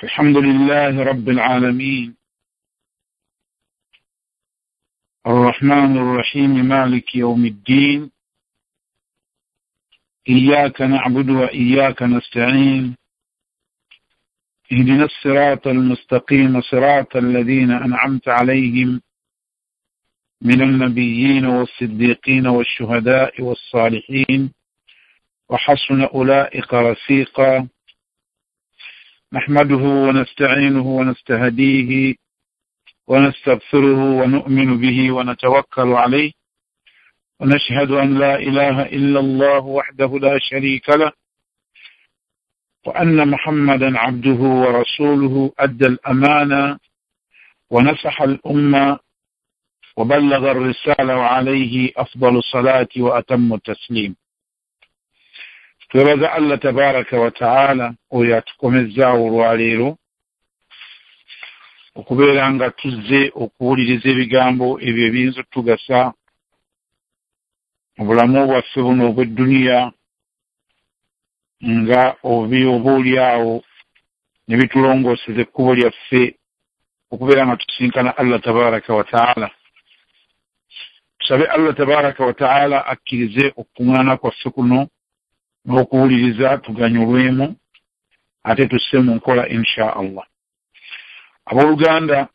الحمد لله رب العالمين الرحمن الرحيم مالك يوم الدين إياك نعبد وإياك نستعين اهدنا الصراط المستقيم صراط الذين أنعمت عليهم من النبيين والصديقين والشهداء والصالحين وحسن أولئك رفيقا. نحمده ونستعينه ونستهديه ونستغفره ونؤمن به ونتوكل عليه ونشهد أن لا إله إلا الله وحده لا شريك له وأن محمدا عبده ورسوله أدى الأمانة ونصح الأمة وبلغ الرسالة وعليه أفضل الصلاة وأتم التسليم. Twebaza Allah tabaraka wa ta'ala oyo atukomezaawo olwaleero okubeera nga tuzze okuwuliriza ebigambo ebyo ebiyinza otugasa mu bulamu bwaffe buno obw'edduniya nga oba oliawo ne bitulongooseza ekkubo lyaffe okubeera nga tusinkana Allah tabaraka wa ta'ala. Tusabe Allah tabaraka wa ta'ala akkirize okukuŋŋaana kwaffe kuno n'okuwuliriza tuganyulwemu ate tusse mu nkola insha Allah. Abooluganda,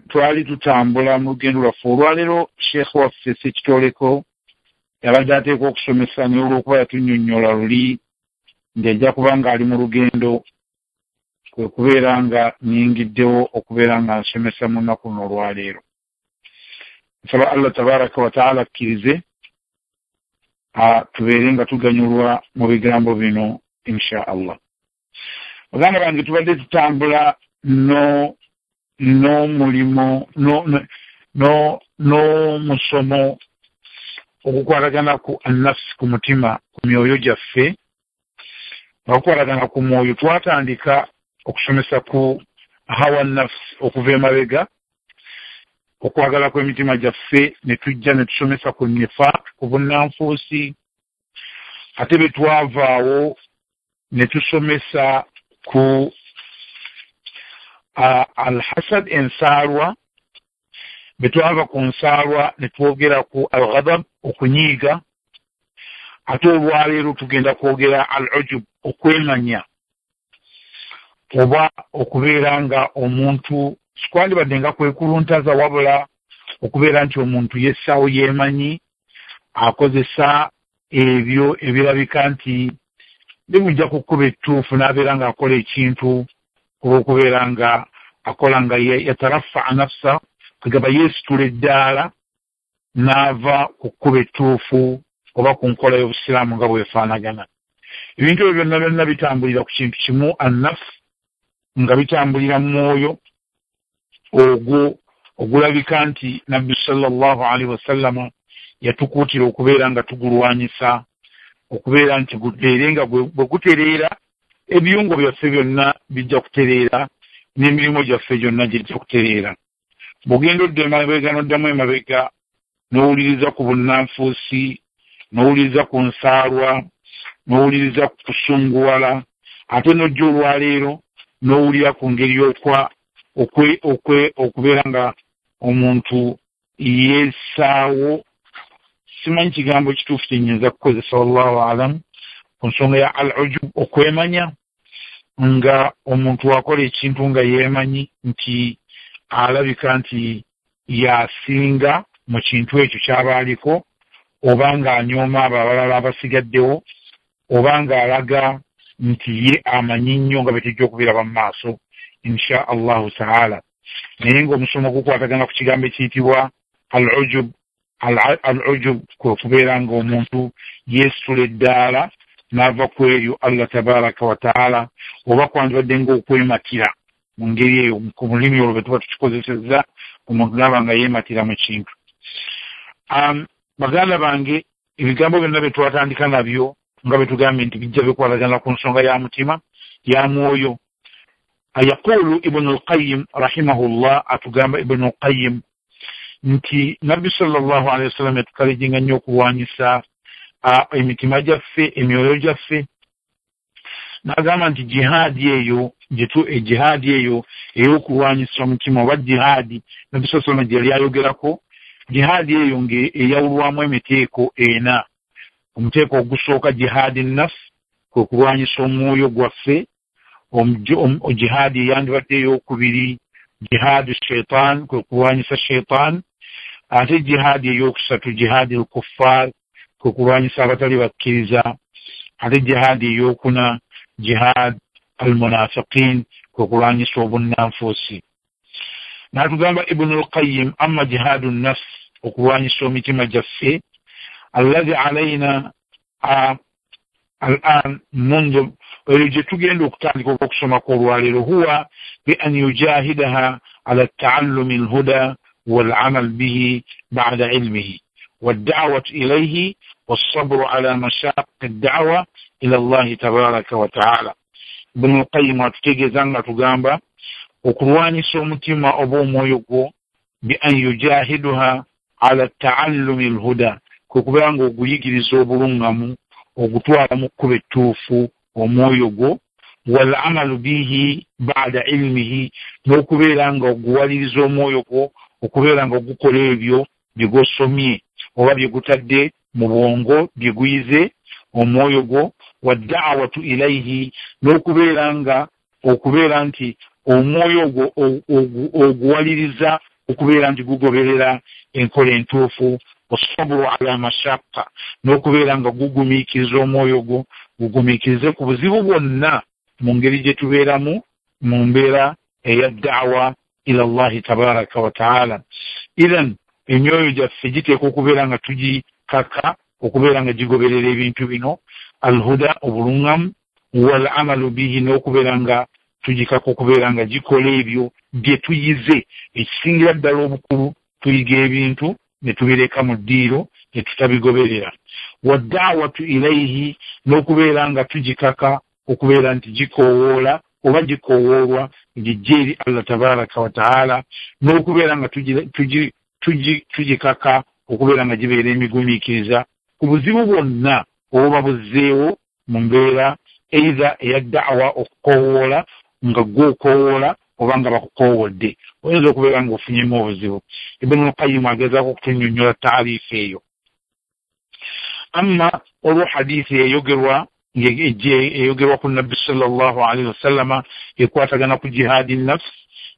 twali tutambula mu lugendo lwaffe olwaleero. Sheekh waffe Ssekitoleko yabadde ateekwa okusomesa, naye olw'okuba yatunnyonnyola luli nti ajja kuba ng'ali mu lugendo, kwe kubeera nga nnyingiddewo okubeera nga nsomesa mu nnaku luno olwaleero. Nsaba Allah tabaraka wa taala akkirize tubeere nga tuganyulwa mu bigambo bino insha Allah. Baganda bange, tubadde tutambula n'omulimu n'omusomo okukwatagana ku annafsi, ku mutima, ku myoyo gyaffe. Nga kukwatagana ku mwoyo, twatandika okusomesa ku hawa nafsi okuva emabega, okwagala kw'emitima gyaffe, ne tujja ne tusomesa ku nifaq, ku bunnanfuusi. Ate bwe twavaawo ne tusomesa ku alhasad, ensaalwa. Bwe twava ku nsaalwa ne twogera ku alghadab, okunyiiga. Ate olwaleero tugenda kwogera al ujub, okwemanya oba okubeera nga omuntu sikwandibadde nga kwekuluntaza, wabula okubeera nti omuntu yessaawo, yeemanyi, akozesa ebyo ebirabika nti bimujja ku kkuba ettuufu n'abeera ng'akola ekintu olw'okubeera nga akola nga yatarafaa nafsa, kagaba yeesitula eddaala n'ava ku kkuba ettuufu oba ku nkola y'obusiraamu nga bwefaanagana. Ebintu ebyo byonna byonna bitambulira ku kintu kimu, annafsi, nga bitambulira mu mwoyo ogwo ogulabika nti Nabbi sallallahu alaihi wasallama yatukuutira okubeera nga tugulwanyisa, okubeera nti guteere nga bwe gutereera ebiyungo byaffe byonna bijja kutereera n'emirimu gyaffe gyonna gijja kutereera. Bw'ogenda odda emabega n'oddamu emabega n'owuliriza ku bunnanfuusi, n'owuliriza ku nsaalwa, n'owuliriza ku kusunguwala, ate n'ojja olwaleero n'owulira ku ngeri y'okwa okubeera nga omuntu yeessaawo. Simanyi kigambo kituufu kyenyinza kukozesa, wallahu alam, ku nsonga ya al ujub, okwemanya, nga omuntu akola ekintu nga yeemanyi nti alabika nti yasinga mu kintu ekyo kyaba aliko, oba ng'anyooma abo abalala abasigaddewo, oba ng'alaga nti ye amanyi nnyo, nga bwe tujja okubiraba mu maaso insha Allahu taala. Naye ng'omusomo gukwatagana ku kigambo ekiyitibwa al ujub. Al ujub kwe kubeera ng'omuntu yeesitula eddaala n'ava ku eryo Allah tabaraka wa taala, oba kwandibadde ng'okwematira mu ngeri eyo, ku lulimi olwo bwe tuba tukikozesezza, omuntu naaba nga yeematira mu kintu. Baganda bange, ebigambo byonna bye twatandika nabyo, nga bwe tugambye nti bijja bikwatagana ku nsonga ya mutima, ya mwoyo. Yaqulu Ibnu Lqayim rahimahullah, atugamba Ibnu Lqayim nti Nabbi sallallahu alehi wasallam yatukalejinga nnyo okulwanyisa emitima gyaffe, emyoyo gyaffe. N'agamba nti jihaadi eyo jihaadi eyo ey'okulwanyisa omutima oba jihaadi Nabbi sallallahu alayhi wasallam gye yali ayogerako, jihaadi eyo ng'eyawulwamu emiteeko ena. Omuteeko ogusooka jihaadi nafs, kwe kulwanyisa omwoyo gwaffe. Jihaadi eyandibadde ey'okubiri jihaadi shaitan, kwe kulwanyisa shaitan. Ate jihaadi ey'okusatu jihaadi al-kuffar, kwe kulwanyisa abatali bakkiriza. Ate jihaadi ey'okuna jihaad al-munafiqin, kwe kulwanyisa obunnanfuusi. N'atugamba Ibn al-Qayyim, amma jihaadu nafs, okulwanyisa emitima gyaffe, alladhi alayna al'an mundu, eyo gye tugenda okutandika okusomako olwaleero, huwa bi an yujahidaha ala taallumi alhuda والعمل به بعد علمه والدعوة إليه والصبر على مشاق الدعوة إلى الله تبارك وتعالى. Ibn al-Qayyim atutegeeza nga tugamba okulwanyisa omutima oba omwoyo gwo bi an yujahiduha ala taallumi alhuda, kwe kubeera nga oguyigiriza obulungamu, ogutwala mu kkubo ettuufu omwoyo gwo, wal amalu bihi ba'da ilmihi, n'okubeera nga oguwaliriza omwoyo gwo okubeera nga ogukola ebyo bye gwosomye oba bye gutadde mu bwongo bye guyize omwoyo gwo, wadda'watu ilayhi, n'okubeera nga okubeera nti omwoyo gwo oguwaliriza okubeera nti gugoberera enkola entuufu, wasabru ala mashaqqa, n'okubeera nga gugumiikiriza omwoyo gwo, gugumiikirize ku buzibu bwonna mu ngeri gye tubeeramu mu mbeera eya da'wa ila Allahi tabaraka wa ta'ala. Idhan emyoyo gyaffe giteekwa okubeera nga tugikaka okubeera nga gigoberera ebintu bino, alhuda, obulungamu, wal amalu bihi, n'okubeera nga tugikaka okubeera nga gikola ebyo bye tuyize. Ekisingira ddala obukulu, tuyiga ebintu ne tubireka mu ddiiro ne tutabigoberera. Wadda'watu ilayhi, n'okubeera nga tugikaka okubeera nti gikoowoola oba gikoowoolwa gijje eri Allah tabaraka wa ta'ala, n'okubeera nga tugikaka okubeera nga gibeera emigumiikiriza ku buzibu bwonna obuba buzzeewo mu mbeera either eya da'wa, okukoowoola nga gwe okoowoola oba nga bakukoowodde, oyinza okubeera nga ofunyemu obuzibu. Ibn al-Qayyim agezaako okutunnyonnyola taariifu eyo. Amma olwo hadiisi eyogerwa eyogerwa ku Nabbi sallallahu alaihi wasallama ekwatagana ku jihaadi nafs,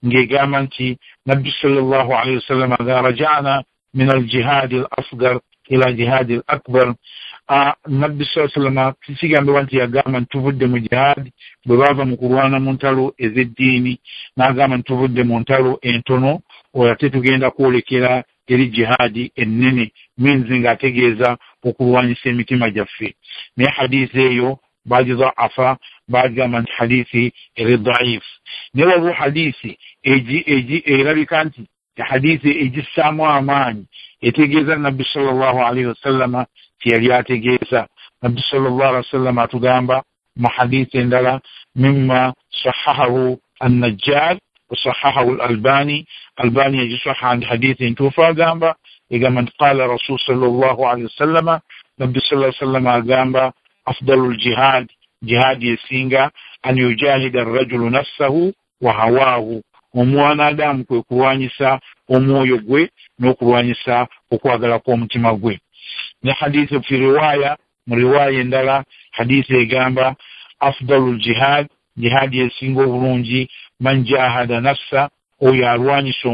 ng'egamba nti Nabbi sallallahu alaihi wasallama idha raja'na min al-jihaadi al-asghar ila jihaadi al-akbar. Nabbi sallallahu alaihi wasallama kigambibwa nti yagamba nti tuvudde mu jihaadi bwe baava mu kulwana mu ntalo ez'eddiini, n'agamba nti tuvudde mu ntalo entono oyo ate tugenda kwolekera eri jihaadi ennene, means ng'ategeeza okulwanyisa emitima gyaffe. Naye hadiisi eyo bagidhaafa, bagamba nti hadiisi eri dhaifu. Naye waliwo hadiisi erabika nti hadiisi egissaamu amaanyi etegeeza Nabbi sallallahu alaihi wasallama kyeyali ategeeza. Nabbi sallallahu alaihi wasallama atugamba mu hadiisi endala, mimma sahahahu an-Najjar وصححه الألباني، ألباني يصحح عند حديث توفى gamba egamba nti qala rasul sallallahu alaihi wasallama, Nabbi sallallahu alaihi wasallama agamba afdalul jihad, jihadi esinga, an yujahida arrajulu nafsahu wa hawahu, omwana Adamu kwe kulwanyisa omwoyo gwe n'okulwanyisa okwagala kw'omutima gwe. Ne hadithi fi riwaya, mu riwaya endala hadithi egamba afdalul jihad, jihadi esinga obulungi, man jahada nafsa, oyo alwanyisa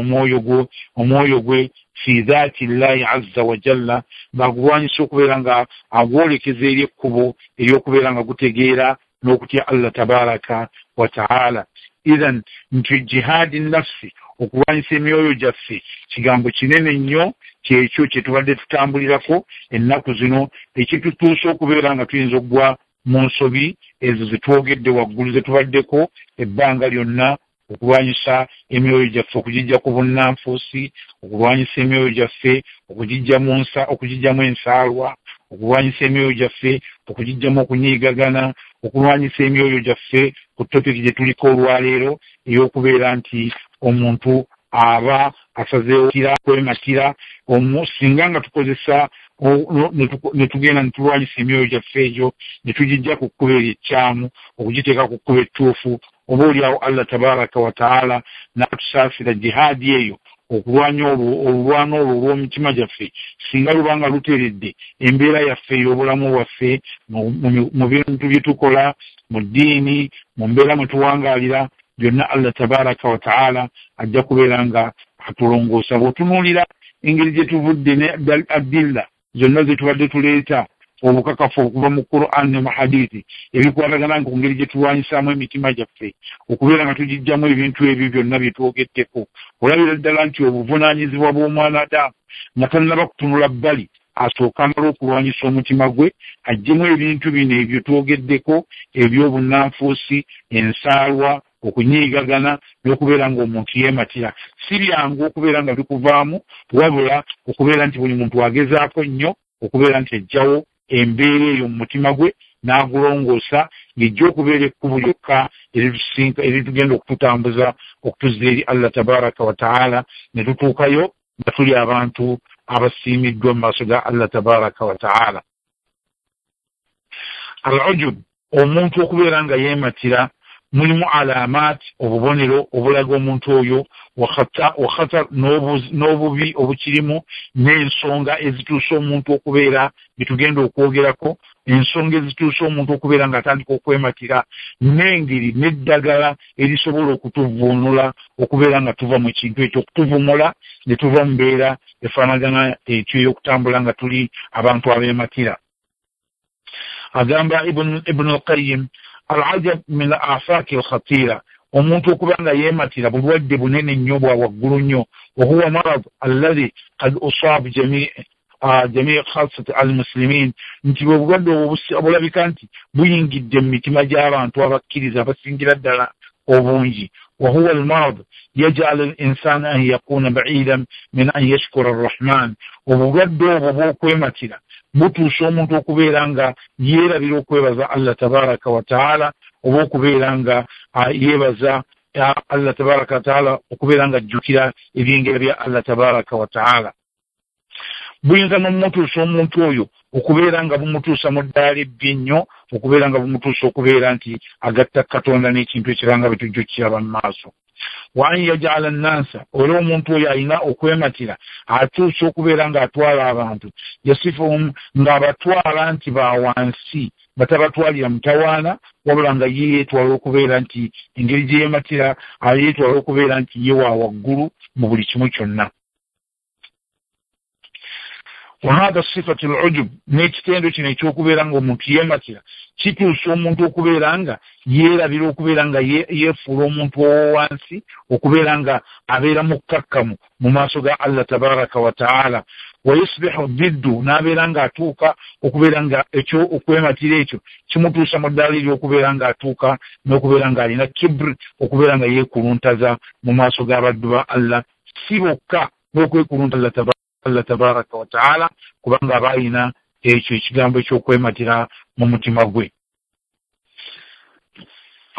omwoyo gwe fi dhati llahi azza wa jalla, ng'agulwanyisa okubeera nga agwolekeza eri ekkubo ery'okubeera nga gutegeera n'okutya Allah tabaraka wa ta'ala. Idhan nti jihaadi nafsi, okulwanyisa emyoyo gyaffe, kigambo kinene nnyo, kyekyo kye tubadde tutambulirako ennaku zino, ekitutuusa okubeera nga tuyinza okugwa mu nsobi ezo zetwogedde waggulu ze tubaddeko ebbanga lyonna, okulwanyisa emyoyo gyaffe okugijja ku bunnanfuusi, okulwanyisa emyoyo gyaffe okugijjamu ensaalwa, okulwanyisa emyoyo gyaffe okugijjamu okunyiigagana, okulwanyisa emyoyo gyaffe ku topiki gye tuliko olwaleero ey'okubeera nti omuntu aba asazeewo kwematira. Singa nga tukozesa Ne tugenda ne tulwanyisa emyoyo gyaffe egyo, ne tugijja ku kkubo eryo ekkyamu okugiteeka ku kkubo ettuufu. Oba oliawo Allah tabaraka wa taala n'atusaasira jihaadi eyo, okulwanya olwo olulwana olwo olw'omitima gyaffe, singa luba nga luteredde embeera yaffe ey'obulamu bwaffe mu bintu bye tukola, mu ddiini, mu mbeera mwe tuwangaalira byonna, Allah tabaraka wa taala ajja kubeera nga atulongoosa. Bw'otunuulira engeri gye tuvudde ne adilla zonna ze tubadde tuleeta obukakafu okuva mu Quran ne mu hadithi ebikwatagana ku ngeri gye tulwanyisaamu emitima gyaffe okubeera nga tugijjamu ebintu ebyo byonna bye twogeddeko, olabira ddala nti obuvunaanyizibwa bw'omwana Adamu nga tannaba kutunula bbali asooka amala okulwanyisa omutima gwe, aggyemu ebintu bino ebyo twogeddeko eby'obunnanfuusi, ensaalwa, okunyiigagana n'okubeera ng'omuntu yeematira. Si byangu okubeera nga bikuvaamu, wabula okubeera nti buli muntu agezaako nnyo okubeera nti ajjawo embeera eyo mu mutima gwe n'agulongoosa, ng'ejja okubeera ekkubo lyokka eritugenda okututambuza okutuzza eri Allah tabaraka wa taala, ne tutuukayo nga tuli abantu abasiimiddwa mu maaso ga Allah tabaraka wa taala. Al-ujub, omuntu okubeera nga yeematira, mulimu alaamaat, obubonero obulaga omuntu oyo, wa khatar, n'obubi obukirimu, n'ensonga ezituusa omuntu okubeera bitugenda okwogerako, ensonga ezituusa omuntu okubeera ng'atandika okwematira, n'engeri n'eddagala erisobola okutuvuunula okubeera nga tuva mu kintu ekyo, okutuvumula ne tuva mu mbeera efaanagana ekyo ey'okutambula nga tuli abantu abeematira. Agamba Ibn al-Qayyim, al-ajab min al-afaki al-khatira, omuntu okuba nga yeematira bulwadde bunene nnyo bwa waggulu nnyo. Wahuwa marad alladhi qad usab jami khasat al-muslimin, nti bwe bulwadde obwo obulabika nti buyingidde mu mitima gy'abantu abakkiriza abasingira ddala obungi. Wahuwa al-marad yaj'al al-insana an yakuna ba'idan min an yashkura ar-rahman, obulwadde obwo bw'okwematira butuusa omuntu okubeera nga yeerabira okwebaza Allah tabaraka wa taala, oba okubeera nga yeebaza Allah tabaraka wa taala, okubeera nga ajjukira ebyengera bya Allah tabaraka wa taala. Buyinza n'omutuusa omuntu oyo okubeera nga bumutuusa mu ddaala ebbi ennyo, okubeera nga bumutuusa okubeera nti agatta Katonda n'ekintu ekirala nga bwe tujja okukiraba mu maaso. Wa an yaj'ala nnansa, era omuntu oyo alina okwematira atuusa okubeera ng'atwala abantu, yasifuhum, ng'abatwala nti ba wansi, batabatwalira mutawaana, wabula nga ye yeetwala okubeera nti engeri gye yeematira yeetwala okubeera nti ye wa waggulu mu buli kimu kyonna. Wahada sifatu al-ujub, n'ekitendo kino ekyokubeera ng'omuntu yeematira kituusa omuntu okubeera nga yeerabira okubeera nga yeefuula omuntu owowansi, okubeera nga abeera mukkakkamu mu maaso ga Allah tabaraka wa taala. Wa yusbihu diddu, n'abeera ng'atuuka okubeera nga ekyo okwematira ekyo kimutuusa mu ddaala ery'okubeera ng'atuuka n'okubeera ng'alina kibri, okubeera nga yeekuluntaza mu maaso g'abaddu ba Allah, si bokka n'okwekuluntaza Allah tabaraka wa taala, kubanga aba alina ekyo ekigambo eky'okwematira mu mutima gwe.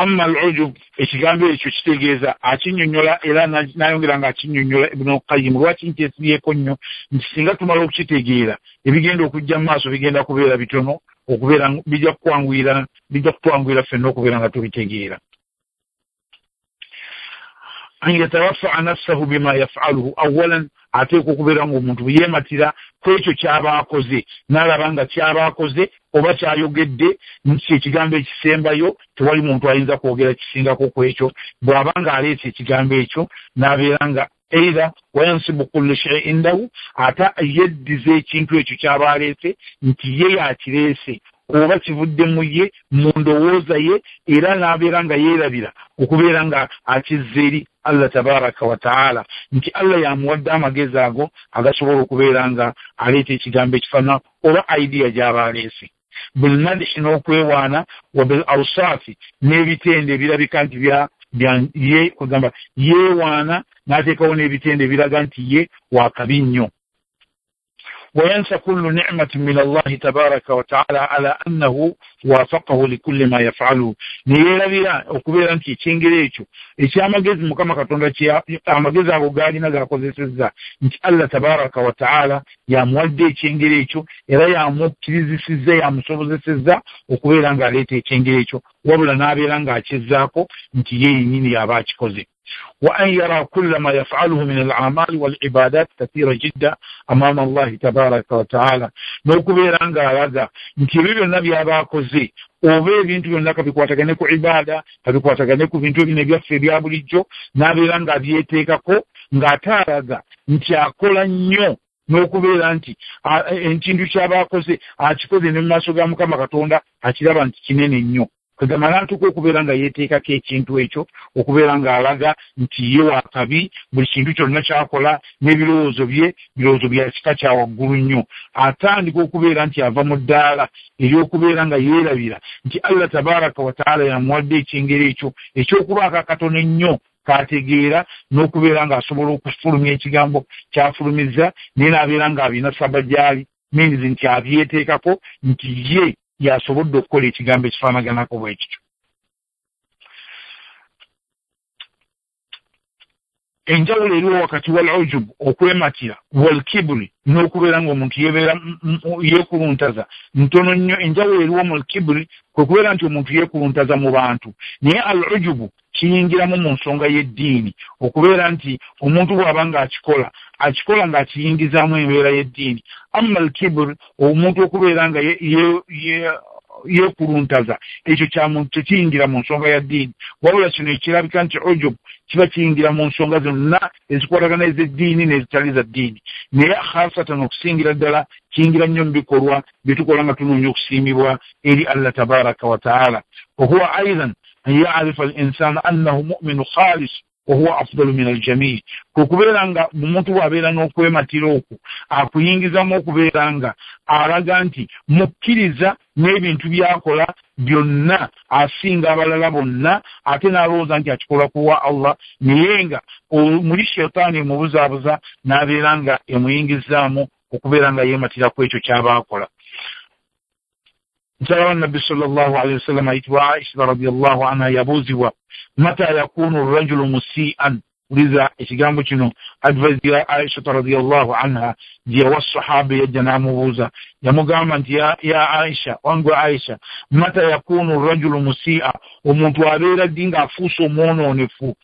Amma al-ujub, ekigambo ekyo kitegeeza akinnyonnyola era n'ayongera ng'akinnyonnyola Ibn al-Qayyim. Lwaki nkyesibyeko nnyo nti singa tumala okukitegeera ebigenda okujja mu maaso bigenda kubeera bitono, okubeera bijja kukwanguyira, bijja kutwanguyira ffenna okubeera nga tubitegeera. An yatarafa'a nafsahu bima yaf'aluhu awalan, ateekwa okubeera ng'omuntu bwe yeematira ku ekyo ky'aba akoze, n'alaba nga ky'aba akoze oba ky'ayogedde nti ekigambo ekisembayo tewali muntu ayinza kwogera kisingako ku ekyo. Bw'aba ng'aleese ekigambo ekyo n'abeera nga either wayansibu kullu shay'in indahu, ate yeddiza ekintu ekyo ky'aba aleese nti ye yakireese oba kivudde mu ye mu ndowooza ye, era n'abeera nga yeerabira okubeera nga akizza eri Allah tabaraka wa taala, nti Allah yamuwadde amagezi ago agasobola okubeera nga aleeta ekigambo ekifaanana oba idea gy'aba aleese. Bilmadihi, n'okwewaana, wa bil awsaafi, n'ebitendo ebirabika nti bya ye, kugamba yeewaana n'ateekawo n'ebitendo ebiraga nti ye wakabi nnyo. Wayansa kullu ni'matin min Allahi tabaraka wa ta'ala ala annahu wafaqahu likulli ma yaf'alu, neyeerabira okubeera nti ekyengera ekyo ekyamagezi Mukama Katonda amagezi ago gaalina gakozesezza, nti Allah tabaraka wa ta'ala yamuwadde ekyengera ekyo era yamukkirizisizza, yamusobozesezza okubeera ng'aleeta ekyengera ekyo, wabula n'abeera ng'akizzaako nti ye yennyini yaba akikoze. Wa an yara kulla ma yaf'aluhu min al-a'mali wal-ibadat kathira jidda amama Allahi tabaraka wa ta'ala, n'okubeera ng'alaga nti ebyo byonna by'aba akoze oba ebintu byonna kabikwatagane ku ibada, kabikwatagane ku bintu ebino ebyaffe ebya bulijjo, n'abeera ng'abyeteekako ng'ate alaga nti akola nnyo n'okubeera nti ekintu ky'aba akoze akikoze ne mu maaso ga Mukama Katonda akiraba nti kinene nnyo. Kagamba n'atuuka okubeera nga yeeteekako ekintu ekyo okubeera ng'alaga nti ye wakabi, buli kintu kyonna ky'akola n'ebirowoozo bye birowoozo bya kika kya waggulu nnyo. Atandika okubeera nti ava mu ddaala ery'okubeera nga yeerabira nti Allah tabaraka wa ta'ala yamuwadde ekyengera ekyo eky'okubaako akatono ennyo k'ategeera n'okubeera ng'asobola okufulumya ekigambo ky'afulumizza, naye n'abeera ng'abina saba gy'ali, means nti abyeteekako nti ye yasobodde okukola ekigambo ekifaanaganako bwe kityo. Enjawulo eriwo wakati wal ujub, okwematira, wal kiburi, n'okubeera ng'omuntu yeebeera yeekuluntaza ntono nnyo. Enjawulo eriwo mu kiburi kwe kubeera nti omuntu yeekuluntaza mu bantu, naye al ujubu kiyingiramu mu nsonga y'eddiini, okubeera nti omuntu bw'aba ng'akikola akikola ng'akiyingizaamu embeera y'eddiini. Amma al kiburi, omuntu okubeera nga yeekuluntaza, ekyo kya muntu tekiyingira mu nsonga ya ddiini, wabula kino ekirabika nti ujub kiba kiyingira mu nsonga zonna ezikwatagana ez'eddiini n'ezitali za ddiini, naye khasatan okusingira ddala kiyingira nnyo mu bikolwa bye tukola nga tunoonya okusiimibwa eri Allah tabaraka wa ta'ala. Wa huwa aidan an ya'rifa al-insanu annahu mu'minu khalis wa huwa afdalu min al-jami', kwe kubeera nga omuntu bw'abeera n'okwematira okwo akuyingizamu okubeera nga alaga nti mukkiriza n'ebintu by'akola byonna asinga abalala bonna, ate n'alowooza nti akikola kuwa Allah, naye nga muli shetaani emubuzaabuza n'abeera nga emuyingizaamu okubeera nga yeematira ku ekyo ky'aba akola. Mukyala wa Nabbi sallallahu alaihi wasallam ayitibwa Aisha radiyallahu anha yabuuzibwa mata yakunu rajulu musii'an, uliza ekigambo kino advice ya Aisha radiyallahu anha gye yawa sahaba yajja n'amubuuza, yamugamba nti ya Aisha, wange Aisha, mata yakunu rajulu musii'a, omuntu abeera ddi ng'afuuse omwonoonefu?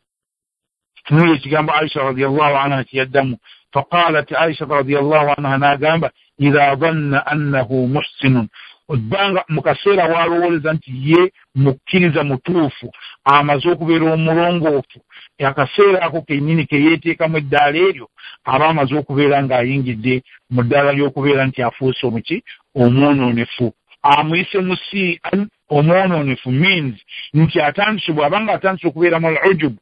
Tunula ekigambo Aisha radiyallahu anha kyeyaddamu. Faqalat Aisha radiyallahu anha n'agamba idha dhanna annahu muhsinun, ebbanga mu kaseera w'alowooleza nti ye mukkiriza mutuufu, amaze okubeera omulongoofu, akaseera ako kennyini ke yeeteekamu eddaala eryo aba amaze okubeera ng'ayingidde mu ddaala ly'okubeera nti afuuse omuki omwonoonefu. Amuyise musii'an, omwonoonefu means nti atandise, bw'aba ng'atandise okubeera mu al-ujub,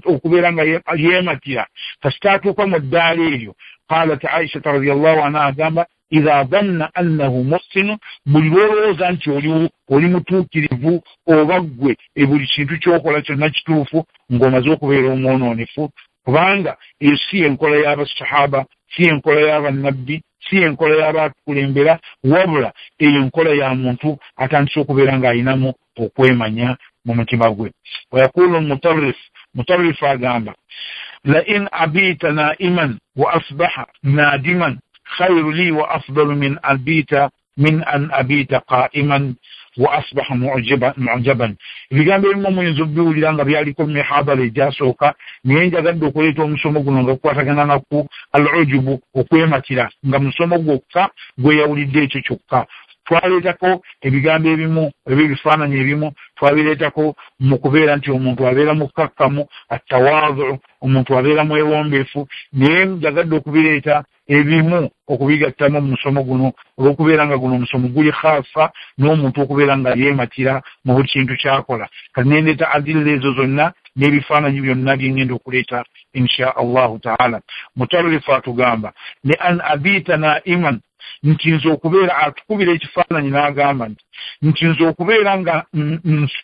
okubeera nga yeematira, kasita atuuka mu ddaala eryo. Qalat Aisha radiyallahu anha agamba idha dhanna annahu muhsinu, buli lw'olowooza nti oli mutuukirivu oba ggwe buli kintu ky'okola kyonna kituufu, ng'omaze okubeera omwonoonefu, kubanga eyo si enkola y'abasahaba, si enkola y'abannabbi, si enkola y'abatukulembera, wabula eyo enkola ya muntu atandise okubeera ng'ayinamu okwemanya mu mutima gwe. Wayaqulu Mutarrif, Mutarrif agamba la in abita naiman wa asbaha nadiman khayru li wa afdalu min abita min an abita qa'iman wa asbaha mu'jaban. Ebigambo ebimu muyinza okubiwulira nga byaliko mu mihadara egyasooka, naye njagadde okuleeta omusomo guno nga gukwatagana naku al-ujubu, okwematira, nga musomo gwokka gweyawulidde ekyo kyokka. Twaleetako ebigambo ebimu oba ebifaananyi ebimu twabireetako mu kubeera nti omuntu abeera mukkakkamu, attawaadhu, omuntu abeera mwewombeefu, naye njagadde okubireeta ebimu okubigattamu mu musomo guno olw'okubeera nga guno omusomo guli khaasa n'omuntu okubeera nga yeematira mu buli kintu ky'akola. Kati nendeeta adilla ezo zonna n'ebifaananyi byonna bye ngenda okuleeta insha Allahu taala. Mutarrifu atugamba li an abita naiman, nti nze okubeera, atukubira ekifaananyi n'agamba nti nze okubeera nga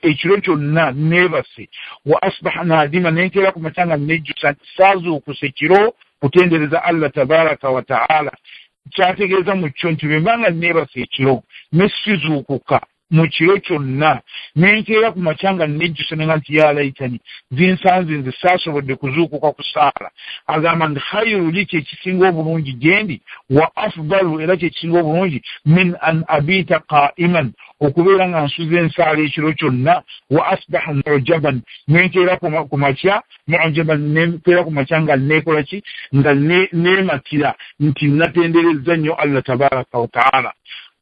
ekiro kyonna neebase, wa asbaha nadima, nenkeera ku makya nga nejjusa nti saazuukuse kiro kutendereza Allah tabaraka wa taala, Kyategeeza mu kyo nti bwe mbanga neebase ekiro ne sizuukuka mu kiro kyonna nenkeera ku makya nga nejjusa nenga nti ya laitani zinsanze nze saasobodde kuzuukuka kusaala. Agamba nti khairu li, kyekisinga obulungi gyendi, wa afdalu, era kyekisinga obulungi, min an abita qaiman, okubeera nga nsuze ensaala ekiro kyonna, wa asbaha mujaban, nenkeera ku makya mujaban, nenkeera ku makya nga neekola ki, nga neematira nti natenderezza nnyo Allah tabaraka wa taala.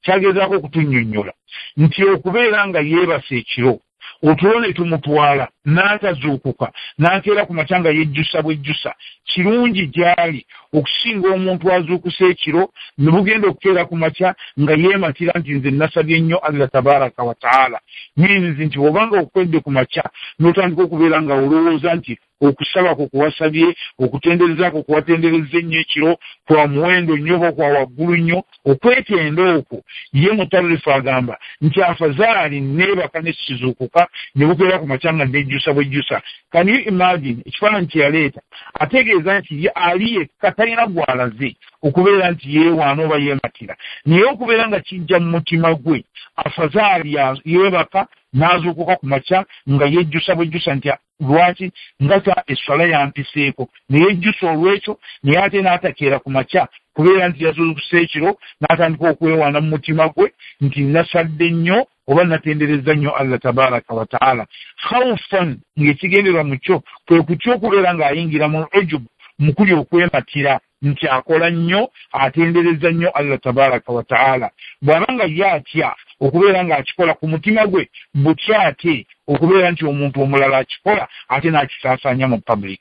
Kyagezaako okutunnyonnyola nti okubeera nga yeebase ekiro otulo ne tumutwala n'atazuukuka n'akeera ku makya nga yejjusa bwejjusa kirungi gy'ali okusinga omuntu azuukuse ekiro ne bugenda okukeera ku makya nga yeematira nti nze nasabye nnyo Allah tabaraka wa taala. Means nti bw'obanga okwedde ku makya n'otandika okubeera nga olowooza nti okusaba kwo kuwasabye, okutendereza kwo kuwatendereza ennyo ekiro kwa muwendo nnyo oba kwa waggulu nnyo, okwetenda okwo ye Mutarrifu agamba nti afazaali neebaka ne sizuukuka ne bukeera ku makya nga nejjusa bwejjusa. Can you imagine ekifaananyi kye yaleeta? Ategeeza nti ye ali yekka talina gw'alaze okubeera nti yeewaana oba yeematira, naye okubeera nga kijja mu mutima gwe afazaali yeebaka n'azuukuka ku makya nga yejjusa bwejjusa nti lwaki nga esswala yampiseeko, ne yejjusa olw'ekyo, naye ate n'atakeera ku makya kubeera nti yazuukuse ekiro n'atandika okwewaana mu mutima gwe nti nasadde nnyo oba natendereza nnyo Allah tabaraka wa taala. Khawfan, ng'ekigendererwa mu kyo kwe kutya okubeera ng'ayingira mu ujubu, mu kuli okwematira nti akola nnyo atendereza nnyo Allah tabaraka wa taala. Bw'aba nga ye atya okubeera ng'akikola ku mutima gwe, butya ate okubeera nti omuntu omulala akikola ate n'akisaasaanya mu public.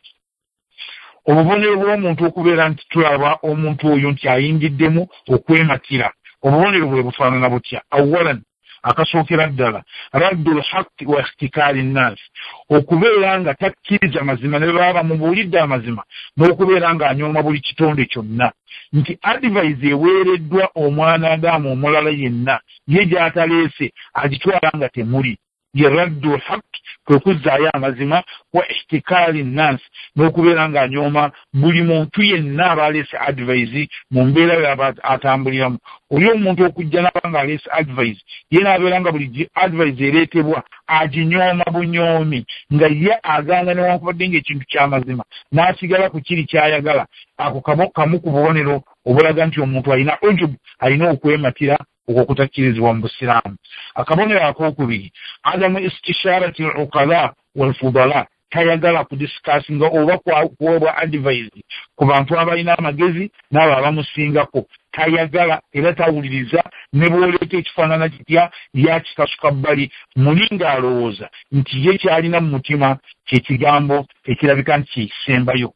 Obubonero bw'omuntu okubeera nti tulaba omuntu oyo nti ayingiddemu okwematira, obubonero bwe bufaanana butya? Awalan, akasookera ddala, raddul haqqi wa ihtikaari nnaasi, okubeera nga takkiriza mazima ne baba bamubuulidde amazima, n'okubeera ng'anyooma buli kitonde kyonna. Nti advice eweereddwa omwana Adamu omulala yenna ye gy'ataleese agitwala nga temuli. Ye raddul haqqi, kwe kuzzaayo amazima, wa ihtikaari nnaasi, n'okubeera ng'anyooma buli muntu yenna aba aleese advice mu mbeera y'aba atambuliramu. Oli omuntu okujja n'aba ng'aleese advice, ye n'abeera nga buli advice ereetebwa aginyooma bunyoomi, nga ye agaana newankubadde ng'ekintu ky'amazima n'asigala ku kiri ky'ayagala. Ako kamu ku bubonero obulaga nti omuntu alina ujubu, alina okwematira okwo okutakkirizibwa mu Busiraamu. Akabonero akookubiri, adamu istisharati al-uqala wal-fudala, tayagala kudiscussinga oba kuweebwa advice ku bantu abalina amagezi n'abo abamusingako. Tayagala era tawuliriza ne bw'oleeta ekifaanana kitya yakikasuka bbali, muli ng'alowooza nti ye ky'alina mu mutima kye kigambo ekirabika nti kyekisembayo.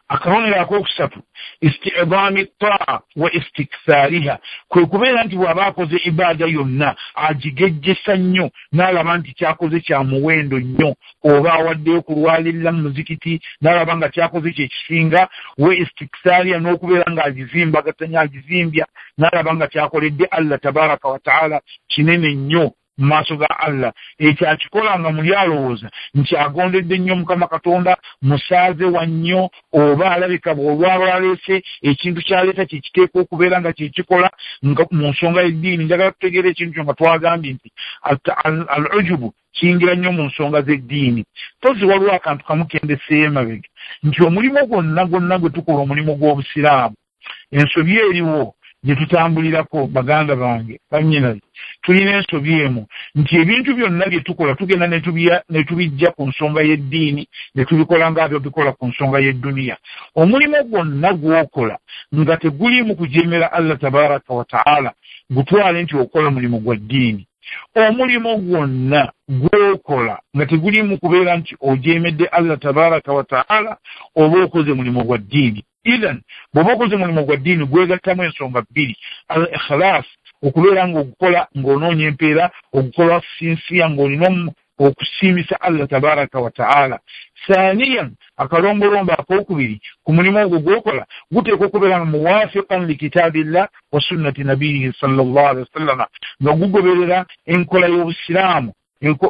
Akabonero akookusatu, istidaami taa wa istiksaariha, kwe kubeera nti bw'aba akoze ibaada yonna agigejjesa nnyo n'alaba nti kyakoze kya muwendo nnyo, oba awaddeyo kulwalirira mu muzikiti n'alaba nga kyakoze kye kisinga, we istiksaariha, n'okubeera ng'agizimbagatanya agizimbya n'alaba nga kyakoledde Allah tabaraka wa taala kinene nnyo mu maaso ga Allah. Ekyo akikola nga muli alowooza nti agondedde nnyo Mukama Katonda, musaaze wa nnyo, oba alabika bw'olwaba aleese ekintu ky'aleeta kye kiteekwa okubeera nga kye kikola nga mu nsonga y'eddiini. Njagala tutegeera ekintu kyo nga twagambye nti al-ujubu kiyingira nnyo mu nsonga z'eddiini. Tozi waliwo akantu kamu kendeseeyo emabega nti omulimu gwonna gwonna gwe tukola, omulimu gw'Obusiraamu, ensobi eriwo gye tutambulirako baganda bange bannyinaze, tulina ensobi emu nti ebintu byonna bye tukola tugenda ne tubijja ku nsonga y'eddiini ne tubikola nga bikola ku nsonga y'edduniya. Omulimu gwonna gw'okola nga teguliimu kujeemera Allah tabaraka wa taala, gutwale nti okola mulimu gwa ddiini. Omulimu gwonna gw'okola nga teguliimu kubeera nti ojeemedde Allah tabaraka wa taala, oba okoze mulimu gwa ddiini. Idhan bw'oba okoze mulimu gwa ddiini gwegattamu ensonga bbiri: al ikhlaas, okubeera ng'ogukola ng'onoonya empeera, ogukola sinsiya ng'olina okusiimisa Allah tabaraka wa taala. Thaniyan, akalombolombo akookubiri ku mulimu ogwo gw'okola guteekwa okubeera nga muwafiqan likitaabillah wa sunnati nabiyihi sallallahu alaihi wasallama, nga gugoberera enkola y'Obusiraamu.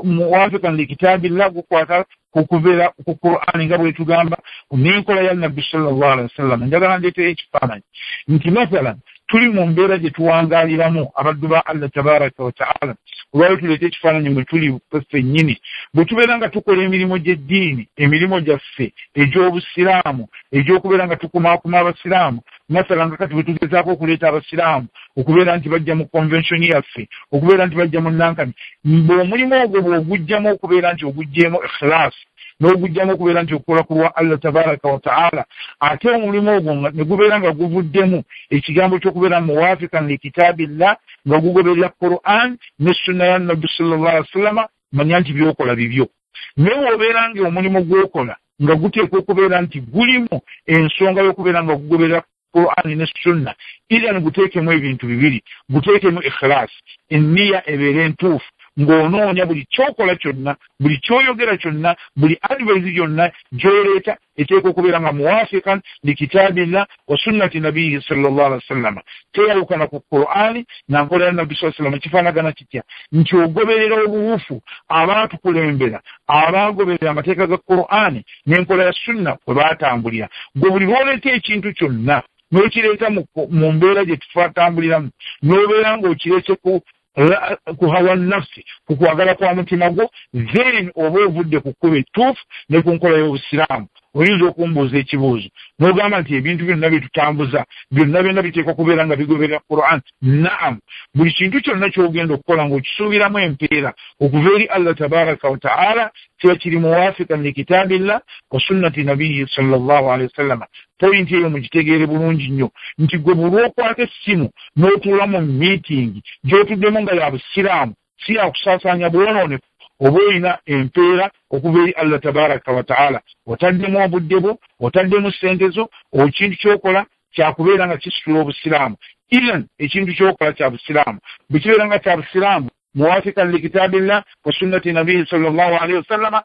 Muwafiqan likitaabillah gukwata Kukubeera ku Qur'ani nga bwetugamba n'enkola ya Nabbi sallallahu alaihi wasallam. Njagala ndeeteyo ekifaananyi nti mathalan tuli mu mbeera gye tuwangaaliramu abaddu ba Allah tabaraka wa taala. Olwali tuleete ekifaananyi mwe tuli ffennyini, bwe tubeera nga tukola emirimu gy'eddiini, emirimu gyaffe egy'obusiraamu, egy'okubeera nga tukumaakuma abasiraamu, mathalan nga kati bwe tugezaako okuleeta abasiraamu okubeera nti bajja mu convention yaffe, okubeera nti bajja mu nankani, bw'omulimu ogwo bw'ogujjamu okubeera nti oguggyeemu ikhlaasi n'ogujjamu okubeera nti okukola ku lwa Allah tabaraka wa taala, ate omulimu ogwo ne gubeera nga guvuddemu ekigambo ky'okubeera muwafikan likitaabillah, nga gugoberera Qur'an ne sunna ya Nabbi sallallahu alaihi wasallam, manya nti by'okola bibyo. Naye w'obeera nga omulimu gw'okola nga guteekwa okubeera nti gulimu ensonga y'okubeera nga gugoberera Qur'an ne sunna, era guteekemu ebintu bibiri, guteekemu ikhlaas, enniya ebeere entuufu, ng'onoonya buli kyokola kyonna, buli kyoyogera kyonna, buli advice yonna gy'oleeta eteekwa okubeera nga muwafikan likitaabillah wa sunnati nabiyihi sallallahu alaihi wasallam. Teyawukana ku Qur'ani na nkola ya Nabbi sallallahu alaihi wasallam. Kifaanagana kitya? Nti ogoberera obuwufu abaatukulembera, abaagoberera amateeka ga Qur'ani n'enkola ya sunna kwe baatambulira. Gwe buli lw'oleeta ekintu kyonna n'okireeta mu mbeera gye tufatambuliramu, n'obeera ng'okireese ku hawa nafsi, ku kwagala kwa mutima gwo, then oba ovudde ku kkubo ettuufu ne ku nkola y'obusiraamu. Oyinza okumbuuza ekibuuzo n'ogamba nti ebintu byonna bye tutambuza byonna byonna biteekwa kubeera nga bigoberera Qur'an. Naam, buli kintu kyonna ky'ogenda okukola ng'okisuubiramu empeera okuva eri Allah tabaraka wa taala kiba kiri muwafikan likitaabillah wa sunnati nabiyi sallallahu alaihi wasallam. Pointi eyo mugitegeere bulungi nnyo nti gwe buli lw'okwata essimu n'otuula mu miitingi gy'otuddemu nga ya busiraamu, si ya kusaasaanya bwonoonefu, oba olina empeera okuva eri Allah tabaraka wa taala. Otaddemu obudde bwo, otaddemu ssente zo, ekintu ky'okola kyakubeera nga kisitula obusiraamu. Even ekintu ky'okola kya busiraamu bwe kibeera nga kya busiraamu muwafikan likitaabillah wa sunnati nabiyi sallallahu alaihi wasallama,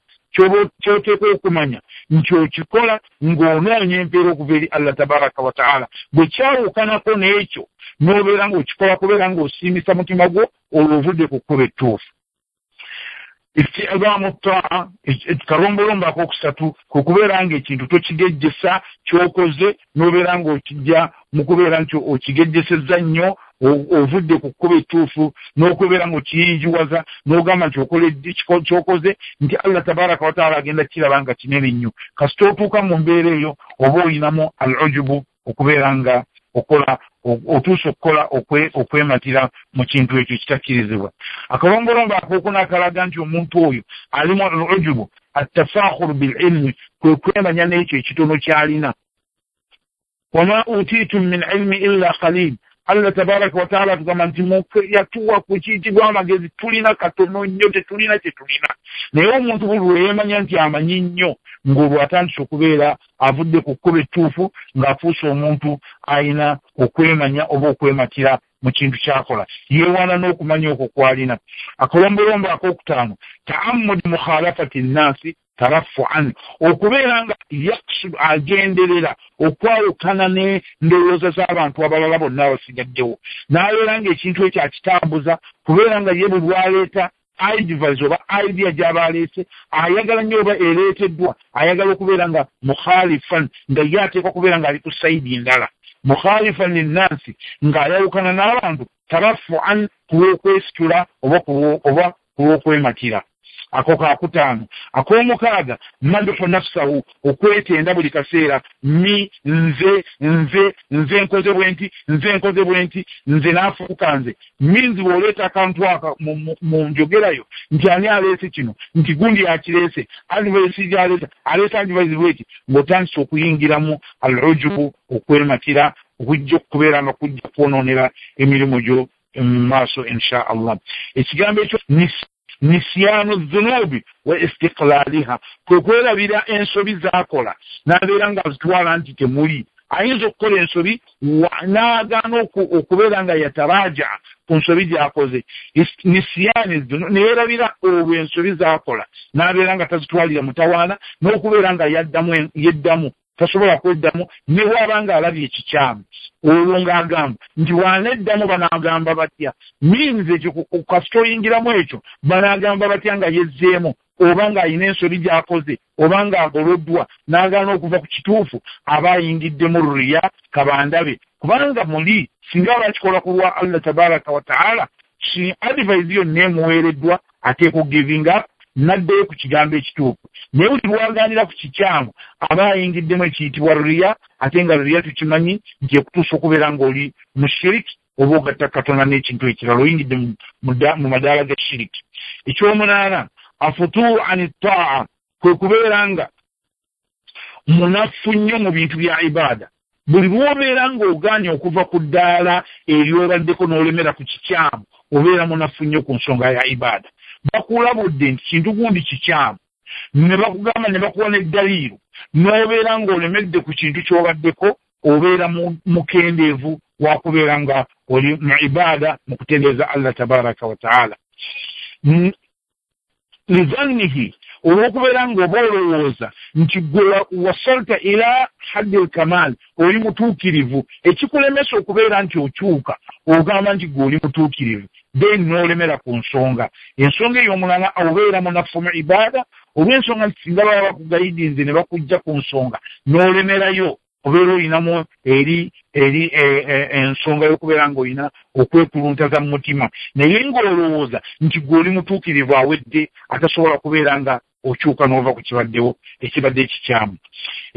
kyoteekwa okumanya nti okikola ng'onoonya empeera okuva eri Allah tabaraka wa taala. Bwe kyawukanako n'ekyo n'obeera ng'okikola kubeera ng'osiimisa mutima gwo, olwo ovudde ku kkubo ettuufu. Istidaamu taa, kalombolombo akokusatu kwe kubeera ng'ekintu tokigejjesa ky'okoze n'obeera ng'okijja mu kubeera nti okigejjesezza nnyo, ovudde ku kkubo ettuufu, n'okubeera ng'okiyinjiwaza n'ogamba nti okola ky'okoze nti Allah tabaraka wa taala agenda kiraba nga kinene nnyo. Kasita otuuka mu mbeera eyo oba olinamu al ujubu, okubeera nga okola otuuse okukola okwematira mu kintu ekyo kitakkirizibwa. Akalombolombo akookuna akalaga nti omuntu oyo alimu al ujubu attafakhuru bil ilmi, kwe kwemanya n'ekyo ekitono ky'alina. Wama utiitum min ilmi illa qalil, Allah tabaraka wa taala tugamba nti yatuwa ku kiyitibwa amagezi, tulina katono nnyo, tetulina kye tulina. Naye omuntu buli lwe yeemanya nti amanyi nnyo, ng'olwo atandise okubeera avudde ku kkubo ettuufu, ng'afuuse omuntu alina okwemanya oba okwematira mu kintu ky'akola, yeewaana n'okumanya okwo kw'alina. Akalombolombo akookutaano, ta'ammudi mukhalafati nnaasi tarafu'an, okubeera nga yaksudu agenderera okwawukana n'endowooza z'abantu abalala bonna abasigaddewo, n'abeera ng'ekintu ekyo akitambuza kubeera nga ye buli lw'aleeta advice oba idea gy'aba aleese ayagala nnyo oba ereeteddwa, ayagala okubeera nga mukhalifan, nga ye ateekwa kubeera ng'ali ku sayidi endala, mukhalifan linnansi, ng'ayawukana n'abantu tarafu'an, ku lw'okwesitula oba ku lw'okwematira. Ako kakutaano. Ak'omukaaga, madhu nafsahu, okwetenda buli kaseera, mi nze nze nze nkoze bwe nti, nze nkoze bwe nti, nze naafuuka nze. Minzi bw'oleeta akantu aka mu njogerayo nti ani aleese kino, nti gundi akireese, advice gy'aleeta, aleeta advice bw'eti, ng'otandise okuyingiramu al ujubu, okwematira, okujja okubeera nga kujja kwonoonera emirimu gyo mu maaso insha Allah. Ekigambo ekyo nisyanu dhunubi wa istiqlaliha, kwe kwerabira ensobi z'akola n'abeera nga azitwala nti temuli. Ayinza okukola ensobi n'agaana okubeera nga yataraja ku nsobi gy'akoze, nisyani neerabira olwo ensobi z'akola n'abeera nga tazitwalira mutawaana, n'okubeera nga yeddamu Tasobola kweddamu ne bw'aba ng'alabye ekikyamu, olwo ng'agamba nti bw'aneddamu banaagamba batya? Means ekyo kasita oyingiramu ekyo, banaagamba batya nga yezzeemu, oba ng'alina ensobi gy'akoze, oba ng'agoloddwa n'agaana okuva ku kituufu, aba ayingiddemu riya kabandabe. Kubanga muli singa aba akikola ku lwa Allah tabaraka wa taala, si advice yonna emuweereddwa ateeka giving up n'addayo ku kigambo ekituufu. Naye buli lw'agaanira ku kikyamu aba ayingiddemu ekiyitibwa riya, ate nga riya tukimanyi nti ekutuusa okubeera ng'oli mu shiriki oba ogatta Katonda n'ekintu ekirala, oyingidde mu madaala ga shiriki. Ekyomunaana, afutuu ani taa, kwe kubeera nga munafu nnyo mu bintu bya ibaada. Buli lw'obeera ng'ogaanye okuva ku ddaala eryobaddeko n'olemera ku kikyamu, obeera munafu nnyo ku nsonga ya ibaada. Bakulabudde nti kintu gundi kikyamu, ne bakugamba ne bakuwa n'eddaliiro, n'obeera ng'olemedde ku kintu ky'obaddeko, obeera mukendeevu wakubeera nga oli mu ibaada mu kutendereza Allah tabaraka wa taala. Lidhannihi, olw'okubeera ng'oba olowooza nti gwe wasalta ila haddi lkamal, oli mutuukirivu, ekikulemesa okubeera nti okyuka ogamba nti gwe oli mutuukirivu, then n'olemera ku nsonga. Ensonga ey'omulala, obeera munafu mu ibaada olw'ensonga nti singa baba bakugayidinze ne bakujja ku nsonga n'olemerayo, obeera olinamu eri ensonga y'okubeera ng'olina okwekuluntaza mu mutima, naye ng'olowooza nti gwe oli mutuukirivu awedde atasobola kubeera nga okyuka n'ova ku kibaddewo ekibadde ekikyamu.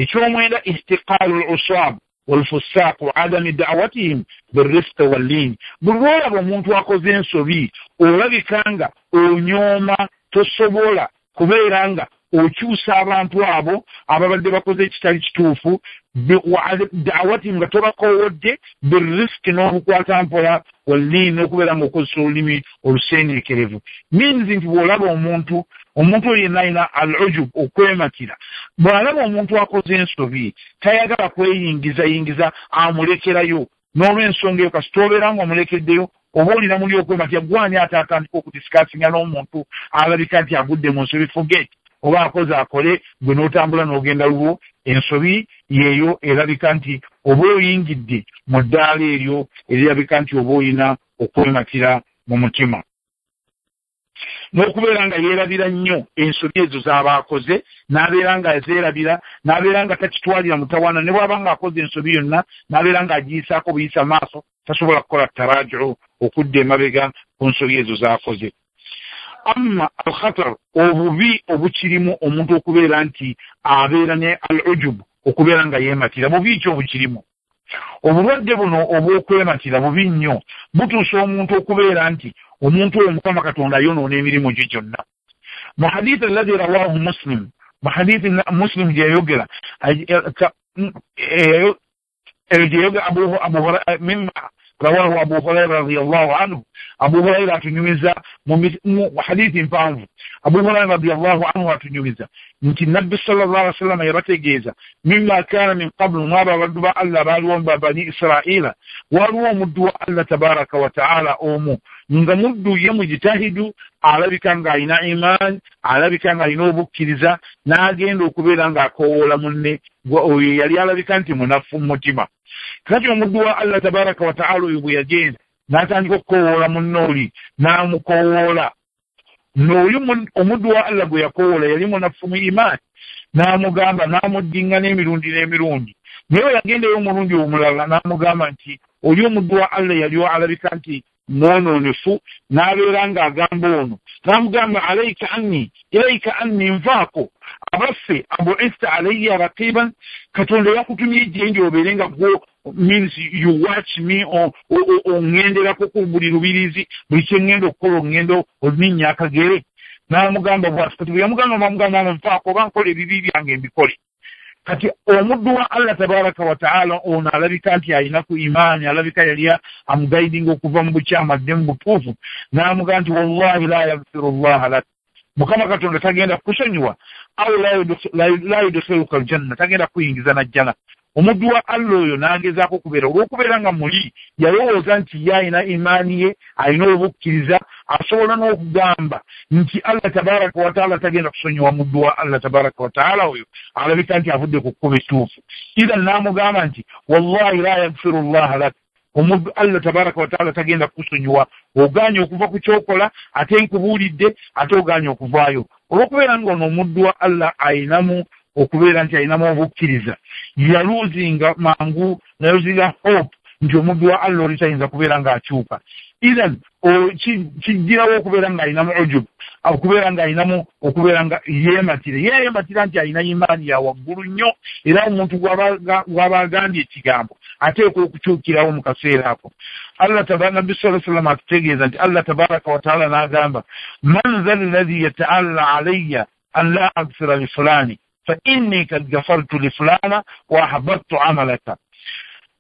Ekyomwenda, ihtiqaalu l usab walfusaaq wa adami da'watihim birifqi wallin. Buli lw'olaba omuntu akoze ensobi olabika nga onyooma, tosobola kubeera nga okyusa abantu abo ababadde bakoze ekitali kituufu, da'watihim nga tobakoowodde, birifqi n'obukwata mpola, wallin n'okubeera ng'okozesa olulimi oluseeneekerevu. Means nti bw'olaba omuntu oyo yenna alina al ujub, okwematira, bw'alaba omuntu akoze ensobi tayagala kweyingizayingiza, amulekerayo. N'olw'ensonga eyo kasita obeera ng'omulekeddeyo, oba olina muli okwematira, gwani ate atandika okudisikasinga n'omuntu alabika nti agudde mu nsobi, forget, oba akoze akole, gwe n'otambula n'ogenda lulwo. Ensobi yeeyo erabika nti oba oyingidde mu ddaala eryo erirabika nti oba olina okwematira mu mutima, n'okubeera nga yeerabira nnyo ensobi ezo z'aba akoze, n'abeera nga azeerabira, n'abeera nga takitwalira mutawaana, ne bw'aba ng'akoze ensobi yonna n'abeera ng'agiyisaako buyisa maaso, tasobola kukola taraju'u okudda emabega ku nsobi ezo z'akoze. Amma al-khatar, obubi obukirimu omuntu okubeera nti abeera ne al-ujub, okubeera nga yeematira, bubi ki obukirimu? Obulwadde buno obw'okwematira bubi nnyo, butuusa omuntu okubeera nti omuntu oyo Mukama Katonda ayonoona emirimu gye gyonna. Mu hadithi alladhi rawahu Muslim, mu hadithi Muslim gye yayogera mimma rawahu Abu Huraira radiyallahu anhu, Abu Huraira atunyumiza mu hadithi mpanvu, Abu Huraira radiyallahu anhu atunyumiza nti Nabbi sallallahu alaihi wasallam yabategeeza mimma kana min qablu, mwaba abaddu ba Allah baaliwo ba bani Israila, waliwo omuddu wa Allah tabaraka wa taala omu nga muddu ye mujitahidu, alabika ng'alina imaani, alabika ng'alina obukkiriza, n'agenda okubeera ng'akoowoola munne oyo yali alabika nti munafu mu mutima. Kati omuddu wa Allah tabaraka wa taala oyo bwe yagenda n'atandika okukoowoola munne oli, n'amukoowoola, n'oyo omuddu wa Allah gwe yakoowoola yali munafu mu imaani, n'amugamba n'amuddingana emirundi n'emirundi. Naye bwe yagendayo omulundi omulala n'amugamba nti oli omuddu wa Allah yali alabika nti mwonoonefu, n'abeera ng'agamba ono, n'amugamba alaika anni, ilaika anni, nvaako, abaffe abuista alayya raqiban, Katonda yakutumye gye ndi obeere nga gwo, means you watch me, oŋŋenderako ku buli lubirizi, buli kye ŋŋenda okukola oŋŋenda olinnya akagere. N'amugamba bw'ati. Kati bwe yamugamba n'amugamba nvaako, oba nkola ebibi byange mbikole. Kati omuddu wa Allah tabaraka wa taala ono alabika nti alina ku imaani, alabika yali amugayidinga okuva mu bukyamu adde mu butuufu, n'amugamba nti wallahi la yaghfiru llaha lak, Mukama Katonda tagenda kukusonyiwa, au la yudkhiluka aljanna, tagenda kuyingiza na jjana. Omuddu wa Allah oyo n'agezaako okubeera, olw'okubeera nga muli yalowooza nti ye alina imaani ye, alina obukkiriza, asobola n'okugamba nti Allah tabaraka wataala tagenda kusonyiwa muddu wa Allah tabaraka wataala oyo alabika nti avudde ku kkubo ettuufu. Idhan n'amugamba nti wallahi la yaghfiru llaha lak, omuddu Allah tabaraka wataala tagenda kukusonyiwa, ogaanye okuva ku kyokola, ate nkubuulidde, ate ogaanye okuvaayo. Olw'okubeera ng'ono omuddu wa Allah ayinamu okubeera nti ayinamu obukkiriza, yaluuzinga mangu, yaluuzinga hope nti omuddu wa Allah oli tayinza kubeera ng'akyuka. Idhan kijjirawo okubeera ng'ayinamu ujub, okubeera ng'ayinamu okubeera nga yeematira, yeematira nti alina imaani ya waggulu nnyo, era omuntu gw'aba agambye ekigambo ateekwa okukyukirawo mu kaseera ako. Allah Nabbi sallallahu alayhi wasallam atutegeeza nti Allah tabaraka wataala n'agamba man dha alladhi yataalla alayya an la aghfira li fulani fa inni kad ghafartu li fulana wa ahbattu amalaka.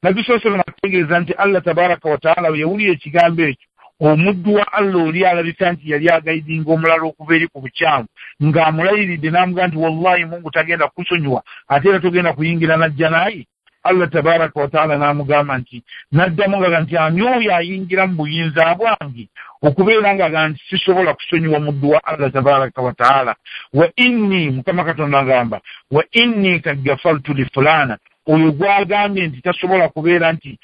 Nabbi sallallahu alayhi wasallam atutegeeza nti Allah tabaraka wataala yawulira ekigambo ekyo, omuddu wa Allah oli alabika nti yali agayidinga omulala okuva eri ku bukyamu, ng'amulayiridde n'amugamba nti wallahi Mungu tagenda kukusonyiwa, ate era togenda kuyingira najja naye. Allah tabaraka wataala n'amugamba nti, n'addamu nga nti ani oyo ayingira mu buyinza bwange okubeera nga nti sisobola kusonyiwa muddu wa Allah tabaraka wataala. Wa inni, Mukama Katonda agamba, wa inni kad ghafartu li fulana, oyo gw'agambye nti tasobola kubeera nti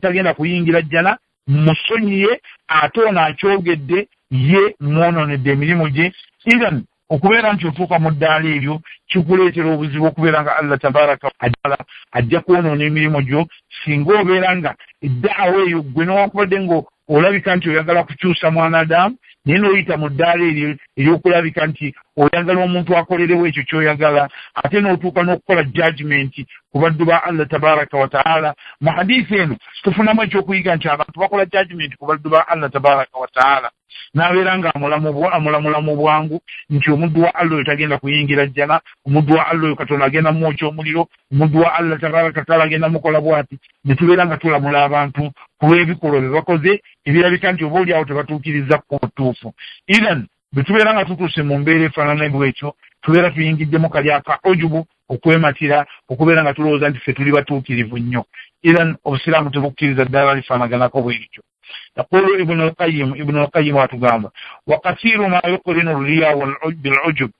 tagenda kuyingira jjana, musonyiye, ate ono akyogedde ye mwonoonedde emirimu gye. Idhan okubeera nti otuuka mu ddaala eryo kikuleetera obuzibu okubeera nga Allah tabaraka wataala ajja kwonoona emirimu gyo, singa obeera nga eddaawa eyo ggwe newankubadde nga olabika nti oyagala kukyusa mwanadamu, naye n'oyita mu ddaala eryo ery'okulabika nti oyagala omuntu akolerewo ekyo ky'oyagala, ate n'otuuka n'okukola judgment ku baddu ba Allah tabaraka wataala. Mu hadiisi eno tufunamu ekyokuyiga nti abantu bakola judgment ku baddu ba Allah tabaraka wataala, n'abeera nga amulamula mu bwangu nti omuddu wa Allah oyo tagenda kuyingira jjana, omuddu wa Allah oyo Katonda agenda mwokya omuliro, omuddu wa Allah tabaraka wataala agenda mukola bw'ati. Ne tubeera nga tulamula abantu ku lw'ebikolwa bye bakoze ebirabika nti oba oli awo tebatuukiriza ku butuufu. Idhan bwe tubeera nga tutuuse mu mbeera efaanana bw'etyo, tubeera tuyingiddemu kali aka ujubu, okwematira, okubeera nga tulowooza nti ffe tuli batuukirivu nnyo. Idhan obusiraamu tebukkiriza ddala lifaanaganako bwe lityo. Yaqulu Ibnu al-Qayyim, Ibnu al-Qayyim atugamba wa kathiru ma yuqrinu riya bil-ujub,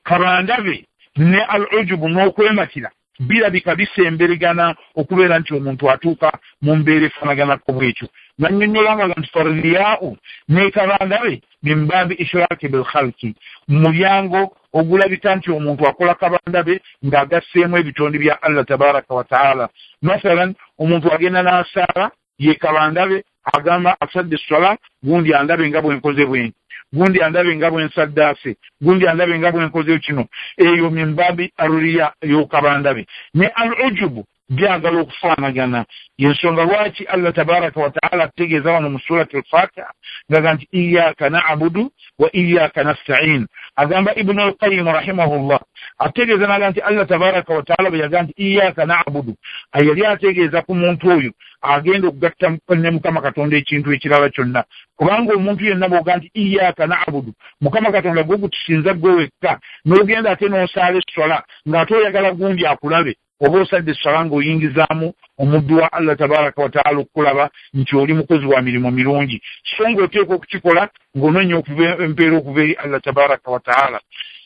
kabandabe ne al-ujubu n'okwematira birabika bisemberegana okubeera nti omuntu atuuka mu mbeera efaanaganako bw'etyo. Nannyonnyola nga nti farriyaa'u ne kabandabe min baabi ishraki bil-khalqi, mu mulyango ogulabika nti omuntu akola kabandabe ng'agasseemu ebitonde bya Allah tabaraka wataala. Mathalan omuntu agenda n'asaala, ye kabandabe agamba asadde esswala, gundi andabe nga bwe nkoze bwenti, gundi andabe nga bwe nsaddaase, gundi andabe nga bwe nkoze kino. Eyo mimbabi aruriya y'okabandabe ne al ujubu byagala okufaanagana. Yensonga lwaki Allah tabaraka wataala ategeeza wano mu surati al-Fatiha ngaga nti iyyaka na'budu wa iyyaka nasta'in. Agamba Ibnu al-Qayyim rahimahullah ategeeza naga nti Allah tabaraka wataala bwe yagamba nti iyyaka na'budu, yali ategeeza ku muntu oyo agenda okugatta ne Mukama Katonda ekintu ekirala kyonna, kubanga omuntu yenna bw'ogamba nti iyyaka na'budu, Mukama Katonda gwe gutusinza gwe wekka, n'ogenda ate n'osaala esswala ng'ate oyagala gundi akulabe, oba osadde esswala ng'oyingizaamu omuddu wa Allah tabaraka wataala okukulaba nti oli mukozi wa mirimu mirungi, so ng'oteekwa okukikola ng'onoonya empeera okuva eri Allah tabaraka wataala.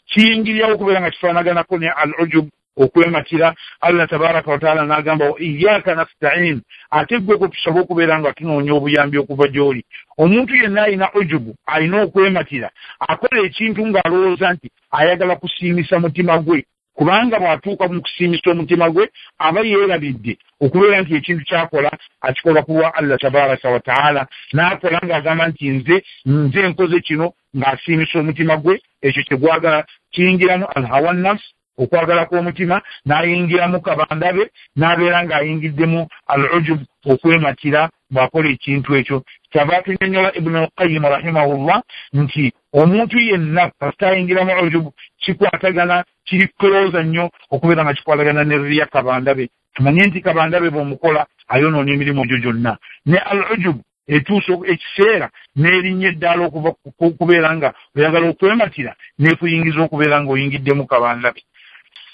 Kiyingirirawo okubeera nga kifaanaganako ne al ujub, okwematira. Allah tabaraka wataala n'agamba iyyaka nasta'in, ate ggwe gwe tusaba okubeera nga tunoonya obuyambi okuva gy'oli. Omuntu yenna alina ujubu, alina okwematira, akola ekintu ng'alowooza nti ayagala kusiimisa mutima gwe, kubanga bw'atuuka mu kusiimisa omutima gwe aba yeerabidde okubeera nti ekintu ky'akola akikola ku lwa Allah tabaraka wataala, n'akola ng'agamba nti nze nkoze kino, ng'asiimisa omutima gwe ekyo kye gwagala. Kiyingiramu alhawa nafsi, okwagala kw'omutima, n'ayingiramu kabandabe, n'abeera ng'ayingiddemu al ujub, okwematira bw'akola ekintu ekyo. Kyava atunyonnyola Ibnu al-Qayyim rahimahullah nti omuntu yenna kasita ayingiramu ujubu kikwatagana, kiri kulowooza nnyo okubeera nga kikwatagana ne riya kabandabe. Tumanye nti kabandabe bw'omukola ayonoona emirimu gyo gyonna. Ne al ujub etuusa ekiseera n'erinnya eddaala okuva kubeera nga oyagala okwematira n'ekuyingiza okubeera ng'oyingiddemu kabandabe.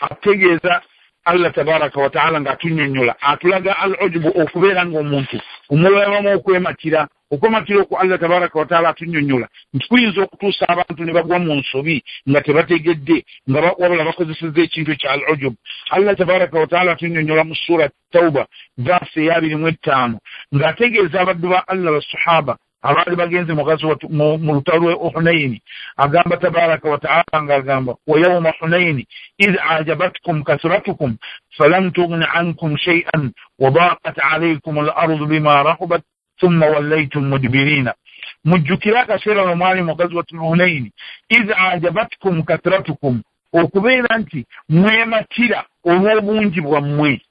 Ategeeza Allah tabaraka wa ta'ala ng'atunnyonnyola atulaga al-ujubu okubeera ng'omuntu omulalamu okwematira okwematira okwo Allah tabaraka wa ta'ala atunnyonnyola nti kuyinza okutuusa abantu ne bagwa mu nsobi nga tebategedde nga wabula bakozesezza ekintu ekya al-ujub. Allah tabaraka wa ta'ala atunnyonnyola mu sura Tauba verse ya 25 ng'ategeeza abaddu ba Allah basahaba abaali bagenze mu ghazwat mu lutalo lw'e Hunaini. Agamba tabaraka wa ta'ala ng'agamba wa yawma Hunaini idh a'jabatkum kasratukum falam tughni ankum shay'an wa daqat alaykum al-ardu bima rahabat thumma wallaytum mudbirina. Mujjukira akaseera lwe mwali mu ghazwat Hunaini idh a'jabatkum kasratukum, okubeera nti mwematira olw'obungi bwammwe,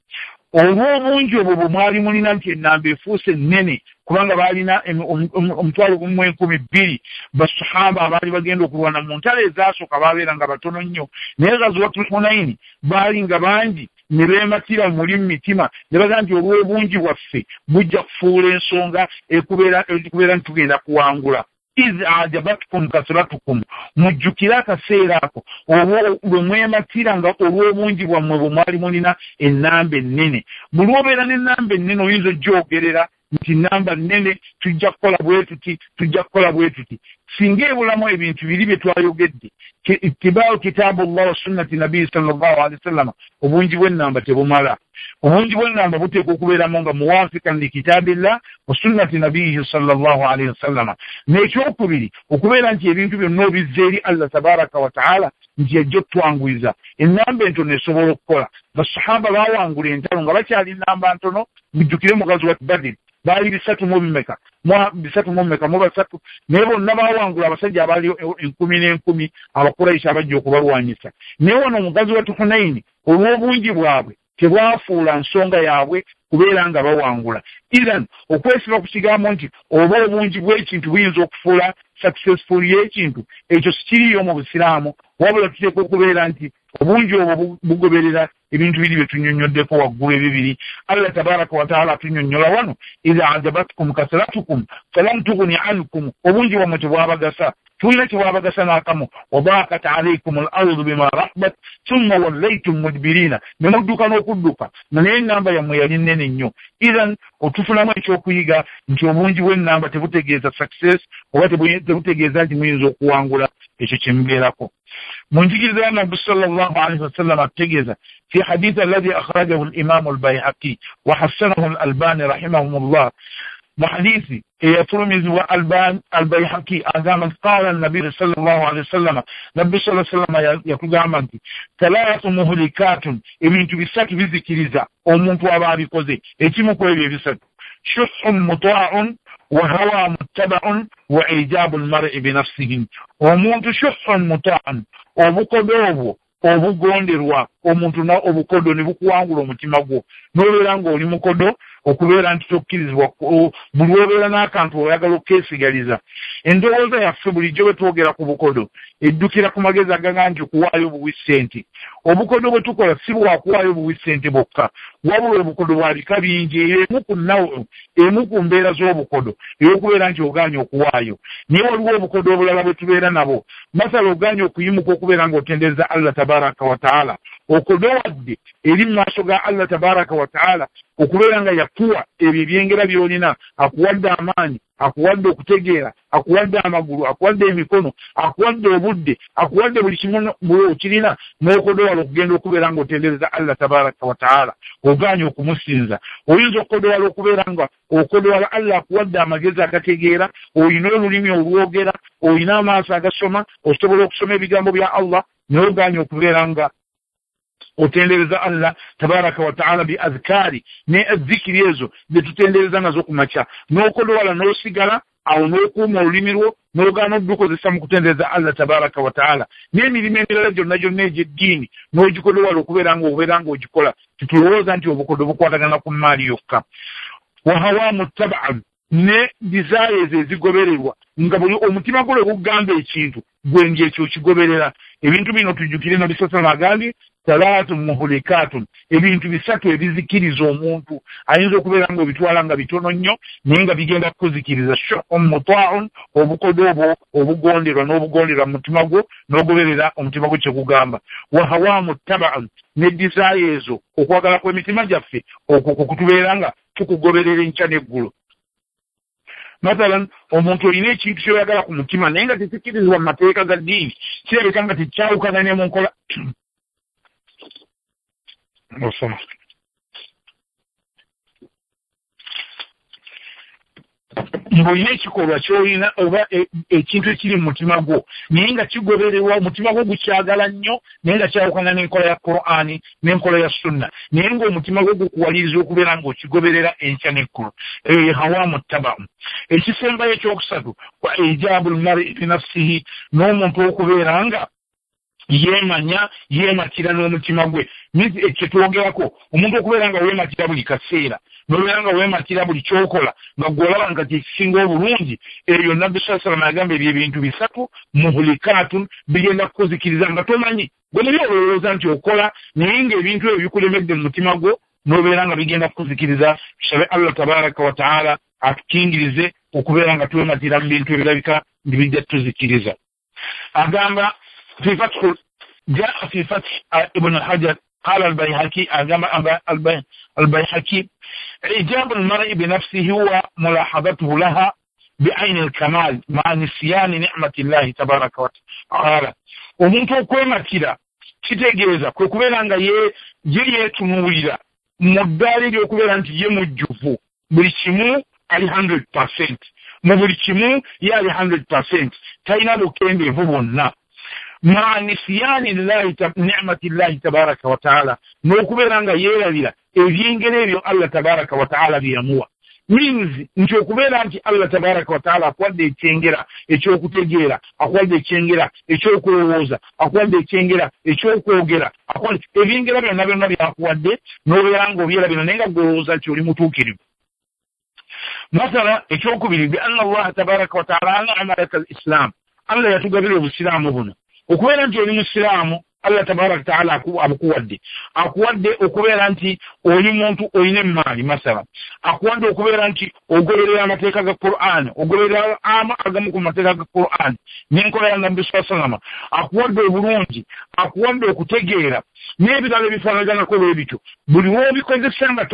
olw'obungi obwo bwe mwali mulina nti ennamba efuuse nnene kubanga baalina 1,200 basahaba abaali bagenda okulwana mu ntalo ezaasooka baabeera nga batono nnyo, naye ghazwatul Hunaini baali nga bangi ne beematira muli mu mitima ne bagamba nti olw'obungi bwaffe bujja kufuula ensonga ekubeera nti tugenda kuwangula. Idh a'jabatkum kasratukum, mujjukire akaseera ako lwe mwematira nga olw'obungi bwammwe bwe mwali mulina ennamba ennene. Buli lw'obeera n'ennamba ennene oyinza ojjogerera nti namba nnene tujja kukola bwe tuti, tujja kukola bwe tuti. Singa ebulamu ebintu biri bye twayogedde, ittibaawu kitaabullah wa sunnati nabii sallallahu alaihi wasallam, obungi bw'ennamba tebumala. Obungi bw'ennamba buteekwa okubeeramu nga muwafikan li kitaabillah wa sunnati nabiyihi sallallahu alaihi wasallam. N'ekyokubiri okubeera nti ebintu byonna obizza eri Allah tabaraka wa taala nti yajja otwanguyiza. Ennamba entono esobola okukola. Basahaba baawangula entalo nga bakyali nnamba ntono. Mujjukire mu ghazwat Badr baali 303, naye bonna baawangula abasajja abaali 1000 n'enkumi Abakurayisha abajja okubalwanyisa. Naye wano mu ghazwat Hunaini olw'obungi bwabwe tebwafuula nsonga yaabwe kubeera nga bawangula. Idhan okwesiba ku kigambo nti oba obungi bw'ekintu buyinza okufuula successful y'ekintu, ekyo sikiriyo mu Busiraamu, wabula tuteekwa okubeera nti obungi obwo bugoberera ebintu biri bye tunnyonnyoddeko waggulu ebibiri. Allah tabaraka wa taala atunyonnyola wano idha ajabatkum kasratukum falam tughni ankum, obungi bwammwe tebwabagasa, tulina kyebwabagasa n'akamu. Wadaqat alaykum al-ardu bima rahabat thumma wallaytum mudbirina, ne mudduka n'okudduka, naye ennamba yammwe yali nnene nnyo. Idhan otufunamu ekyokuyiga nti obungi bw'ennamba tebutegeeza success oba tebutegeeza nti muyinza okuwangula ekyo kye mubeerako. Mu njigiriza ya Nabbi sallallahu alaihi wasallam atutegeeza fi hadith alladhi akhrajahu al-Imam al-Bayhaqi wa hassanahu al-Albani rahimahumullah, mu hadithi eyafulumizibwa al-Bayhaqi agamba nti qala an-nabi sallallahu alaihi wasallam, Nabbi sallallahu alaihi wasallam yakugamba nti thalathu muhlikatun, ebintu bisatu bizikiriza omuntu aba abikoze. Ekimu ku ebyo ebisatu, shuhhun muta'un wa hawa muttaba'un wa ijabu al-mar'i bi nafsihi. Omuntu shuhhun muta'un, obukodo obwo obugonderwa omuntu na obukodo ne bukuwangula omutima gwo, n'obeera ng'oli mukodo okubeera nti tokkirizibwa buli lw'obeera n'akantu oyagala okkeesigaliza. Endowooza yaffe bulijjo bwe twogera ku bukodo eddukira ku magezi agaga nti okuwaayo obuwi ssente. Obukodo bwe tukola si bwakuwaayo obuwi ssente bwokka, wabula obukodo bwa bika bingi. Emu ku nawo emu ku mbeera z'obukodo ey'okubeera nti ogaanye okuwaayo, naye waliwo obukodo obulala bwe tubeera nabwo. Masala ogaanye okuyimuka okubeera ng'otendereza Allah tabaraka wa taala, okodowadde eri mu maaso ga Allah tabaraka wa taala okubeera nga yakuwa ebyo ebyengera by'olina, akuwadde amaanyi, akuwadde okutegeera, akuwadde amagulu, akuwadde emikono, akuwadde obudde, akuwadde buli kimu okirina, n'okodowala okugenda okubeera ng'otendereza Allah tabaraka wa taala, ogaanye okumusinza. Oyinza okukodowala okubeera nga okodowala Allah akuwadde amagezi agategeera, olina olulimi olwogera, olina amaaso agasoma, osobola okusoma ebigambo bya Allah, naye ogaanye okubeera nga otendereza Allah tabaraka wa taala bi adhkari ne adhikiri ezo zetutendereza nazo ku makya, n'okodowala n'osigala awo n'okuuma olulimi lwo n'ogaana okukozesa mu kutendereza Allah tabaraka wa taala, n'emirimu emirala gyonna gyonna egy'eddiini n'ogikodowala okubeera ng'obeera ng'ogikola. Tetulowooza nti obukodo bukwatagana ku mmaali yokka. Wa hawa muttaba'an, ne desires ezigobererwa nga buli omutima gwo lwe gugamba ekintu gwe ng'ekyo okigoberera. Ebintu bino tujjukire Nabbi sallallahu alaihi wasallam agambye Thalathun muhlikatun, ebintu bisatu ebizikiriza omuntu. Ayinza okubeera nga obitwala nga bitono nnyo naye nga bigenda kukuzikiriza. Shuhun muta'un, obukodo obwo obugonderwa n'obugonderwa mu mutima gwo n'ogoberera omutima gwo kyekugamba. Wa hawa muttaba'un, ne desire ezo, okwagala kw'emitima gyaffe okwo kutubeera nga tukugoberera enkya n'eggulo. Mathalan, omuntu olina ekintu ky'oyagala ku mutima naye nga tekikirizibwa mu mateeka ga ddiini, kirabika nga tekyawukana ne mu nkola. Osoma ng'olina ekikolwa ky'olina oba ekintu ekiri mu mutima gwo naye nga kigobererwa, omutima gwo gukyagala nnyo naye nga kyawukana n'enkola ya Qur'ani n'enkola ya Sunna, naye ng'omutima gwo gukuwaliriza okubeera ng'okigoberera enkya n'eggulo. Eyo ye hawa muttaba'u. Ekisembayo ekyokusatu, wa ijabul mar'i binafsihi, n'omuntu okubeera nga yeemanya, yeematira n'omutima gwe. Kyetwogerako omuntu okubeera nga weematira buli kaseera, n'obeera nga weematira buli ky'okola nga gw'olaba nga kyekisinga obulungi. Ebyo Nabbi sallallahu alayhi wasallam yagamba ebyo ebintu bisatu muhlikatun, bigenda kukuzikiriza nga tomanyi. Gwe muli olowooza nti okola, naye ng'ebintu ebyo bikulemedde mu mutima gwo n'obeera nga bigenda kukuzikiriza. Tusabe Allah tabaraka wa taala atukingirize okubeera nga twematira mu bintu ebirabika nti bijja tuzikiriza. Agamba في فتح، جاء في فتح ابن حجر قال البيهقي، البيهقي: إعجاب المرء بنفسه هو ملاحظته لها بعين الكمال مع نسيان نعمة الله تبارك وتعالى. Omuntu okwematira kitegeeza kwe kubeera nga ye yeetunuulira mu ddaala ery'okubeera nti ye mujjuvu, buli kimu ali 100%, mu buli kimu ye ali 100%, talina bukendeevu bwonna. Ma nisiyani ni'mati llahi tabaraka wa taala, n'okubeera nga yeerabira ebyengera ebyo Allah tabaraka wa taala bye yamuwa. Means nti okubeera nti Allah tabaraka wa taala akuwadde ekyengera ekyokutegeera, akuwadde ekyengera ekyokulowooza, akuwadde ekyengera ekyokwogera, ebyengera byonna byonna byakuwadde n'obeera nga obyerabira naye nga gw'olowooza nti oli mutuukirivu. Mathala ekyokubiri, bi anna Allaha tabaraka wa taala an'ama laka al-Islam, Allah yatugabira obusiraamu buno. Okubeera nti oli musiraamu, Allah tabaraka taala abukuwadde. Akuwadde okubeera nti oli muntu olina emmaali, masala. Akuwadde okubeera nti ogoberera amateeka ga Qur'an, ogoberera agamu ku mateeka ga Qur'an n'enkola ya Nabbi sallallahu alayhi wasallam. Akuwadde obulungi, akuwadde okutegeera n'ebirala ebifaanaganako bwe bityo. Buli lw'obikozesa nga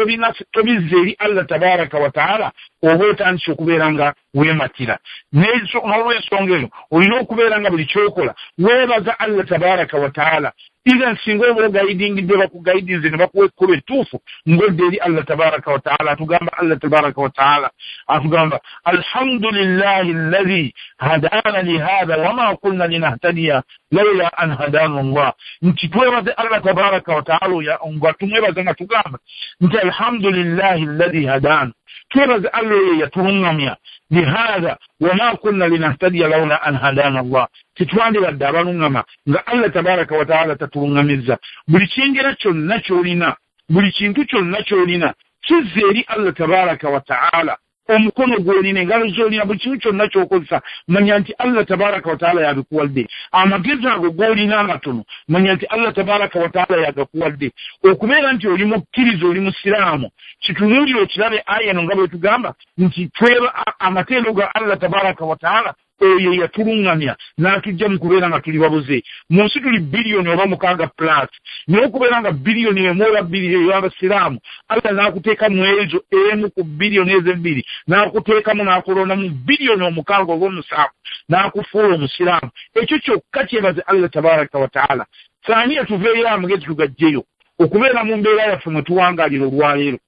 tobizza eri Allah tabaraka wa taala, oba otandise okubeera nga weematira. N'olw'ensonga eyo olina okubeera nga buli ky'okola weebaza Allah tabaraka wa taala. Even singa oba ogayidingidde, bakugayidinze ne bakuwa ekkubo ettuufu ng'odda eri Allah tabaraka wa taala. Atugamba Allah tabaraka wa taala atugamba alhamdulillahi alladhi hadana lihadha wama kunna linahtadiya lawla an hadana Allah. Nti twebaze Allah tabaraka wa taala, nga tumwebaza nga tugamba nti alhamdulillahi alladhi hadana, twebaze Allah oyo yatuluŋŋamya, lihadha wama kunna linahtadiya lawla an hadana Allah. Tetwandibadde abaluŋŋama nga Allah tabaraka wa taala tatuluŋŋamizza. Buli kyengera kyonna ky'olina, buli kintu kyonna ky'olina kizza eri Allah tabaraka wa taala. Omukono gw'olina, engalo z'olina, buli kintu kyonna ky'okozesa, manya nti Allah tabaraka wa taala yabikuwadde. Amagezi ago g'olina amatono, manya nti Allah tabaraka wa taala yagakuwadde. Okubeera nti oli mukkiriza, oli musiraamu, kitunuulire okirabe aya eno nga bwe tugamba nti tweba amateeka ga Allah tabaraka wa taala oyo yatuluŋŋamya n'atujja mu kubeera nga tuli babuze. Mu nsi tuli biliyoni oba 6 plus, naye okubeera nga biliyoni 1 oba 2 ey'abasiraamu, Allah n'akuteekamu ezo emu ku biliyoni ezo ebbiri, n'akuteekamu n'akulondamu biliyoni 6 oba 7 n'akufuula omusiraamu. Ekyo kyokka kyebaze Allah tabaraka wa taala. Saaniya tuveeyo amagezi tugajjeyo okubeera mu mbeera yaffe mwe tuwangaalira olwaleero.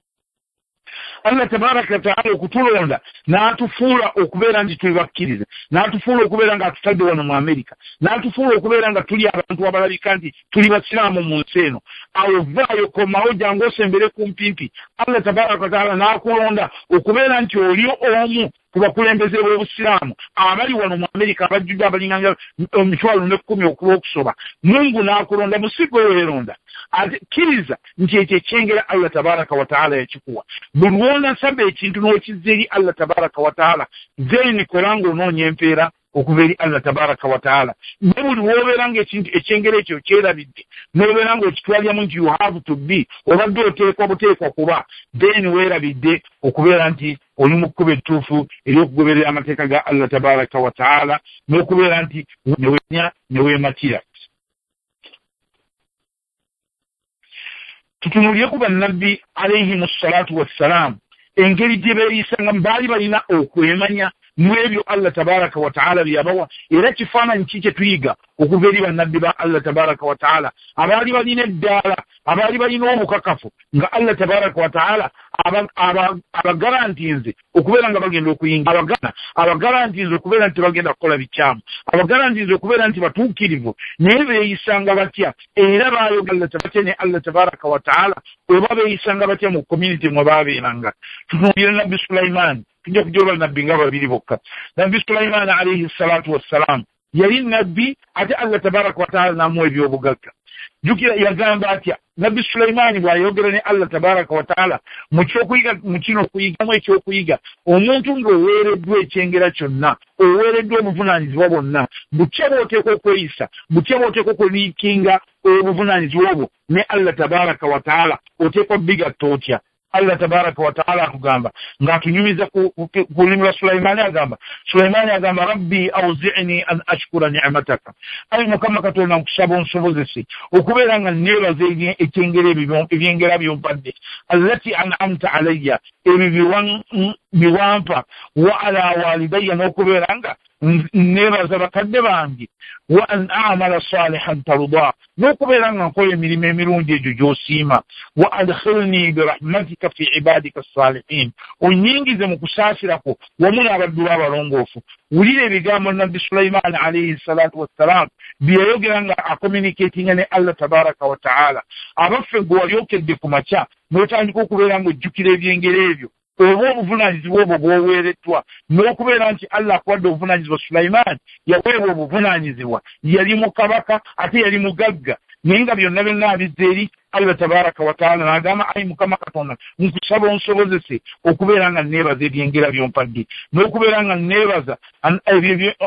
Allah tabaraka wa taala okutulonda n'atufuula okubeera nti tuli bakkiriza, n'atufuula okubeera nga atutadde wano mu Amerika, n'atufuula okubeera nga tuli abantu abalabika nti tuli basiraamu mu nsi eno. Awo vaayo, komawo, jangu osembere kumpimpi. Allah tabaraka wa taala n'akulonda okubeera nti oli omu ku bakulembeze b'obusiraamu abali wano mu Amerika abajjudde abalinganga 110,000 okulw'okusoba. Mungu n'akulonda, musigo weeronda. Ate kkiriza nti ekyo ekyengera Allah tabaraka wa taala yakikuwa. Buli lw'onasaba ekintu n'okizza eri Allah tabaraka wa taala, then kola ng'onoonya empeera okuva eri Allah tabaraka wa taala. Ne buli w'obeera ng'ekintu ekyengera ekyo kyerabidde, n'obeera ng'okitwaliramu nti you have to be, obadde oteekwa buteekwa kuba, then weerabidde okubeera nti oli mu kkubo ettuufu ery'okugoberera amateeka ga Allah tabaraka wa taala, n'okubeera nti newenya ne weematira. Tutunuulire ku bannabbi alayhimu ssalatu wassalaamu, engeri gye beeyisanga, baali balina okwemanya mu ebyo Allah tabaraka wa taala bye yabawa. Era kifaananyi ki kye tuyiga okuva eri bannabbi ba Allah tabaraka wa taala abaali balina eddaala, abaali balina obukakafu nga Allah tabaraka wa taala abagarantinze okubeera nga bagenda okuyingira, abagarantinze okubeera nti bagenda kukola bikyamu, abagarantinze okubeera nti batuukirivu, naye beeyisanga batya? Era baayogera batya ne Allah tabaraka wa taala? Oba beeyisanga batya mu community mwe baabeeranga? Tutunuulire Nabbi Sulaimaani, tujja kujoba nabbi nga babiri bokka. Nabbi Sulaimaani alayhi salatu wassalam yali nabbi, ate Allah tabaraka wa taala n'amuwa ebyobugagga. Jjukira yagamba atya Nabbi Sulaimaani bw'ayogera ne Allah tabaraka wa taala mu kyokuyiga, mu kino okuyigamu ekyokuyiga, omuntu ng'oweereddwa ekyengera kyonna, oweereddwa obuvunaanyizibwa bwonna, butya bw'oteekwa okweyisa, butya bw'oteekwa okuliikinga obuvunaanyizibwa obwo ne Allah tabaraka wa taala, oteekwa bigatta otya? Allah tabaraka wa taala akugamba ng'atunyumiza ku lulimi lwa Sulaimaani, agamba Sulaimaani agamba rabbi awzi'ni an ashkura ni'mataka, ayi Mukama Katonda nkusaba onsobozese okubeera nga neebaza ekyengera ebyengera byompadde, allati an'amta alayya, ebyo biwampa, wa ala walidayya, n'okubeera nga neebaza bakadde bange, wa an a'mala salihan tarda, n'okubeera nga nkola emirimu emirungi egyo gy'osiima, wa adkhilni birahmatika fi ibadika salihin, onyingize mu kusaasirako wamu n'abaddu b'abalongoofu. Wulira ebigambo Nabbi Sulaimaani alayhi salatu wassalam bye yayogera nga acommunicatinga ne Allah tabaraka wa taala. Abaffe gwe walyokedde ku makya n'otandika okubeera ng'ojjukira ebyengera ebyo, oba obuvunaanyizibwa obwo bw'oweereddwa, n'okubeera nti Allah akuwadde obuvunaanyizibwa. Sulaimaani yaweebwa obuvunaanyizibwa, yali mu kabaka ate yali mugagga, naye nga byonna byonna abizza eri Allah tabaraka wa taala, n'agamba ayi Mukama Katonda nkusaba onsobozese okubeera nga neebaza ebyengera byompadde, n'okubeera nga neebaza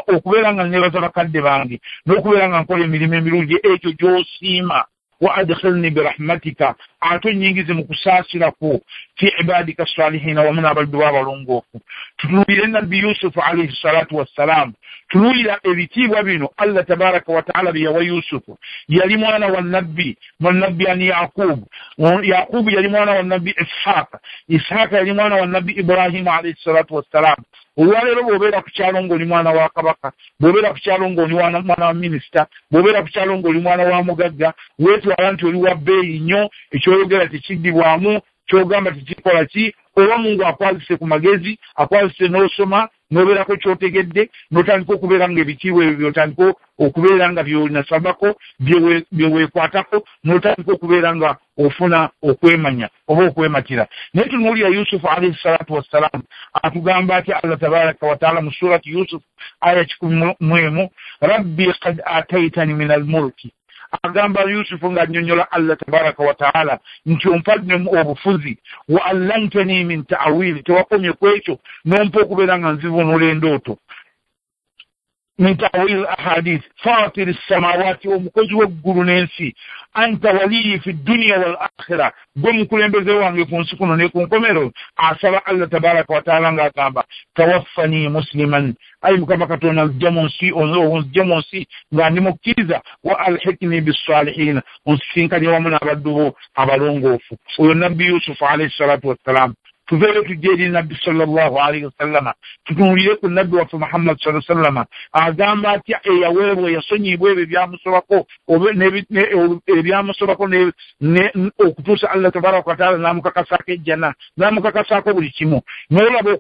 okubeera nga neebaza bakadde bange, n'okubeera nga nkola emirimu emirungi egyo gy'osiima, wa adkhilni birahmatika, ate onyingize mu kusaasirako, fi ibadika salihina, wamu n'abaddu b'abalongoofu. Tutunuulire Nabbi Yusufu alayhi salatu wassalam, tunuulira ebitiibwa bino Allah tabaraka wa taala bye yawa Yusufu. Yali mwana wa nabbi, nabbi ani Yaqubu, Yaqubu yali mwana wa nabbi Ishaqa, Ishaqa yali mwana wa nabbi Ibrahimu alayhi salatu wassalam. Olwaleero bw'obeera ku kyalo ng'oli mwana wa kabaka, bw'obeera ku kyalo ng'oli mwana wa minisita, bw'obeera ku kyalo ng'oli mwana wa mugagga, weetwala nti oli wa bbeeyi nnyo, ekyoyogera tekiddibwamu, ky'ogamba tekikola ki, oba Mungu akwazise ku magezi, akwazise n'osoma, n'obeerako ky'otegedde, n'otandika okubeera ng'ebitiibwa ebyo by'otandika okubeera nga by'onasabako, bye weekwatako, n'otandika okubeera nga ofuna okwemanya oba okwematira. Naye tunuulira Yusufu alayhi salatu wassalam atugamba atya Allah tabaraka wa taala mu surati Yusuf aya 101, rabbi qad ataitani min almulki, agamba Yusufu ng'annyonnyola Allah tabaraka wa taala nti ompadde obufuzi, wa allamtani min ta'wili, tewakomye ku ekyo n'ompa okubeera nga nzivunula endooto, min ta'wil ahadith, fatiri samawati, omukozi w'eggulu n'ensi, anta waliyi fi dunya wal akhira, gwe mukulembeze wange ku nsi kuno ne ku nkomero. Asaba Allah tabaraka wa taala ng'agamba tawaffani musliman, ayi Mukama Katonda nzija mu nsi, onzije mu nsi nga ndi mukkiriza, wa alhikni bissalihina, onsisinkanye wamu n'abaddu bo abalongoofu. Oyo Nabbi Yusufu alayhi salatu wassalam. Tuveeyo tujje eri Nabbi sallallahu alayhi wasallama, tutunuulire ku Nabbi waffe Muhammad sallallahu alayhi wasallama agamba atya eyaweebwa, eyasonyiyibwa ebyo ebyamusobako ebyamusobako okutuusa Allah tabaraka wa taala n'amukakasaako ejjana, n'amukakasaako buli kimu. N'olaba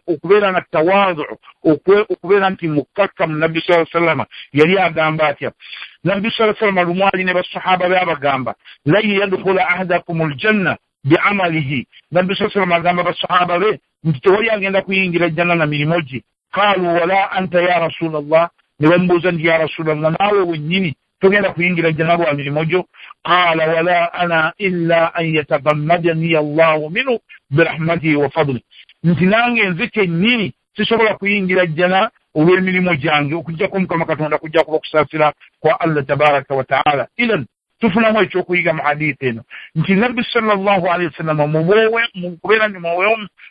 okubeera nga tawaadu, okubeera nti mukkakkamu. Nabbi sallallahu alayhi wasallama yali agamba atya? Nabbi sallallahu alayhi wasallama lumu ali ne basahaba be abagamba lan yadkhula ahadakum aljanna biamalihi. Nabbi sallallahu alayhi wasallam agamba basahaba be nti tewali agenda kuyingira ejjana na mirimu gye. Qaalu wala anta ya Rasulallah, ne bamubuuza nti ya Rasulallah, naawe wennyini togenda kuyingira ejjana lwa mirimu gyo? Qaala wala ana illa an yatagammadani Allahu minhu birahmatihi wa fadlihi, nti nange nze kennyini sisobola kuyingira jjana olw'emirimu gyange okuggyako Mukama Katonda kujja kuba okusaasira kwa Allah tabaraka wa taala. Idan tufunamu ekyokuyiga mu hadithi eno nti Nabbi sallallahu alaihi wasallam mu kubeera nti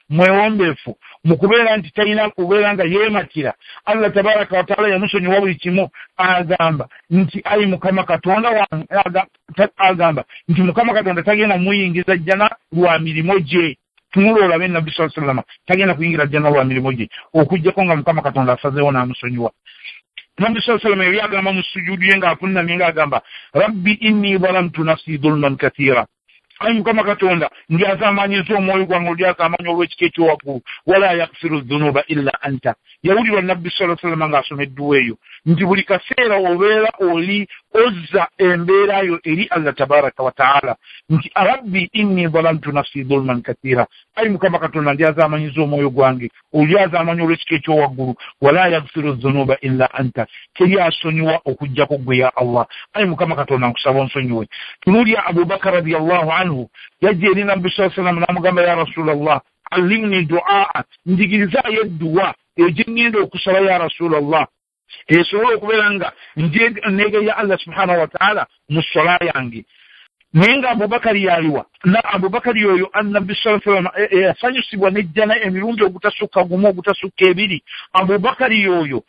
mwewombeefu, mu kubeera nti talina kubeera nga yeematira, Allah tabaraka wa taala yamusonyiwa buli kimu. Agamba nti ayi Mukama Katonda wange, agamba nti Mukama Katonda tagenda muyingiza jjana lwa mirimu gye. Tunula olabe Nabbi sallallahu alaihi wasallam tagenda kuyingira jjana lwa mirimu gye okuggyako nga Mukama Katonda asazeewo n'amusonyiwa. Nabbi sallallahu alaihi wasallam yali agamba mu sujudu ye ng'avunnamye ng'agamba rabbi inni zalamtu nafsi dhulman kathira, ayi Mukama Katonda ndyazamanyiza omwoyo gwange olyazaamanya olw'ekika ekyowaggulu, wala yaghfiru dhunuba illa anta. Yawulirwa Nabbi sallallahu alaihi wasallam ng'asoma edduwa eyo nti buli kaseera obeera oli ozza embeera yo eri Allah tabaraka wa taala nti rabbi inni zalamtu nafsi dhulman kathira, ayi Mukama Katonda ndyazamanyiza omwoyo gwange olyazaamanya olw'ekika ekyowaggulu, wala yaghfiru dhunuba illa anta, teri asonyiwa okuggyako ggwe ya Allah. Ayi Mukama Katonda nkusaba onsonyiwe. Tunuulya Abubakar radiyallahu anhu yajja eri Nabbi sallallahu alaihi wasallam n'amugamba ya Rasulallah allimni duaa, njigirizaayo edduwa egye ŋŋenda okusaba ya Rasulallah esobola okubeera nga neegeya Allah subhanahu wa taala mu sola yange. Naye nga Abubakari yaliwa na Abubakari oyo Nabbi sallallahu alaihi wasallam yasanyusibwa n'ejjana emirundi ogutasukka gumu ogutasukka ebiri. Abubakari oyo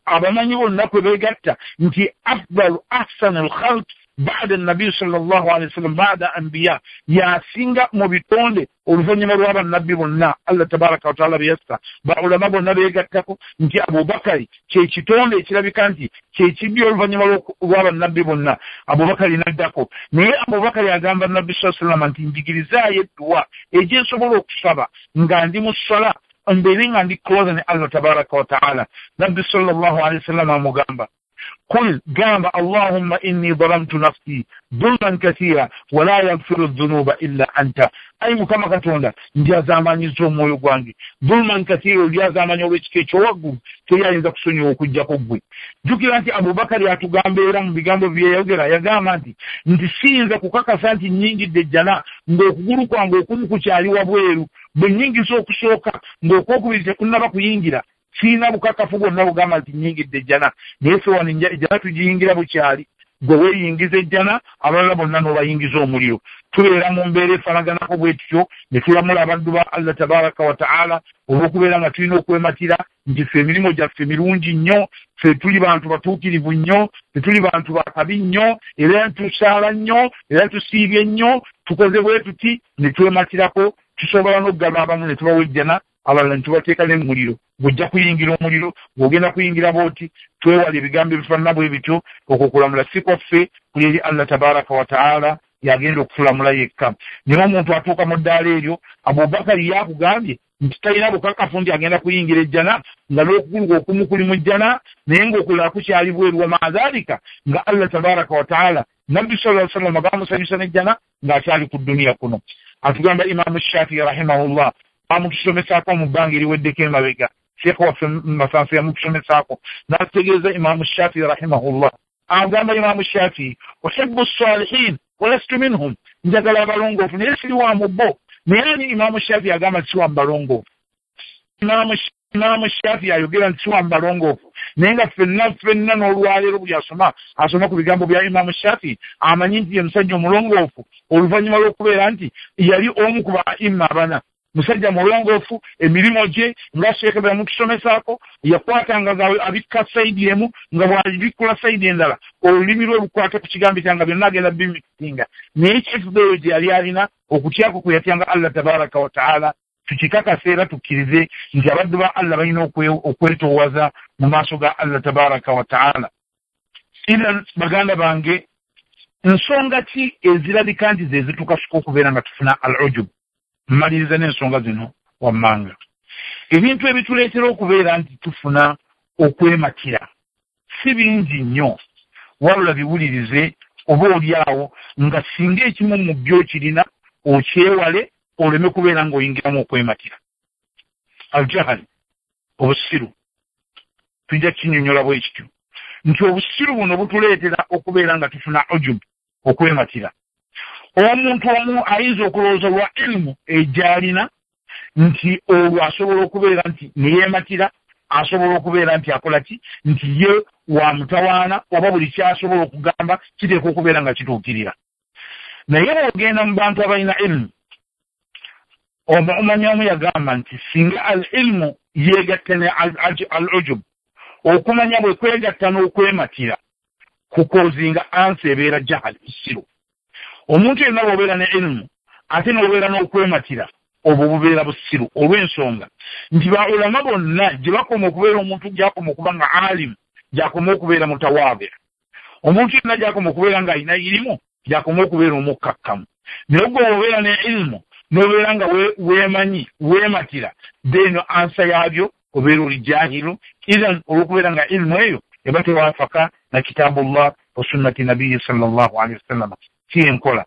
abamanyi bonna kwe beegatta nti afdalu ahsanu lkhalq baada nabi sallallahu alaihi wasallam baada anbiya, yasinga mu bitonde oluvannyuma lw'abannabbi bonna Allah tabaraka wa taala beyassa. Baulama bonna beegattako nti Abubakari kye kitonde ekirabika nti kye kibbi oluvannyuma lw'abannabbi bonna. Abubakari n'addako, naye Abubakari agamba Nabbi sallallahu alaihi wasallam nti njigirizaayo edduwa egyensobola okusaba nga ndi mu ssala mbeere nga ndi close ne Allah tabaraka wa taala. Nabbi sallallahu alaihi wasallam amugamba قل قام اللهم إني ظلمت نفسي ظلما كثيرا ولا يغفر الذنوب إلا أنت. أي مكما كتوندا ndyazamanyiza omwoyo gwange dhulman kathira, olyazamanya olw'ekika ekyowaggulu teri ayinza kusonyiwa okuggyako ggwe. Jjukira nti Abubakari atugamba era mu bigambo byeyayogera yagamba nti siyinza kukakasa nti nnyingidde ejjana ng'okugulu kwange okumu kukyali wabweru, bwe nnyingiza okusooka ng'okwokubiri tekunnaba kuyingira sirina bukakafu bwonna bugamba nti nnyingidde ejjana. Naye ffe wano ejjana tugiyingira bukyali, gwe weeyingiza ejjana abalala bonna n'obayingiza omuliro. Tubeera mu mbeera efaanaganako bwe tutyo ne tulamula abaddu ba Allah tabaraka wa taala olw'okubeera nga tulina okwematira nti ffe emirimu gyaffe mirungi nnyo, ffe tuli bantu batuukirivu nnyo, tetuli bantu bakabi nnyo, era tusaala nnyo, era tusiibye nnyo, tukoze bwe tuti ne twematirako. Tusobola n'okugaba abamu ne tubawa ejjana, abalala ne tubateeka ne mu muliro. Bw'ojja kuyingira omuliro, bw'ogenda kuyingira bw'oti. Twewala ebigambo ebifaanana bwe bityo. Okwo okulamula si kwaffe, kuli eri Allah tabaraka wa taala, yagenda okutulamula yekka. Naye omuntu atuuka mu ddaala eryo, Abubakari yakugambye nti talina bukakafu nti agenda kuyingira ejjana nga n'okugulu okumu kuli mu jjana naye ng'okulala kukyali bweru. Wa maadhalika nga Allah tabaraka wa taala Nabbi sallallahu alaihi wasallam bamusanyusa n'ejjana ng'akyali ku dduniya kuno. Atugamba Imaamu Shafii rahimahullah amutusomesaako mu bbanga eriweddeko emabega, Sheikh waffe Masanso yamutusomesaako n'atutegeeza Imaamu Shafii rahimahullah agamba Imaamu Shafii uhibbu ssalihin walastu minhum, njagala abalongoofu naye siri wa mu bo. Naye ani Imaamu Shafii agamba nti si wa mu balongoofu? Imaamu Shafii ayogera nti si wa mu balongoofu, naye nga ffenna n'olwaleero buli asoma asoma ku bigambo bya Imaamu Shafii amanyi nti ye musajja omulongoofu oluvannyuma lw'okubeera nti yali omu ku baimma abana. Musajja mulongoofu, emirimu gye nga Sheikh bwe yamutusomesaako yakwatanga nga abikka sayidi emu nga bw'abikkula sayidi endala olulimi lwe lukwata ku kigambo kyange byonna agenda bimitinga. Naye ekifuba gye yali alina okutyako kwe yatyanga Allah tabaraka wa taala. Tukikakase era tukkirize nti abaddu ba Allah balina okwetoowaza mu maaso ga Allah tabaraka wa taala. Ira baganda bange, nsonga ki ezirabika nti ze zitukasuka okubeera nga tufuna al-ujub? Mmaliriza n'ensonga zino wammanga. Ebintu ebituleetera okubeera nti tufuna okwematira si bingi nnyo, wabula biwulirize oba oli awo nga singa ekimu mu byo kirina okyewale oleme kubeera ng'oyingiramu okwematira. Al-jahal, obusiru, tujja kinnyonnyola bwe kityo nti obusiru buno butuleetera okubeera nga tufuna ujub, okwematira. Omuntu omu ayinza okulowooza lwa ilimu egy'alina nti olwo asobola okubeera nti neyeematira asobola okubeera nti akola ki, nti ye wa mutawaana, oba buli kyasobola okugamba kiteekwa okubeera nga kituukirira. Naye bw'ogenda mu bantu abalina ilmu, omanya omu yagamba nti singa al ilmu yeegatta ne al ujub, okumanya bwe kwegatta n'okwematira kukozinga ansi ebeera jahali, busiru. Omuntu yenna bw'obeera ne ilmu ate n'obeera n'okwematira, obwo bubeera busiru, olw'ensonga nti ba ulama bonna gye bakoma okubeera omuntu gy'akoma okuba nga alimu, gy'akoma okubeera mutawaabi. Omuntu yenna gy'akoma okubeera ng'alina irimu, gy'akoma okubeera omukkakkamu. Naye gwe obeera ne ilmu n'obeera nga weemanyi, weematira, then ansa yaabyo obeera oli jahilu, ithan olw'okubeera nga ilmu eyo eba tewafaka na kitabullah wa sunnati nabiyyi sallallahu alaihi wasallam. Si enkola.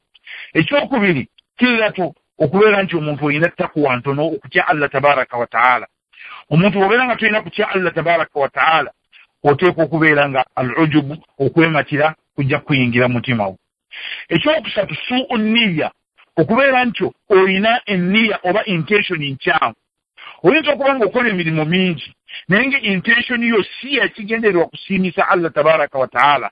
Ekyokubiri, kiratu okubeera nti omuntu olina takuwa ntono, okutya Allah tabaraka wa taala. Omuntu bw'obeera nga tolina kutya Allah tabaraka wa taala, oteekwa okubeera nga al ujubu, okwematira kujja kuyingira mutima wo. Ekyokusatu, suu nniya, okubeera nti olina enniya oba intention nkyamu. Oyinza okuba ng'okola emirimu mingi, naye nga intention yo si yakigendererwa kusiimisa Allah tabaraka wa taala.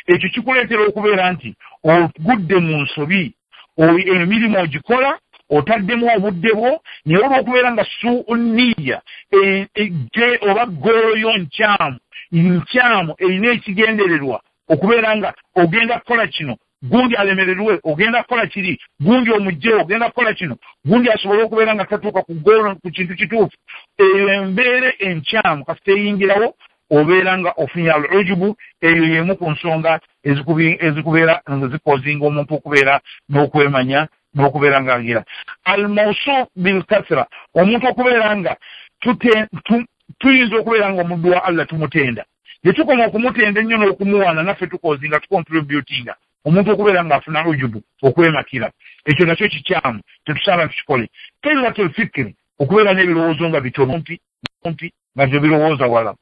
Ekyo kikuleetera okubeera nti ogudde mu nsobi, emirimu ogikola otaddemu obudde bwo, naye olw'okubeera nga suu nniya oba goolo yo nkyamu, nkyamu erina ekigendererwa okubeera nga ogenda kukola kino, gundi alemererwe, ogenda kukola kiri, gundi omugyewo, ogenda kukola kino, gundi asobole okubeera nga tatuuka ku goolo, ku kintu kituufu. Eyo embeera enkyamu kasita eyingirawo, obeera nga ofunye al ujubu. Eyo y'emu ku nsonga ezikubeera nga zikozinga omuntu okubeera n'okwemanya n'okubeera nga agira. Al mawsuf bil kathra, omuntu okubeera nga tuyinza okubeera nga omuddu wa Allah tumutenda, gye tukoma okumutenda ennyo n'okumuwaana, naffe tukozinga tucontributinga omuntu okubeera ng'afuna ujubu, okwematira. Ekyo nakyo kikyamu, tetusaana tukikole. Qillatul fikri, okubeera n'ebirowoozo nga bitono, mpi nga tebirowooza wala.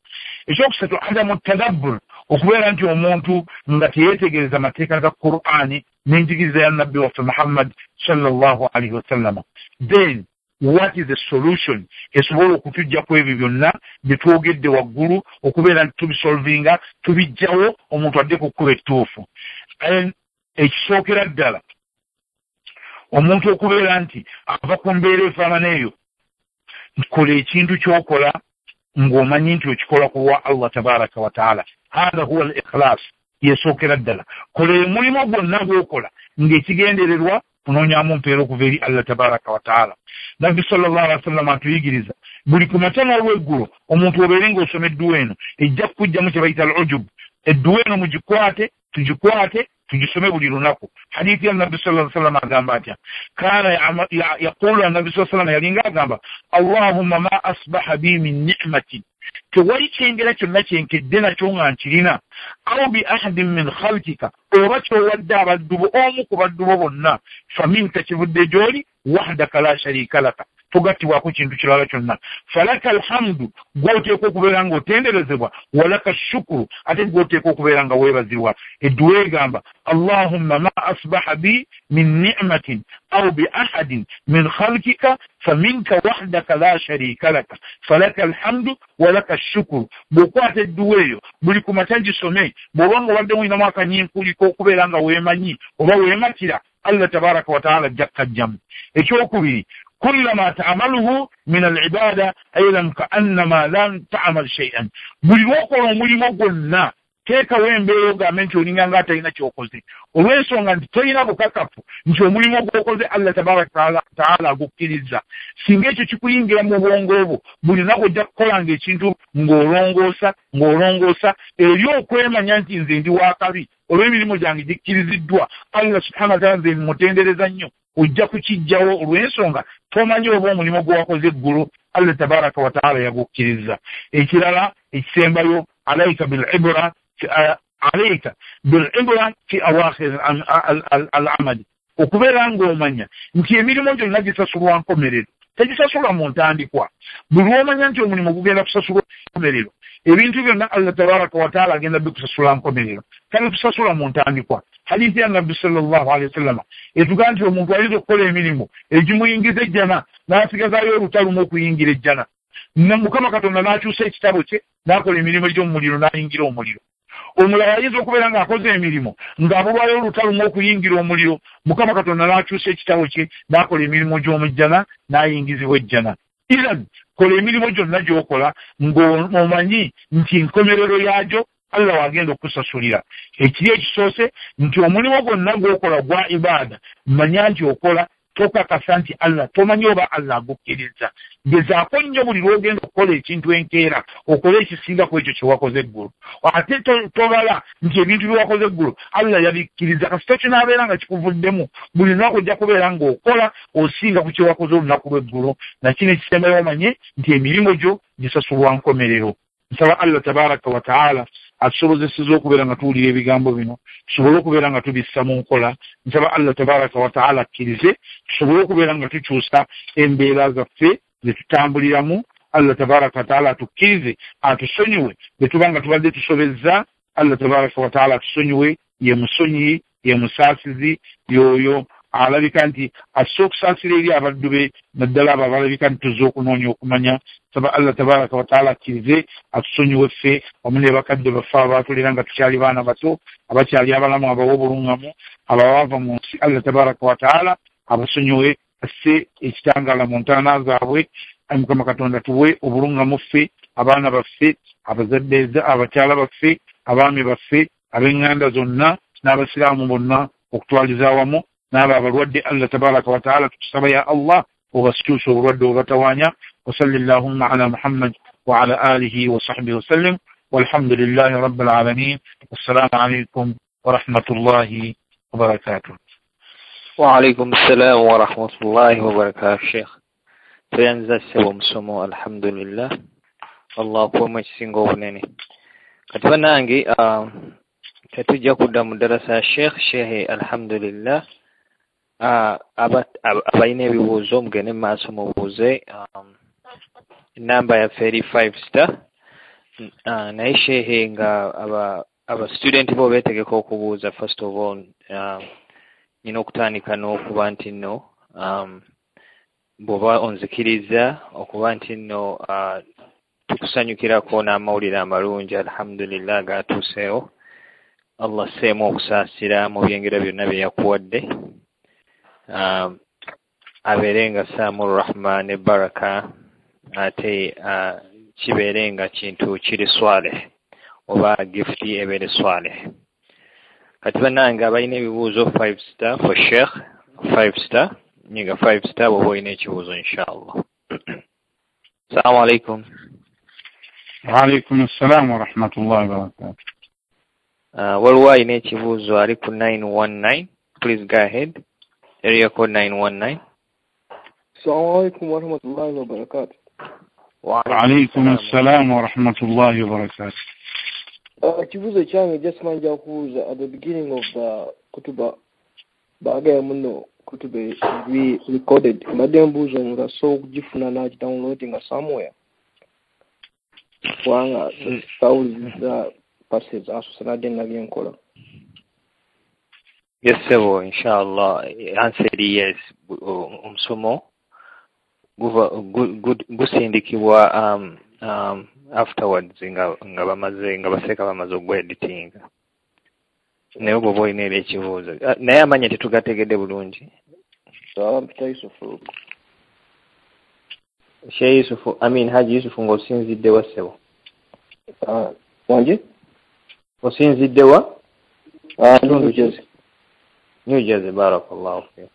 Ekyokusatu, adamu tadabbur, okubeera nti omuntu nga teyeetegereza mateeka ga Qur'ani n'enjigiriza ya nabbi waffe Muhammad sallallahu alaihi wasallama. Then what is the solution esobola okutujja ku ebyo byonna bye twogedde waggulu, okubeera nti tubisolvinga, tubijjawo, omuntu adde ku kkubo ettuufu? Ekisookera ddala, omuntu okubeera nti ava ku mbeera efaanana eyo, kola ekintu ky'okola ng'omanyi nti okikola ku lwa Allah tabaraka wa taala. Hatha huwa al ikhlas, yesookera ddala. Kola omulimu gwonna gw'okola ng'ekigendererwa kunoonyamu mpeera okuva eri Allah tabaraka wa taala. Nabbi sallallahu alaihi wasallam atuyigiriza buli ku makya n'olweggulo omuntu obeere ng'osoma edduwa eno, ejja kukugjamu kye bayita al ujub. Edduwa eno mugikwate, tugikwate, tugisome buli lunaku. Hadithi ya nabbi sallallahu alaihi wasallam agamba atya? Kana yaqulu, nabbi sallallahu alaihi wasallam yalinga agamba, Allahumma ma asbaha bi min ni'matin, tewali kyengera kyonna kyenkedde nakyo nga nkirina, aw bi ahadin min khalqika, oba kyowadde abaddu bo, omu ku baddu bo bonna, faminka, kivudde gy'oli, wahdaka la sharika laka, togattibwako kintu kirala kyonna, falaka alhamdu, gw'oteekwa okubeera ng'otenderezebwa, walaka shukuru, ate gw'oteekwa okubeera nga weebazibwa. Edduwa egamba, Allahumma ma asbaha bi min ni'matin aw bi ahadin min khalqika faminka wahdaka la sharika laka falaka alhamdu walaka shukuru. Bw'okwata edduwa eyo buli ku makya gisome, bw'oba nga obadde mulinamu akanyiinkuliko okubeera nga weemanyi oba weematira, Allah tabaraka wa taala ajja kukajjamu. Ekyokubiri, kullama ta'amaluhu min al-ibada aydan ka'annama lam ta'amal shay'an, buli lw'okola omulimu gwonna teekawo embeera ogambe nti olinga nga atalina ky'okoze, olw'ensonga nti tolina bukakafu nti omulimu gw'okoze Allah tabaraka taala agukkiriza. Singa ekyo kikuyingira mu bwongo bwo, buli lunaku ojja kukolanga ekintu ng'olongoosa ng'olongoosa eri okwemanya nti nze ndi wakabi, olw'emirimu gyange gikkiriziddwa Allah subhanahu wa taala, nze mutendereza nnyo. Ojja kukijjawo olw'ensonga tomanyi oba omulimu gwe wakoze eggulo Allah tabaraka wa taala yagukkiriza. Ekirala ekisembayo, alaika bilibra fi awakhir al amali, okubeera ng'omanya nti emirimu gyonna gisasulwa nkomerero, tegisasulwa mu ntandikwa. Buli lw'omanya nti omulimu gugenda kusasulwa nkomerero, ebintu byonna Allah tabaraka wa taala agenda bikusasula nkomerero, tabikusasula mu ntandikwa. Hadithi ya nabbi sallallahu alaihi wasallama etugaa nti omuntu ayinza okukola emirimu egimuyingiza ejjana n'asigazaayo olutalumu okuyingira ejjana. Mukama Katonda n'akyusa ekitabo kye n'akola emirimu gy'omuliro n'ayingira omuliro. Omulala ayinza okubeera ng'akoze emirimu ng'abulwayo olutalo mu okuyingira omuliro, Mukama Katonda n'akyusa ekitabo kye n'akola emirimu gy'omujjana n'ayingizibwa ejjana. Iran kola emirimu gyonna gy'okola ng'omanyi nti enkomerero yaagyo Allah wagenda okusasulira. Ekiri ekisoose nti omulimu gwonna gw'okola gwa ibaada, manya nti okola tokakasa nti Allah tomanyi oba Allah agukkiriza. Gezaako nnyo buli lw'ogenda okukola ekintu enkeera okole ekisinga ku ekyo kye wakoze eggulo. Ate tobala nti ebintu bye wakoze eggulo Allah yabikkiriza. Kasita kinaabeera nga kikuvuddemu buli lunaku ojja kubeera ng'okola osinga ku kye wakoze olunaku lw'eggulo. Nakino ekisembayo omanye nti emirimu gyo gisasulwa nkomerero. Nsaba Allah tabaraka wa taala atusobozeseza okubeera nga tuwulira ebigambo bino, tusobole okubeera nga tubissa mu nkola. Nsaba Allah tabaraka wa taala akkirize tusobole okubeera nga tukyusa embeera zaffe ze tutambuliramu. Allah tabaraka wa taala atukkirize atusonyiwe bwe tuba nga tubadde tusobezza. Allah tabaraka wa taala atusonyiwe, ye musonyiyi, ye musaasizi, y'oyo alabika nti asse okusaasira eri abaddu be, naddala abo abalabika nti tuzze okunoonya okumanya. Saba Allah tabaraka wa taala akkirize atusonyiwe ffe wamu ne bakadde baffe abaatulera nga tukyali baana bato, abakyali abalamu, abawa obulungamu, abawaava mu nsi. Allah tabaraka wa taala abasonyiwe, asse ekitangaala mu ntaana zaabwe. Ayi Mukama Katonda tuwe obulungamu ffe, abaana baffe, abazadde, abakyala baffe, abaami baffe, ab'eŋŋanda zonna n'abasiraamu bonna okutwaliza awamu, n'abo abalwadde. Allah tabaraka wa taala tukusaba ya Allah obasikyuse obulwadde obubatawaanya. Wasalli llahumma ala Muhammad wa ala alihi wa sahbihi wasallim, walhamdulillahi rabbil alamin. Wassalaamu alaikum warahmatullahi wabarakatuh. Wa alaikum assalam warahmatullahi wabarakatuh. Sheikh tweyanza ssebo omusomo, alhamdulillah, Allah akuwemu ekisinga obunene. Kati bannange tetujja kudda mu ddarasa ya Sheikh. Sheikh alhamdulillah, abalina ebibuuzo mugende mu maaso mubuuze. Enamba yaffe eri 5 star. Naye Sheikh nga aba student bo beetegeka okubuuza, first of all nina okutandika n'okuba nti nno bw'oba onzikiriza okuba nti nno tukusanyukirako n'amawulire amalungi alhamdulillah gatuuseewo. Allah asseemu okusaasira mu byengera byonna bye yakuwadde, abeere nga saamu rahma ne baraka, ate kibeere nga kintu kiri swaleh oba gifuti ebeere swaleh. Kati bannange abalina ebibuuzo 5 star for Sheikh, 5 star nyiga 5 star bw'oba olina ekibuuzo inshallah. Assalamu alaikum. Wa alaikum assalam wa rahmatullahi wa barakatuh. Waliwo alina ekibuuzo ali ku 919, please go ahead. Area code 919. Assalamu alaikum wa rahmatullahi wa barakatuh. Wa alaikum assalam wa rahmatullahi wa barakatuh. Ekibuuzo kyange just manja kubuuza at the beginning of the kutuba baagaya muno kutuba eri recorded, mbadde mbuuza omuntu asobola okugifuna n'agidownloadinga somewhere, kubanga sawuliriza passes asoose nadde nabye nkola. Yes sebo, inshallah answer eri yes. Omusomo gusindikibwa afterwards nga bamaze nga baseeka bamaze ogweditinga. Naye bw'oba olina era ekibuuzo, naye amanya tetugategedde bulungi. Mpita Yusufu. Sheikh Yusufu, I mean Haji Yusufu, ng'osinzidde wa ssebo? Wangi? Osinzidde wa? New Jersey. New Jersey, barakallahu fik.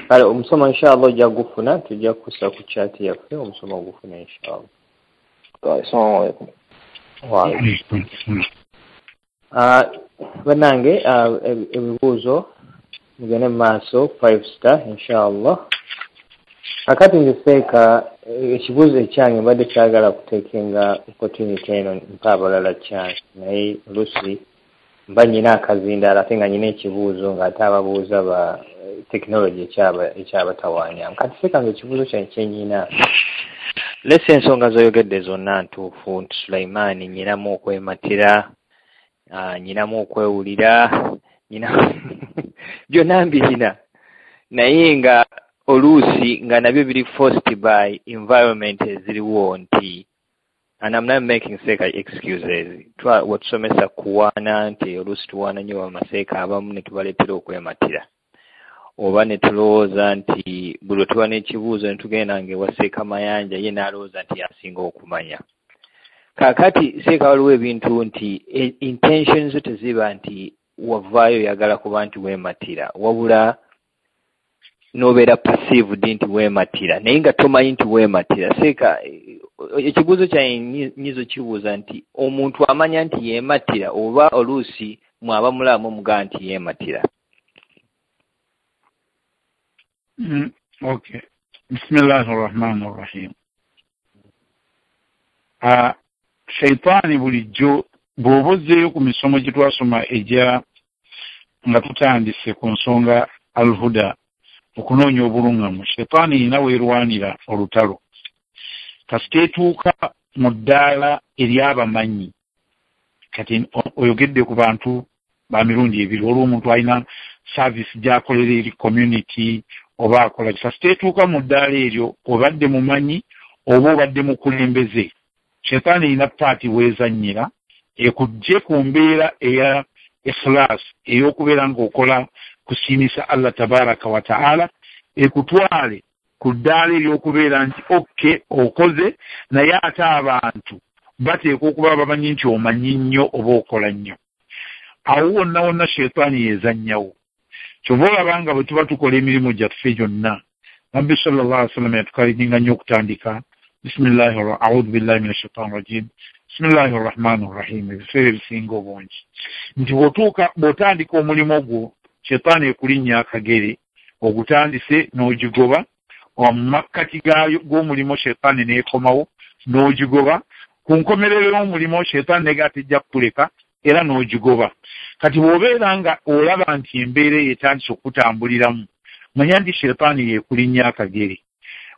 Kale omusomo inshallah ojja gufuna, tujja kussa ku chat yaffe omusomo ogufuna inshallah. Assalamu alaikum. Wa alaikum assalam. Bannange ebibuuzo mugende mu maaso 5 star inshallah. Akati nze seeka ekibuuzo ekyange mbadde kyagala kuteekenga opportunity eno mpa abalala chance, naye oluusi mba nnyina akazindaalo ate nga nnyina ekibuuzo ng'ate ababuuza ba tekinologi ekyabatawaanya. Kati seeka nze ekibuuzo kyange kye nnyina, lesa ensonga z'oyogedde zonna ntuufu nti Sulaimaani nnyinamu okwematira, nnyinamu okwewulira, nyina byonna mbirina, naye nga Oluusi nga nabyo biri forced by environment eziriwo nti, and I'm not making seeka excuses, watusomesa kuwaana nti oluusi tuwaana nnyo bamaseeka abamu ne tubaleetera okwematira, oba ne tulowooza nti buli lwe tuba n'ekibuuzo ne tugenda nga ewa Seeka Mayanja ye n'alowooza nti y'asinga okumanya. Kaakati seeka waliwo ebintu nti intentions zo teziba nti wavaayo oyagala kuba nti weematira, wabula n'obeera perceived nti weematira naye nga tomanyi nti weematira. Seeka, ekibuuzo kyange nyizo kibuuza nti omuntu amanya nti yeematira oba oluusi mwaba mulamu mugaa nti yeematira? Okay. Bismillahi rahmani rahim. Shaitaani bulijjo bw'oba ozzeeyo ku misomo gye twasoma egya nga tutandise ku nsonga alhuda, okunoonya obulungamu, shaitaani erina weerwanira olutalo. Kasita etuuka mu ddaala ery'abamanyi, kati oyogedde ku bantu ba mirundi ebiri, waliwo omuntu alina service gy'akolera eri community oba akola. Kasita etuuka mu ddaala eryo obadde mumanyi oba obadde mukulembeze, shaitaani erina paati weezannyira ekujje ku mbeera eya ikhlas, ey'okubeera ng'okola kusiimisa Allah tabaraka wa taala, ekutwale ku ddaala ery'okubeera nti okke okoze, naye ate abantu bateekwa okuba bamanyi nti omanyi nnyo oba okola nnyo. Awo wonna wonna shaitaani yeezannyawo. Kyova olaba nga bwe tuba tukola emirimu gyaffe gyonna, Nabbi sallallahu alaihi wasallam yatukalijinga nnyo okutandika bismillahi a'udhu billahi minash shaitani rajim, bismillahi rahmani rahim, ebiseera ebisinga obungi nti bw'otandika omulimu gwo shaitaani ekulinnya akagere, ogutandise n'ogigoba, mu makkati g'omulimu shaitaani n'ekomawo n'ogigoba, ku nkomerero y'omulimu shaitaani nega tejja kukuleka era n'ogigoba. Kati bw'obeera nga olaba nti embeera eyo etandise okutambuliramu, manya nti shaitaani yeekulinnya akagere.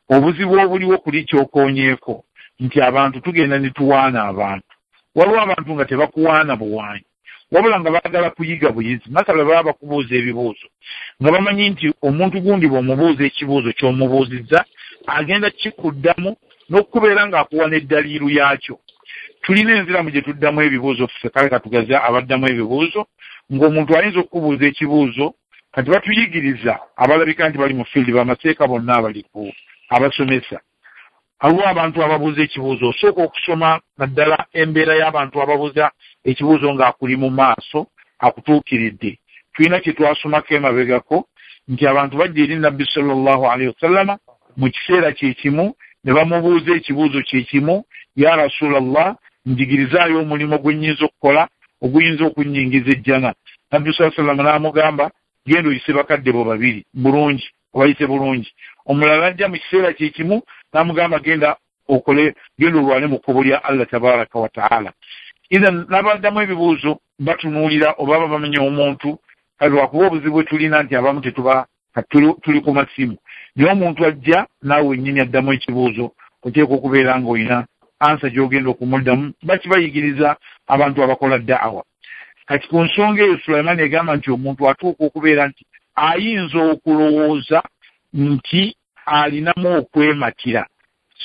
Obuzibu obuliwo kuli kyokoonyeeko nti abantu tugenda ne tuwaana abantu. Waliwo abantu nga tebakuwaana buwaanyi, wabula nga baagala kuyiga buyizi. Masala baba bakubuuza ebibuuzo nga bamanyi nti omuntu gundi bw'omubuuza ekibuuzo ky'omubuuzizza agenda kikuddamu n'okubeera ng'akuwa n'eddaliiru yaakyo. Tulina enziramu gye tuddamu ebibuuzo ffe, kale katugaze abaddamu ebibuuzo ng'omuntu ayinza okukubuuza ekibuuzo. Kati batuyigiriza abalabika nti bali mu field, bamaseeka bonna abaliko abasomesa. Waliwo abantu ababuuza ekibuuzo, osooka okusoma naddala embeera y'abantu ababuuza ekibuuzo ng'akuli mu maaso akutuukiridde. Tulina kye twasomako emabegako nti abantu bajja eri Nabbi sallallahu alaihi wasallama mu kiseera kye kimu ne bamubuuza ekibuuzo kye kimu, ya Rasulallah, njigirizaayo omulimu gwe nnyinza okukola oguyinza okunnyingiza ejjana. Nabbi sallallahu alaihi wasallama n'amugamba genda oyise bakadde bo babiri bulungi, obayise bulungi. Omulala ajja mu kiseera kye kimu n'amugamba genda okole, genda olwane mu kkubo lya Allah tabaraka wa taala. Idhan n'abaddamu ebibuuzo batunuulira oba bamanya omuntu, kale lwakuba obuzibu bwe tulina nti abamu tetuba tuli ku masimu, naye omuntu ajja naawe wennyini addamu ekibuuzo oteekwa okubeera ng'olina ansa gy'ogenda okumuddamu. Bakibayigiriza abantu abakola da'awa. Kati ku nsonga eyo Sulaiman egamba nti omuntu atuuka okubeera nti ayinza okulowooza nti alinamu okwematira.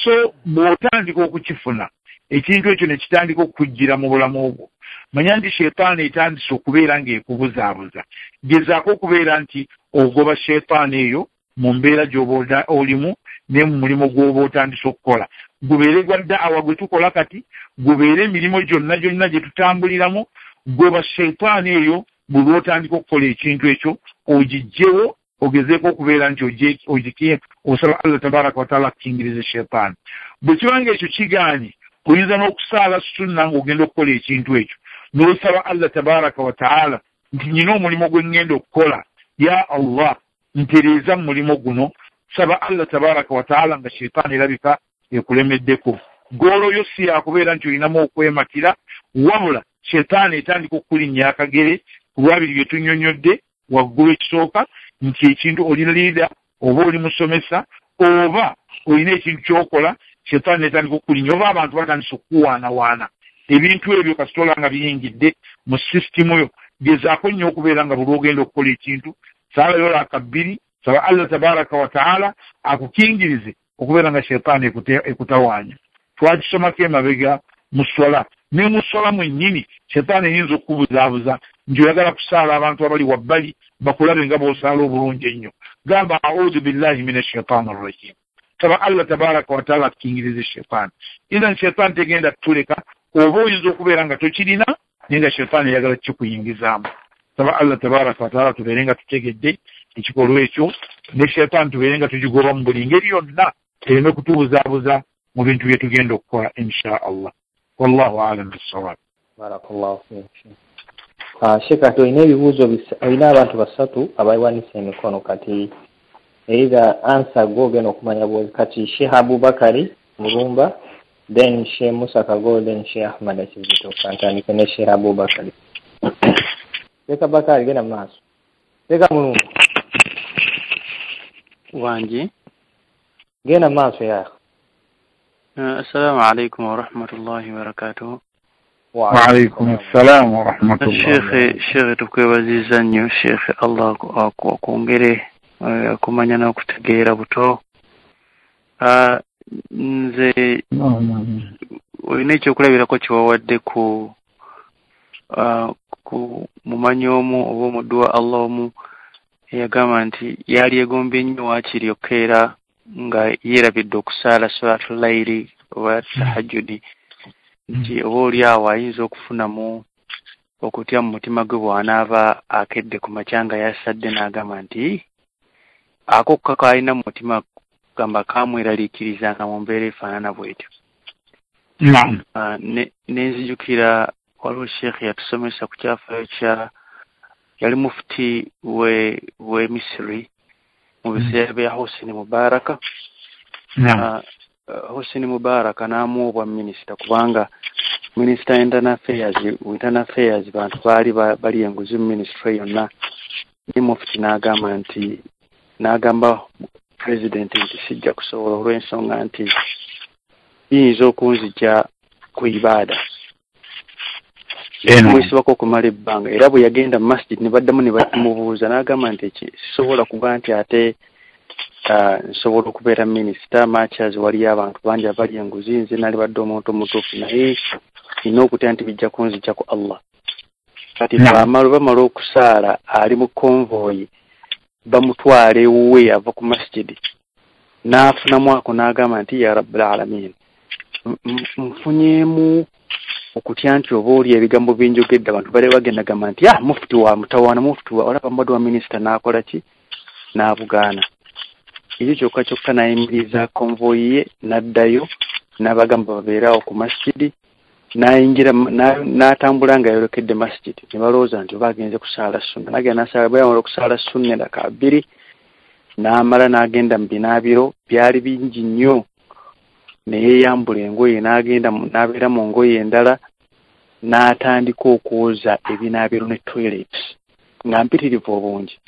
So bw'otandika okukifuna ekintu ekyo ne kitandika okukujjira mu bulamu bwo, manya nti shaitaani etandise okubeera ng'ekubuzaabuza. Gezaako okubeera nti ogoba shaitaani eyo mu mbeera gy'oba olimu ne mu mulimu gw'oba otandise okukola. Gubeere gwa da'awa gwe tukola kati, gubeere emirimu gyonna gyonna gye tutambuliramu, goba shaitaani eyo bwe lw'otandika okukola ekintu ekyo ogiggyewo, ogezeeko okubeera nti ogikiye, osaba Allah tabaraka wa taala akukingirize shaitaani. Bwe kiba nga ekyo kigaanye, oyinza n'okusaala sunna ng'ogenda okukola ekintu ekyo, n'osaba Allah tabaraka wa taala nti nnyina omulimu gwe ŋŋenda okukola, ya Allah ntereeza mu mulimu guno. Saba Allah tabaraka wa taala nga shaitaani erabika ekulemeddeko. Goolo yo si yakubeera nti olinamu okwematira, wabula shaitaani etandika okukulinnya akagere ku lwabiri bye tunnyonnyodde waggulu. Ekisooka nti ekintu oli leader oba oli musomesa oba olina ekintu ky'okola, shaitaani etandika okukulinnya oba abantu batandise okukuwaanawaana. Ebintu ebyo kasita nga biyingidde mu sisitimu yo, gezaako nnyo okubeera nga buli lw'ogenda okukola ekintu saalayo raaka bbiri Saba Allah tabaraka wa taala akukingirize okubeera nga shaytaani ekutawaanya. Twakisomako emabega mu swala, ne mu swala mwennyini shaytaani eyinza okukubuzaabuza nti oyagala kusaala abantu abali wabbali bakulabe nga bw'osaala obulungi ennyo. Gamba a'udhu billahi minash shaitani rrajim. Saba Allah tabaraka wa taala akukingirize shaytaani. Idhan shaytaani tegenda kutuleka, oba oyinza okubeera nga tokirina naye nga shaytaani eyagala kikuyingizaamu. Saba Allah tabaraka wa taala tubeere nga tutegedde ekikolwa ekyo, ne shaytaani tubeere nga tugigoba mu buli ngeri yonna ereme kutubuzaabuza mu bintu bye tugenda okukola insha Allah. Wallahu a'lam bissawab. Barakallahu fiik. Sheikh, kati olina ebibuuzo, olina abantu basatu abawanise emikono, kati either answer gwe ogenda okumanya bw'oli. Kati Sheikh Abubakari Mulumba, then Sheikh Musa Kago, then Sheikh Ahmad Kizito. Kantandike ne Sheikh Abubakari. Sheikh Abubakari, genda mu maaso. Sheikh Mulumba. Wangi. Genda mu maaso ya. Assalamu alaikum wa rahmatullahi wa barakatuh. Wa alaikum assalam wa rahmatullahi. Sheikh tukwebaziza nnyo Sheikh, Allah akwongere okumanya n'okutegeera buto. Nze olina ekyokulabirako kyewawadde ku mumanyi omu oba omuddu wa Allah omu eyagamba nti yali egombye nnyo waakiri okukeera nga yeerabidde okusaala salaatu layiri oba tahajjudi, nti oba oli awo ayinza okufunamu okutya mu mutima gwe bw'anaaba akedde ku makya nga yasadde n'agamba nti ako kaalina mu mutima gamba kamweraliikirizanga mu mbeera efaanana bw'etyo. Nenzijukira waliwo Sheikh yatusomesa ku kyafaayo kya yali mufuti we Misiri mu biseera bya Hosni Mubaraka. Hosni Mubaraka n'amuwa obwa minisita kubanga minisita internal affairs bantu baali bali enguzi mu ministry yonna. Ne mufuti n'agamba nti, n'agamba president nti sijja kusobola olw'ensonga nti biyinza okunzija ku ibaada. Mwesibako okumala ebbanga, era bwe yagenda mu masjid ne baddamu ne bamubuuza n'agamba nti sisobola kuba nti ate nsobola okubeera minisita matches waliyo abantu bangi abali enguzi, nze nalibadde omuntu omutuufu naye nina okutya nti bijja kunzija ku Allah. Kati bamala okusaala ali mu konvoyi bamutwala ewuwe ava ku masjid n'afunamu ako n'agamba nti ya rabbul alamin, nfunyeemu okutya nti oba oli ebigambo byenjogedde abantu bali bagenda gamba nti mufuti wa mutawaana, mufuti wa olaba mbadde wa minisita n'akola ki n'abugaana. Ekyo kyokka kyokka n'ayimiriza konvoyi ye n'addayo n'abagamba babeere awo ku masjidi, n'ayingira n'atambula nga yayolekedde masjid. Ne balowooza nti oba agenze kusaala sunna, n'agenda n'asaala. Bwe yamala okusaala sunna endaka bbiri n'amala n'agenda mu binaabiro byali bingi nnyo, ne yeeyambula engoye n'agenda n'abeera mu ngoye endala n'atandika okwoza ebinaabiro ne toilets nga mpitirivu obungi.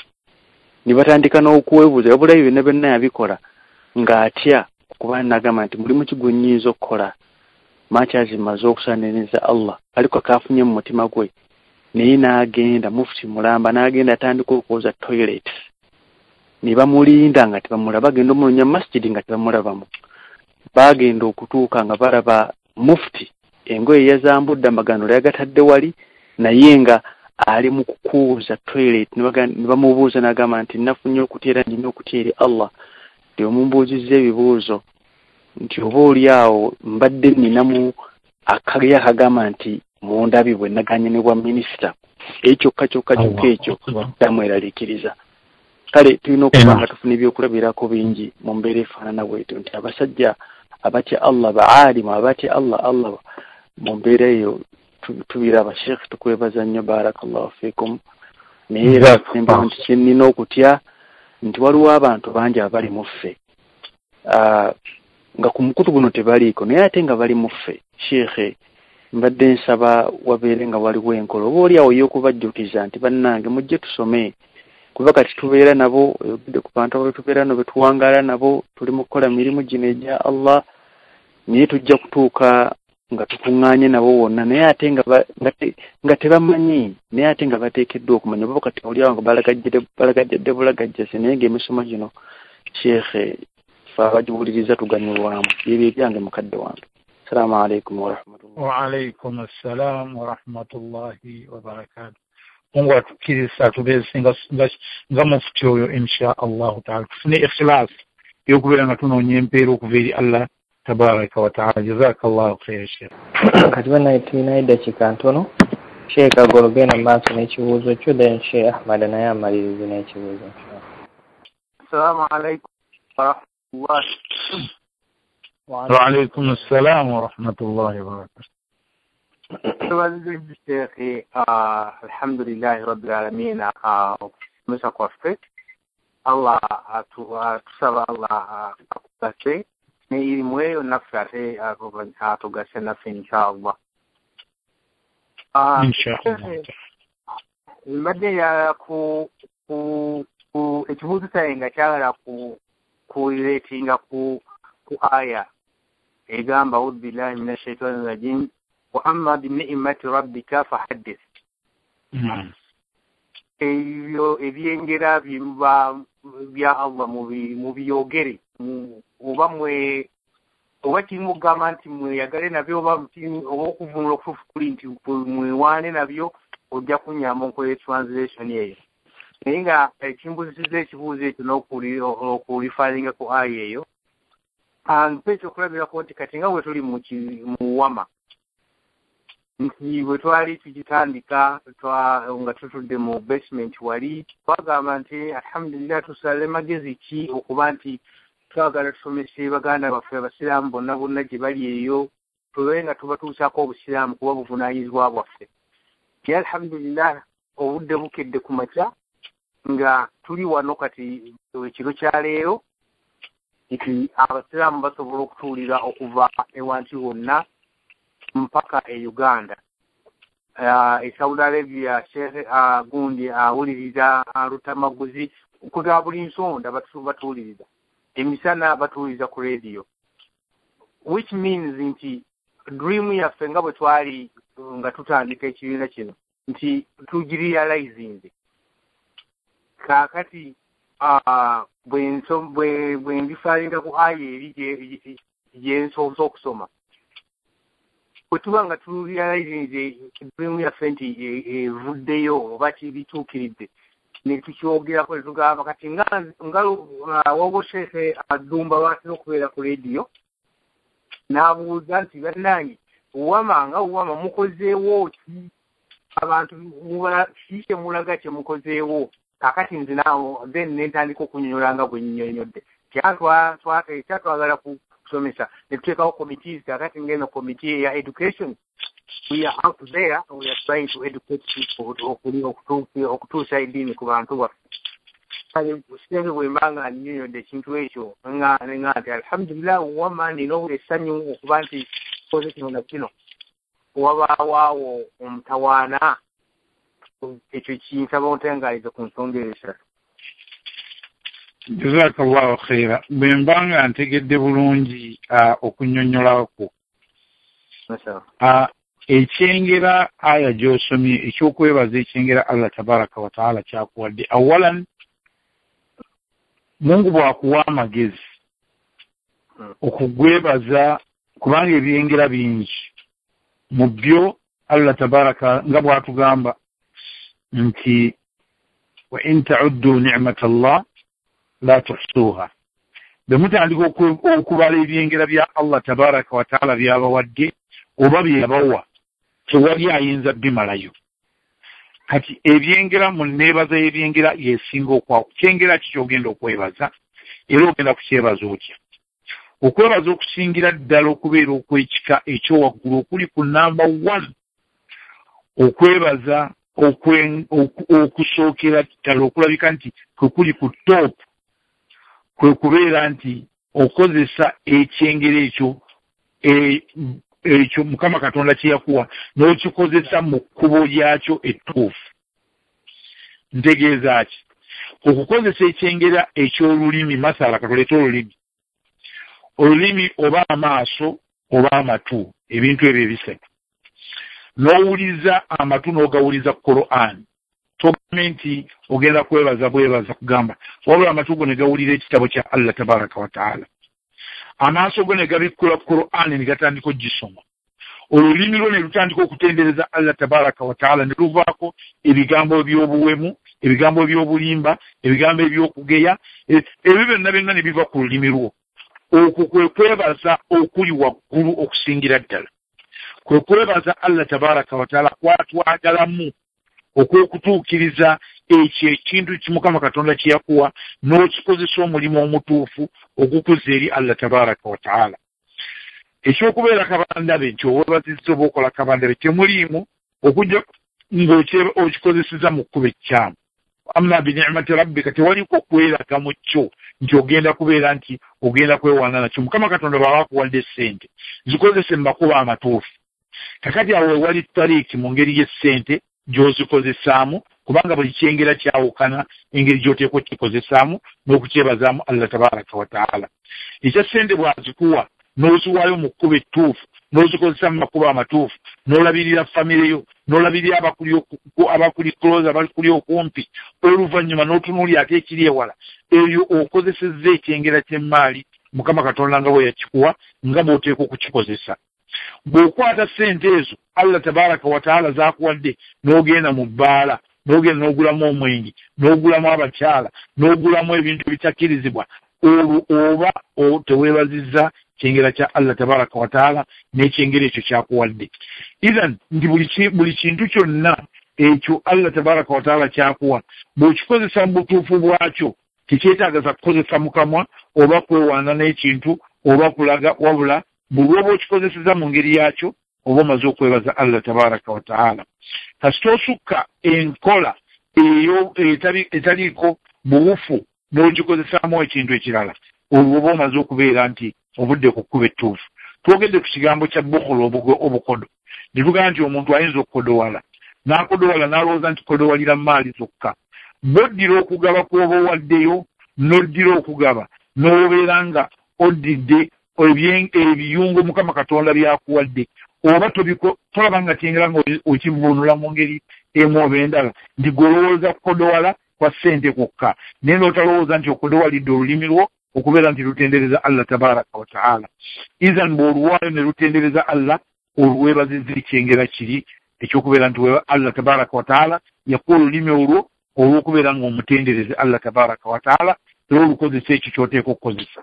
Ne batandika n'okwebuuza wabula ebyo byonna byonna yabikola ng'atya okuba n'agamba nti mulimu ki gwe nnyinza okukola matches maze okusaaniriza Allah, aliko kaafunye mu mutima gwe. Naye n'agenda mufuti mulamba n'agenda atandika okwoza toilets, ne bamulinda nga tebamulaba, bagenda omunoonya mu masjid nga tebamulabamu. Bagenda okutuuka nga balaba mufuti engoye yazambudde amagandula yagatadde wali, naye nga ali mu kukuuza toilet. Ne bamubuuza n'agamba nti nafunye okutya era nnina okutya eri Allah, nti omumbuuzizza ebibuuzo nti oba oli awo mbadde nninamu akali akagamba nti mundabi bwe naganye ne bwa minisita. Ekyo kyokka kyokka ekyo kyamweraliikiriza. Kale tulina okuba nga tufuna ebyokulabirako bingi mu mbeera efaanana bwetyo nti abasajja abatya Allah, baalimu abatya Allah mu mbeera eyo tubiraba. Sheikh tukwebaza nnyo, barakallahu fiikum. Naye era nti kye nnina okutya nti waliwo abantu bangi abali mu ffe nga ku mukutu guno tebaliiko naye ate nga bali mu ffe. Sheikh, mbadde nsaba wabeere nga waliwo enkola oba oli awo ey'okubajjukiza nti bannange mujje tusome, kuba kati tubeera nabo, oyogedde ku bantu abo tubeera nabo, betuwangaala nabo, tuli mu kukola mirimu gino egya Allah, naye tujja kutuuka nga tukuŋŋaanye nabo wonna, naye ate nga tebamanyi, naye ate nga bateekeddwa okumanya. Oba kati oli awo nga balagajjadde bulagajjase, naye ng'emisomo gino sheekhe fe abagiwuliriza tuganyulwamu. Byebyo ebyange mukadde wange. Assalamu alaikum warahmatullahi. Wa alaikum assalam warahmatullahi wabarakatuh. Mungu atukkiriza tubeeze nga mufuti oyo insha Allahu taala, tufune ikhilaasi ey'okubeera nga tunoonya empeera okuva eri Allah tabaraka wa taala. Jazakallahu khaira sheikh. Kati banaye tulinayo eddakiika ntono. Sheikh Agolo genda mu maaso n'ekibuuzo kyo, then Sheikh Ahmad naye amalirize n'ekibuuzo. Assalamu alaikum warahmatullahi. Wa alaikum assalam warahmatullahi wabarakatuh. Sheikh, alhamdulillahi rabbil alamin, okusomesa kwaffe Allah tusaba Allah akugase ne irimu eyo naffe ate atugase naffe inshallah. Inshallah. Mbadde njagala ku ekibuuzo kyange nga kyagala kureetinga ku aya egamba audhu billahi minash shaitani rajim wa amma bini'mati rabbika fahaddith. Ebyo ebyengera byemuba bya Allah mubiyogere, oba mwe oba kimugamba nti mweyagale nabyo, oba okuvunula okutuufu kuli nti mwewaane nabyo, ojja kunnyamba nkola translation eyo. Naye nga ekimbuzisiza ekibuuzo ekyo n'okulifalinga ku aya eyo, mpa ekyokulabirako nti kati nga bwe tuli mu wama, nti bwe twali tugitandika nga tutudde mu basement wali, twagamba nti alhamdulillah tusale magezi ki okuba nti twagala tusomese baganda baffe abasiraamu bonna bonna gye bali eyo, tube nga tubatuusaako obusiraamu kuba buvunaanyizibwa bwaffe. Naye alhamdulillah obudde bukedde ku makya nga tuli wano kati ekiro kya leero nti abasiraamu basobola okutuulira okuva ewantu wonna mpaka e Uganda. E Saudi Arabia Sheikh gundi awuliriza Lutamaguzi kuga buli nsonda batuwuliriza, emisana batuwuliriza ku radio, which means nti dream yaffe nga bwe twali nga tutandika ekibiina kino nti tugirealizinze. Kaakati bwe ndifalinga ku aya eri gye nsoose okusoma, bwe tuba nga turealizinze dream yaffe nti evuddeyo oba kibituukiridde, ne tukyogerako ne tugamba kati nga waliwo Sheikh Addumba lwatera okubeera ku rediyo n'abuuza nti bannange wama nga wama mukozeewo ki, abantu ki kye mulaga kye mukozeewo. Kaakati nze naawo then ne ntandika okunnyonnyola nga bwe nnyonnyodde kyatwagala kusomesa, ne tuteekawo committees. Kaakati ng'eno committee eya education, we are out there, we are trying to educate people okutuusa eddiini ku bantu baffe. Kale sinze bwe mba nga nnyonnyodde ekintu ekyo nga nti alhamdulillah wama nina essanyu okuba nti tukoze kino na kino, wabaawo omutawaana. Ekyo kinsaba ontengaalize ku nsonga eyo esatu. Jazakallahu khaira. Bwe mba nga ntegedde bulungi okunnyonnyolako ekyengera aya gy'osomye, ekyokwebaza ekyengera Allah tabaraka wa taala kyakuwadde. Awalan, Mungu bw'akuwa amagezi okugwebaza, kubanga ebyengera bingi mu byo Allah tabaraka nga bw'atugamba nti wa in ta'uddu ni'mata Allah la tuhsuha, bwe mutandika okubala ebyengera bya Allah tabaraka wa taala byabawadde oba byeyabawa, tewali ayinza bimalayo. Kati ebyengera mu neebaza y'ebyengera yesinga okwako. Kyengera ki ky'ogenda okwebaza, era ogenda kukyebaza otya? Okwebaza okusingira ddala okubeera okw'ekika ekyowaggulu okuli ku namba 1, okwebaza okusookera ddala okulabika nti kwe kuli ku top, kwe kubeera nti okozesa ekyengera ekyo ekyo Mukama Katonda kye yakuwa n'okikozesa mu kkubo lyakyo ettuufu. Ntegeeza ki? Okukozesa ekyengera eky'olulimi, masala katuleete olulimi, olulimi oba amaaso oba amatu, ebintu ebyo ebisatu, n'owuliza amatu n'ogawuliza Qur'an, togambe nti ogenda kwebaza bwebaza kugamba, wabula amatu go ne gawulira ekitabo kya Allah tabaraka wa taala, amaaso go ne gabikkula Qur'an ne gatandika okugisoma, olulimi lwo ne lutandika okutendereza Allah tabaraka wa taala, ne luvaako ebigambo by'obuwemu, ebigambo by'obulimba, ebigambo eby'okugeya, ebyo byonna byonna ne biva ku lulimi lwo. Okwo kwe kwebaza okuli waggulu okusingira ddala, kwe kwebaza Allah tabaraka wa taala kwatwagalamu okw'okutuukiriza ekyo ekintu Mukama Katonda kye yakuwa n'okikozesa omulimu omutuufu ogukuza eri Allah tabaraka wa taala. Ekyokubeera kabandabe nti owebazizza oba okola kabandabe temuliimu okujja ng'okikozeseza mu kkubo ekkyamu. Amma binicmati rabbika, tewaliko kweraga mu kyo nti ogenda kubeera nti ogenda kwewaana nakyo. Mukama Katonda bw'aba akuwadde ssente zikozese mu makubo amatuufu. Kakati awo wewali tariiki mu ngeri y'essente gy'ozikozesaamu, kubanga buli kyengera kyawukana engeri gy'oteekwa okukikozesaamu n'okukyebazaamu Allah tabaraka wa taala. Ekya ssente bw'azikuwa n'oziwaayo mu kkubo ettuufu, n'ozikozesa mu makubo amatuufu, n'olabirira famire yo, n'olabirira abakuli close, abakuli okumpi, oluvannyuma n'otunuulira ate ekiri ewala, eyo okozesezza ekyengera ky'emmaali Mukama Katonda nga bwe yakikuwa nga bw'oteekwa okukikozesa. Bw'okwata ssente ezo Allah tabaraka wa taala z'akuwadde n'ogenda mu bbaala, n'ogenda n'ogulamu omwenge, n'ogulamu abakyala, n'ogulamu ebintu ebitakkirizibwa, olwo oba teweebazizza kyengera kya Allah tabaraka wa taala n'ekyengera ekyo kyakuwadde. Ithan nti buli kintu kyonna ekyo Allah tabaraka wa taala kyakuwa bw'okikozesa mu butuufu bwakyo, tekyetaagaza kukozesa mukamwa oba kwewaana n'ekintu oba kulaga, wabula buli lw'oba okikozeseza mu ngeri yakyo oba omaze okwebaza Allah tabaraka wa taala. Kasita osukka enkola eyo etaliiko buwufu n'ogikozesaamu ekintu ekirala, olwo oba omaze okubeera nti ovudde ku kkubo ettuufu. Twogedde ku kigambo kya bukhulu, obukodo, ne tugamba nti omuntu ayinza okukodowala n'akodowala n'alowooza nti kodowalira maali zokka. Bw'oddira okugaba kw'oba owaddeyo, n'oddira okugaba n'obeera nga oddidde ebiyungo Mukama Katonda by'akuwadde, oba tolaba nga kyengera nga okivvuunula mu ngeri emu oba endala, nti gw'olowooza kukodowala kwa ssente kwokka, naye n'otalowooza nti okodowalidde olulimi lwo okubeera nti lutendereza Allah tabaraka wa taala. Ithan bw'oluwaayo ne lutendereza Allah, olwebazizza ekyengera kiri ekyokubeera nti Allah tabaraka wa taala yakuwa olulimi olwo olw'okubeera ng'omutendereze Allah tabaraka wa taala, era olukozesa ekyo ky'oteeka okukozesa.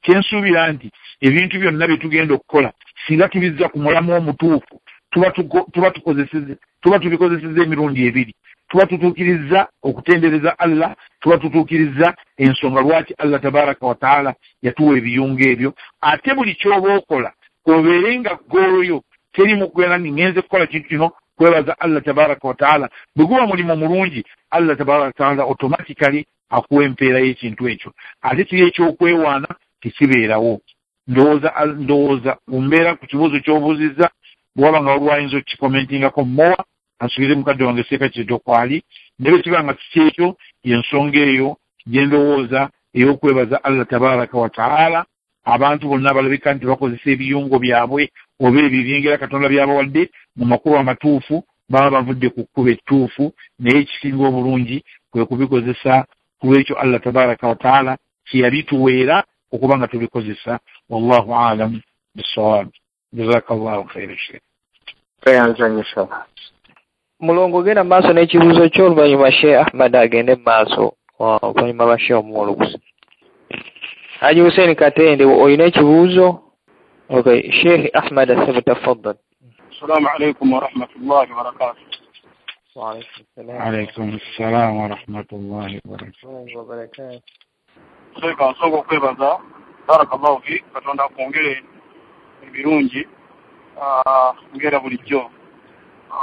Kyensuubira nti ebintu byonna bye tugenda okukola singa tubizza ku mulamu omutuufu, tuba tubikozesezza emirundi ebiri. Tuba tutuukiriza okutendereza Allah, tuba tutuukiriza ensonga lwaki Allah tabaraka wa taala yatuwa ebiyungo ebyo. Ate buli ky'oba okola obeere nga goolo yo teri mu kubeera nti ngenze kukola kintu kino kwebaza Allah tabaraka wa taala. Bwe guba mulimu mulungi, Allah tabaraka wa taala automatically akuwa empeera y'ekintu ekyo. Ate kiri ekyokwewaana tekibeerawo. Ndowooza mbeera ku kibuuzo ky'obuuzizza, bw'oba nga waliwo ayinza okukikomentingako mowa, asuubire mukadde wange Seeka Kizito kwali, naye bwe kiba nga si kyekyo, y'ensonga eyo gye ndowooza ey'okwebaza Allah tabaraka wa taala. Abantu bonna abalabika nti bakozesa ebiyungo byabwe oba ebyo ebyengera Katonda by'abawadde mu makubo amatuufu, baba bavudde ku kkubo ettuufu, naye ekisinga obulungi kwe kubikozesa ku lw'ekyo Allah tabaraka wa taala kye yabituweera okuba nga tubikozesa. Wallahu alam bissawab. Jazakallahu khairan. Mulongo genda maaso n'ekibuuzo kyo, oluvannyuma Sheikh Ahmad agende maaso, oluvannyuma lwa Sheikh Omuwolugusi. Haji Hussein Katende, olina ekibuuzo? Okay, Sheikh Ahmad Asabu, tafaddal. Assalamu alaikum wa rahmatullahi wa barakatuh. Wa alaikum salam. Alaikum salam wa rahmatullahi wa barakatuh. Sheikh, nsonga okwebaza, barakallahu fi, Katonda akwongere ebirungi ngera bulijjo.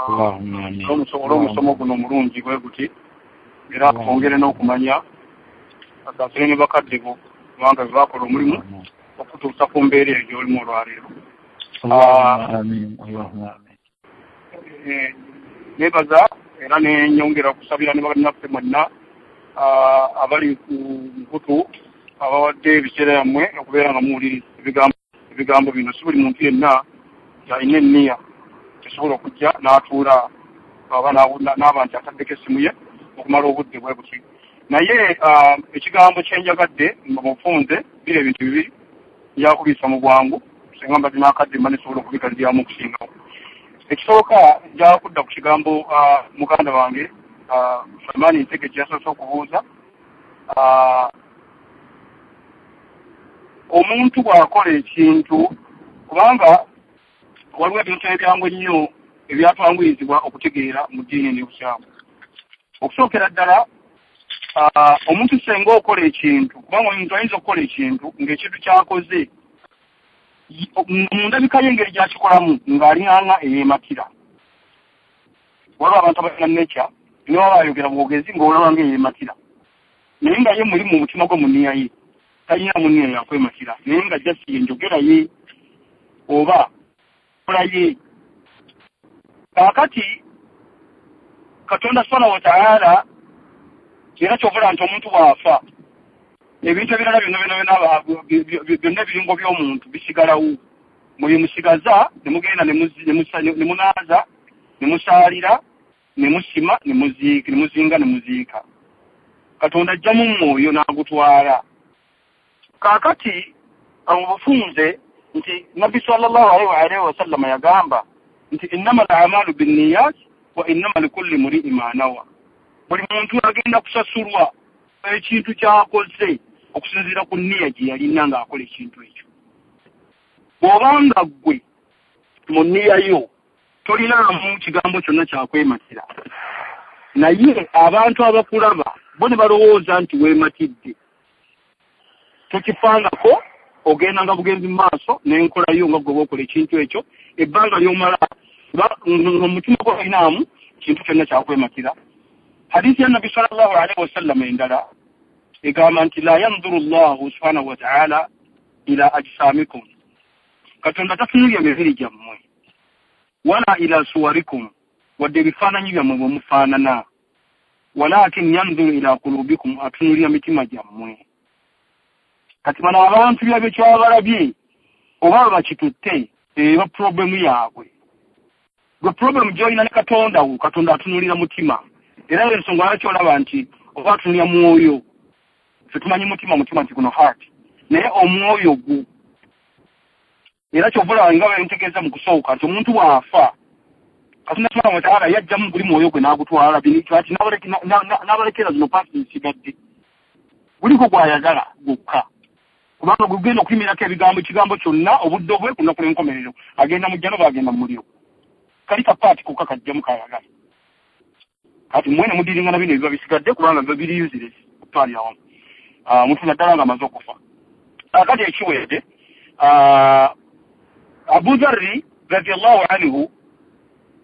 Allahumma amin. Olw'omusomo guno omulungi bwe guti, era akwongere n'okumanya, asaasire ne bakadde bo, kubanga be bakola omulimu okutuusa ku mbeera eyo gy'olimu olwaleero. Allahumma amin. Allahumma amin. Neebaza era nenyongera okusabira ne bannaffe mwenna abali ku mukutu abawadde ebiseera byammwe okubeera nga muwuliriza ebigambo Ebigambo bino si buli muntu yenna alina enniya esobola okujja n'atuula oba n'aba nti ataddeko essimu ye okumala obudde bwe buti. Naye ekigambo kyenjagadde nga mufunze biri ebintu bibiri, njakubiisa mu bwangu singa mbadde n'akadde mba nesobola okubigaliryamu okusingawo. Ekisooka nja kudda ku kigambo muganda wange Sulaiman Ntege kye yasoose okubuuza. Omuntu bw'akola ekintu, kubanga waliwo ebintu ebyangu ennyo ebyatwanguyizibwa okutegeera mu ddiini n'obusiraamu. Okusookera ddala omuntu singa okola ekintu, kubanga omuntu ayinza okukola ekintu ng'ekintu ky'akoze mu ndabika y'engeri gy'akikolamu ng'alinganga eyeematira. Waliwo abantu abalina nature ne baba bayogera bwogezi ng'olaba ng'eyeematira, naye nga ye muli mu mutima gwe mu nniya ye talina mu nniya yakwematira, naye nga just enjogera ye oba kola ye. Kaakati Katonda subhanahu wa ta'ala era kyovula nti omuntu bw'afa ebintu ebirala byonna byonna byonna ebirungo by'omuntu bisigalawo, mwe musigaza ne mugenda ne munaaza ne musaalira ne musima ne muziika ne muzinga ne muziika. Katonda ajjamu mwoyo n'agutwala. Kaakati mu bufunze nti Nabbi sallallahu alaihi wasallama yagamba nti innama al-a'malu binniyat wa innama likulli mri'in ma nawa. Buli muntu agenda kusasulwa ekintu ky'akoze okusinziira ku nniya gye yalina ng'akola ekintu ekyo. Bw'obanga ggwe mu nniya yo tolinaamu kigambo kyonna kyakwematira, naye abantu abakulaba bo ne balowooza nti weematidde, tokifangako, ogendanga bugenzi mu maaso n'enkola yo nga ggwe bw'okola ekintu ekyo ebbanga ly'omala omutima gwo tolinaamu kintu kyonna kyakwematira. Hadithi ya Nabbi sallallahu alaihi wasallam endala egamba nti la yanzuru Allahu subhanahu wa ta'ala ila ajsamikum, Katonda tatunuulira mibiri gyammwe, wala ila suwarikum, wadde ebifaananyi byammwe bwe mufaanana, walakin yanzuru ila kulubikum, atunuulira mitima gyammwe. Kati bano abantu byabwe kyabalabye oba bakitutte eba problemu yaabwe. Gwe problemu gy'olina ne Katonda wo, Katonda atunuulira mutima. Era ensonga lwaki olaba nti oba atunuulira mwoyo, ffe tumanyi mutima mutima nti guno heart, naye omwoyo gwo. Era kyova olaba nga bwe ntegeeza mu kusooka nti omuntu bw'afa Katonda subhanahu wa ta'ala yajjamu guli mwoyo gwe n'agutwala ati n'abalekera zino parts zisigadde, guliko gw'ayagala gwokka, kubanga gugenda okuyimirako ebigambo ekigambo kyonna obudde bwe ku lunaku lw'enkomerero, agenda mu jjana oba agenda mu muliro, kali ka part kokka kajjamu k'ayagala. Kati mmwe ne mudiringana bino ebiba bisigadde kubanga biba biri useless okutwalira awamu omuntu naddala ng'amaze okufa. Kaakati ekiwedde, Abu Dharri radiallahu anhu,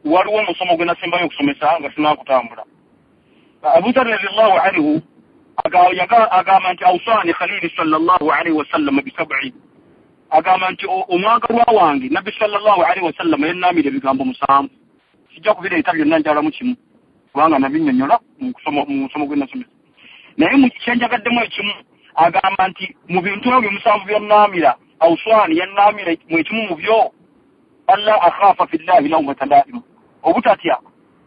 waliwo omusomo gwe nasembayo okusomesa nga tunakutambula. Abu Dharri radiallahu anhu agamba nti awsani khalili sallallahu alaihi wasallam bisab'i, agamba nti omwagalwa wange Nabbi sallallahu alaihi wasallam yannaamira ebigambo 7. Sijja kubireeta byonna, njalamu kimu kubanga nabinnyonnyola mu musomo gwe nasomesa, naye kyenjagaddemu ekimu agamba nti mu bintu ebyo 7 byannaamira, awsani yannaamira mu ekimu mu byo, alla akhafa fillahi lawmata laimu, obutatya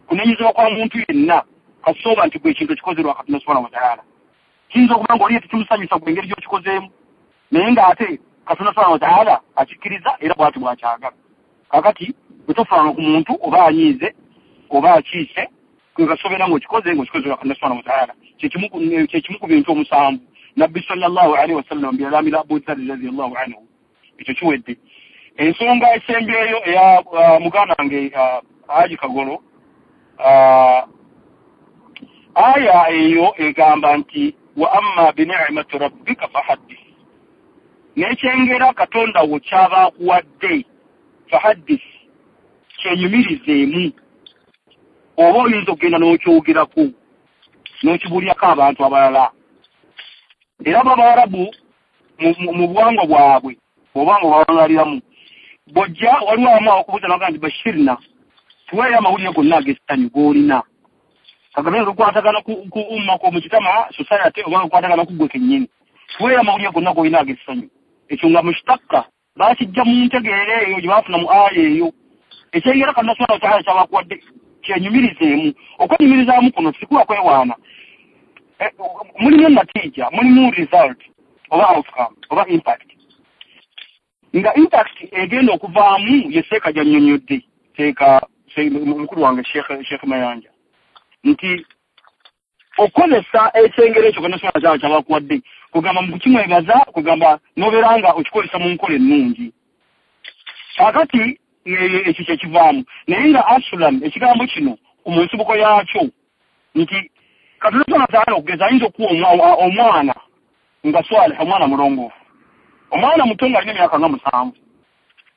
kunenyezebwa kwa muntu yenna kasooba nti gwe ekintu ekikozerwa Katonda subhanahu wa ta'ala. Kiyinza okuba nga oli tekimusanyusa gwe engeri gy'okikozeemu, naye ng'ate Katonda subhanahu wa ta'ala akikkiriza era bw'ati bw'akyagala. Kaakati bwe tofaanga ku muntu oba anyiize oba akiise, gwe kasobeera ng'okikoze ng'okikozerwa Katonda subhanahu wa ta'ala. Kyekimu ku bintu 7 Nabbi sallallahu alaihi wasallam bye yalamira Abu Dharri radiyallahu anhu. Ekyo kiwedde. Ensonga esembyeyo eya muganda wange Haji Kagolo, aya eyo egamba nti wa amma bini'mati rabbika fahaddith, n'ekyengera Katonda wo ky'aba akuwadde fahaddith, kyenyumirizeemu, oba oyinza okugenda n'okyogerako n'okibuulyako abantu abalala. Era Abawarabu mu buwangwa bwabwe oba nga bawangaliramu, bw'ojja waliwo abamu abakubuuza n'abagamba nti bashirna, tuweeyo amawulire gonna ag'essanyu g'olina, kagabe nga gakwatagana ku umma ko mujtama society oba gakwatagana ku ggwe kennyini, tuweeyo amawulire gonna g'olina ag'essanyu. Ekyo nga mushtaka Bakijja mu ntegeera eyo gye baafuna mu aya eyo. Ekyengera Katonda subhanahu wa ta'ala kyabakuwadde kyenyumirizeemu. Okwenyumirizaamu kuno sikuba kwewaana. Mulimu natija, mulimu result oba outcome oba impact. Nga impact egenda okuvaamu ye seeka gyannyonnyodde, seeka mukulu wange Sheikh Mayanja, nti okozesa ekyengera ekyo Katonda subhanahu wa ta'ala kyabakuwadde kugamba mu kukimwebaza, kugamba n'obeera nga okikozesa mu nkola ennungi. Kaakati ekyo kyekivaamu. Naye nga asulan ekigambo kino mu nsibuko yaakyo nti Katonda subhanahu wa ta'ala okugeza ayinza okuwa omwana nga swaliha, omwana mulongoofu, omwana muto nga alina emyaka nga 7,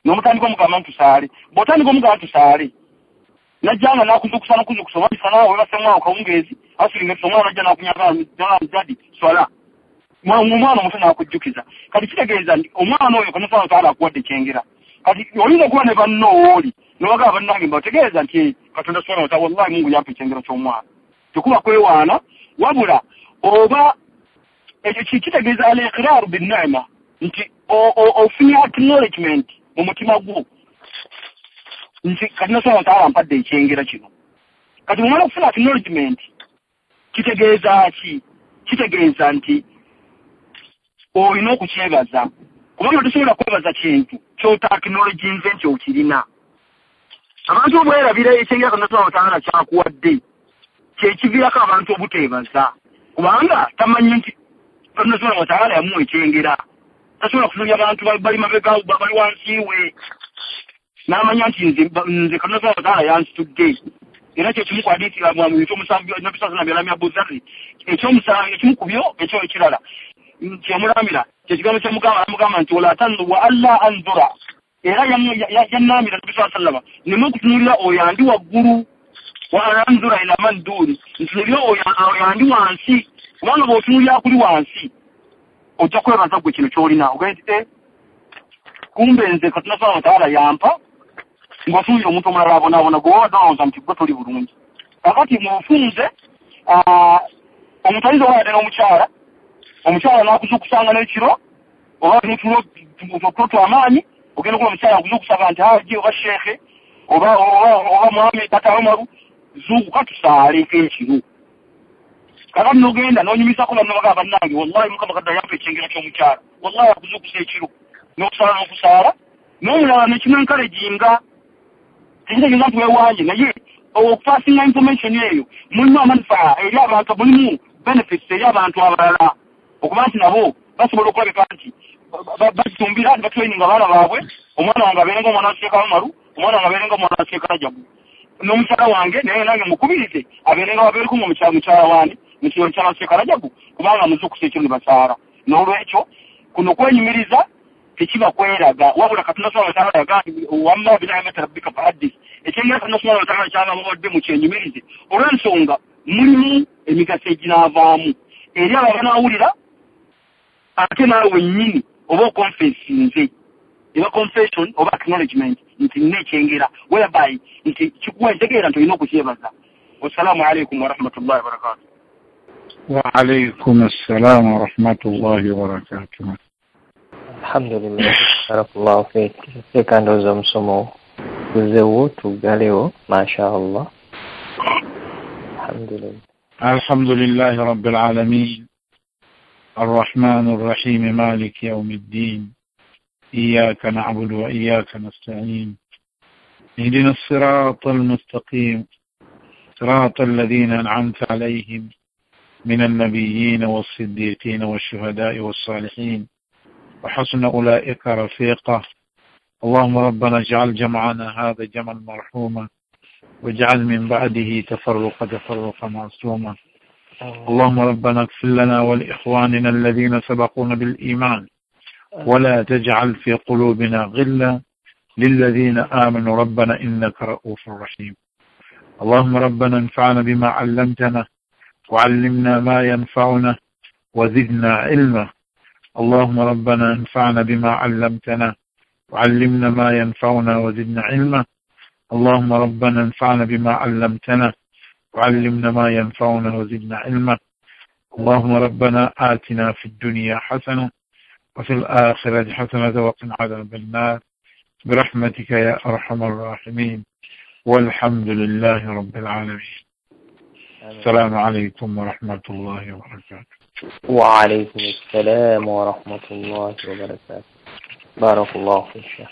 n'omutandika omugamba nti tusaale. Bw'otandika omugamba nti tusaale, najja nga n'akuzukusa n'okuzukusa oba misana weebase mwawo kawungeezi asulinga omwana najja n'akunyaga dadi swala, omwana omuto n'akujjukiza. Kati kitegeeza nti omwana oyo Katonda subhanahu wa ta'ala akuwadde ekyengera. Kati oyinza okuba ne banno ooli n'obagamba bannange mbategeeza nti Katonda subhanahu wa ta'ala wallahi Mungu yampa ekyengera ky'omwana. Tekuba kwewaana, wabula oba ekyo kitegeeza al-iqraaru bin-ni'ma, nti ofunye acknowledgement mu mutima gwo nti Katonda subhanahu wa ta'ala ampadde ekyengera kino. Kati bw'omala okufuna acknowledgement kitegeeza ki? Kitegeeza nti olina okukyebaza, kubanga tosobola kwebaza kintu ky'ota acknowledginze nti okirina. Abantu obwerabira ekyengera Katonda subhanahu wa ta'ala kyakuwadde kyekiviirako abantu obuteebaza, kubanga tamanyi nti Katonda subhanahu wa ta'ala yamuwa ekyengera. Tasobola kutunuulira abantu bali mabega bali wansi we n'amanya nti nze Katonda subhanahu wa ta'ala yansitudde. Era kyekimu ku hadithi ekyomusanvu Nabbi sallallahu alayhi wa sallam Abu Dharr, ekyomusanvu ekimu ku byo ekyo ekirala kyemulamira kyekigambo kyemugamba, amugamba nti wala tanzu wa alla anzura. Era yannamira Nabbi sallallahu alayhi wa sallam neme okutunuulira oyo andi waggulu, wa anzura ila man duni, ntunuulira oyo andi wansi, kubanga bw'otunuulira akuli wansi ojja kwebaza gwe kino ky'olina. Ogende nti kumbe nze Katonda subhanahu wa ta'ala yampa, ng'otunuulira omuntu omulala abonaabona gwe wabadde olowooza nti gwe toli bulungi. Kakati mu bufunze omuntu ayinza okuba yadde n'omukyala, omukyala n'akuzuukusanga n'ekiro oba n'otulo tw'amaanyi, ogenda okuba omukyala akuzuukusanga nti haji oba sheekhe oba mwami tata Omaru, zuukuka tusaaleko ekiro. Kakati n'ogenda n'onyumizaako banno bagamba bannange wallahi Mukama Katonda yampa ekyengera ky'omukyala, wallahi akuzuukusa ekiro n'okusaala n'okusaala, n'omulala nekimu-encouraginga. Tekitegeeza nti weewanje, naye okupassinga information eyo mulimu amanufaa eri abantu, mulimu benefits eri abantu abalala, okuba nti nabo basobola okulabika nti batumbira ne batraininga abaana baabwe, omwana wange abeere nga omwana wa Sheikh Umaru, omwana wange abeere nga omwana wa Sheikh Rajabu, n'omukyala wange naye nange mukubirize abeere nga babeereko nga mukyala wange mukyala wa Sheikh Rajabu, kubanga muzuukusa ekiro ne basaala. N'olwekyo kuno kwenyumiriza tekiba kweraga, wabula Katonda subhanahu wa ta'ala yagambye wamma bina'mati rabbika fahaddith. Ekyengera Katonda subhanahu wa ta'ala kyabawadde mukyenyumirize olw'ensonga mulimu emigaso eginaavaamu eri abo abanaawulira, ate naawe wennyini oba okonfessinze, eba confession oba acknowledgement nti nina ekyengera, whereby nti kikuwa entegeera nti olina okukyebaza. Wassalaamu alaikum warahmatullahi wabarakatuh. Wa alaikum assalam warahmatullahi wabarakatuh. Alhamdulillah, barakallahu fiik. Seeka ndowooza omusomo guzeewo tuggalewo, masha Allah. Alhamdulillah. Alhamdulillahi rabbil alamin الرحمن الرحيم مالك يوم الدين إياك نعبد وإياك نستعين اهدنا الصراط المستقيم صراط الذين أنعمت عليهم من النبيين والصديقين والشهداء والصالحين وحسن أولئك رفيقا. اللهم ربنا اجعل جمعنا هذا جمعا مرحوما واجعل من بعده تفرقا تفرقا معصوما. اللهم ربنا اغفر لنا ولإخواننا الذين سبقونا بالإيمان ولا تجعل في قلوبنا غلا للذين آمنوا ربنا إنك رؤوف رحيم. اللهم ربنا انفعنا بما علمتنا وعلمنا ما ينفعنا وزدنا علما. اللهم ربنا انفعنا بما علمتنا وعلمنا ما ينفعنا وزدنا علما. اللهم ربنا انفعنا بما علمتنا وعلمنا ما ينفعنا وزدنا علما. اللهم ربنا آتنا في الدنيا حسنة وفي الآخرة حسنة وقنا عذاب النار برحمتك يا أرحم الراحمين، والحمد لله رب العالمين. السلام عليكم ورحمة الله وبركاته. وعليكم السلام ورحمة الله وبركاته. بارك الله فيك.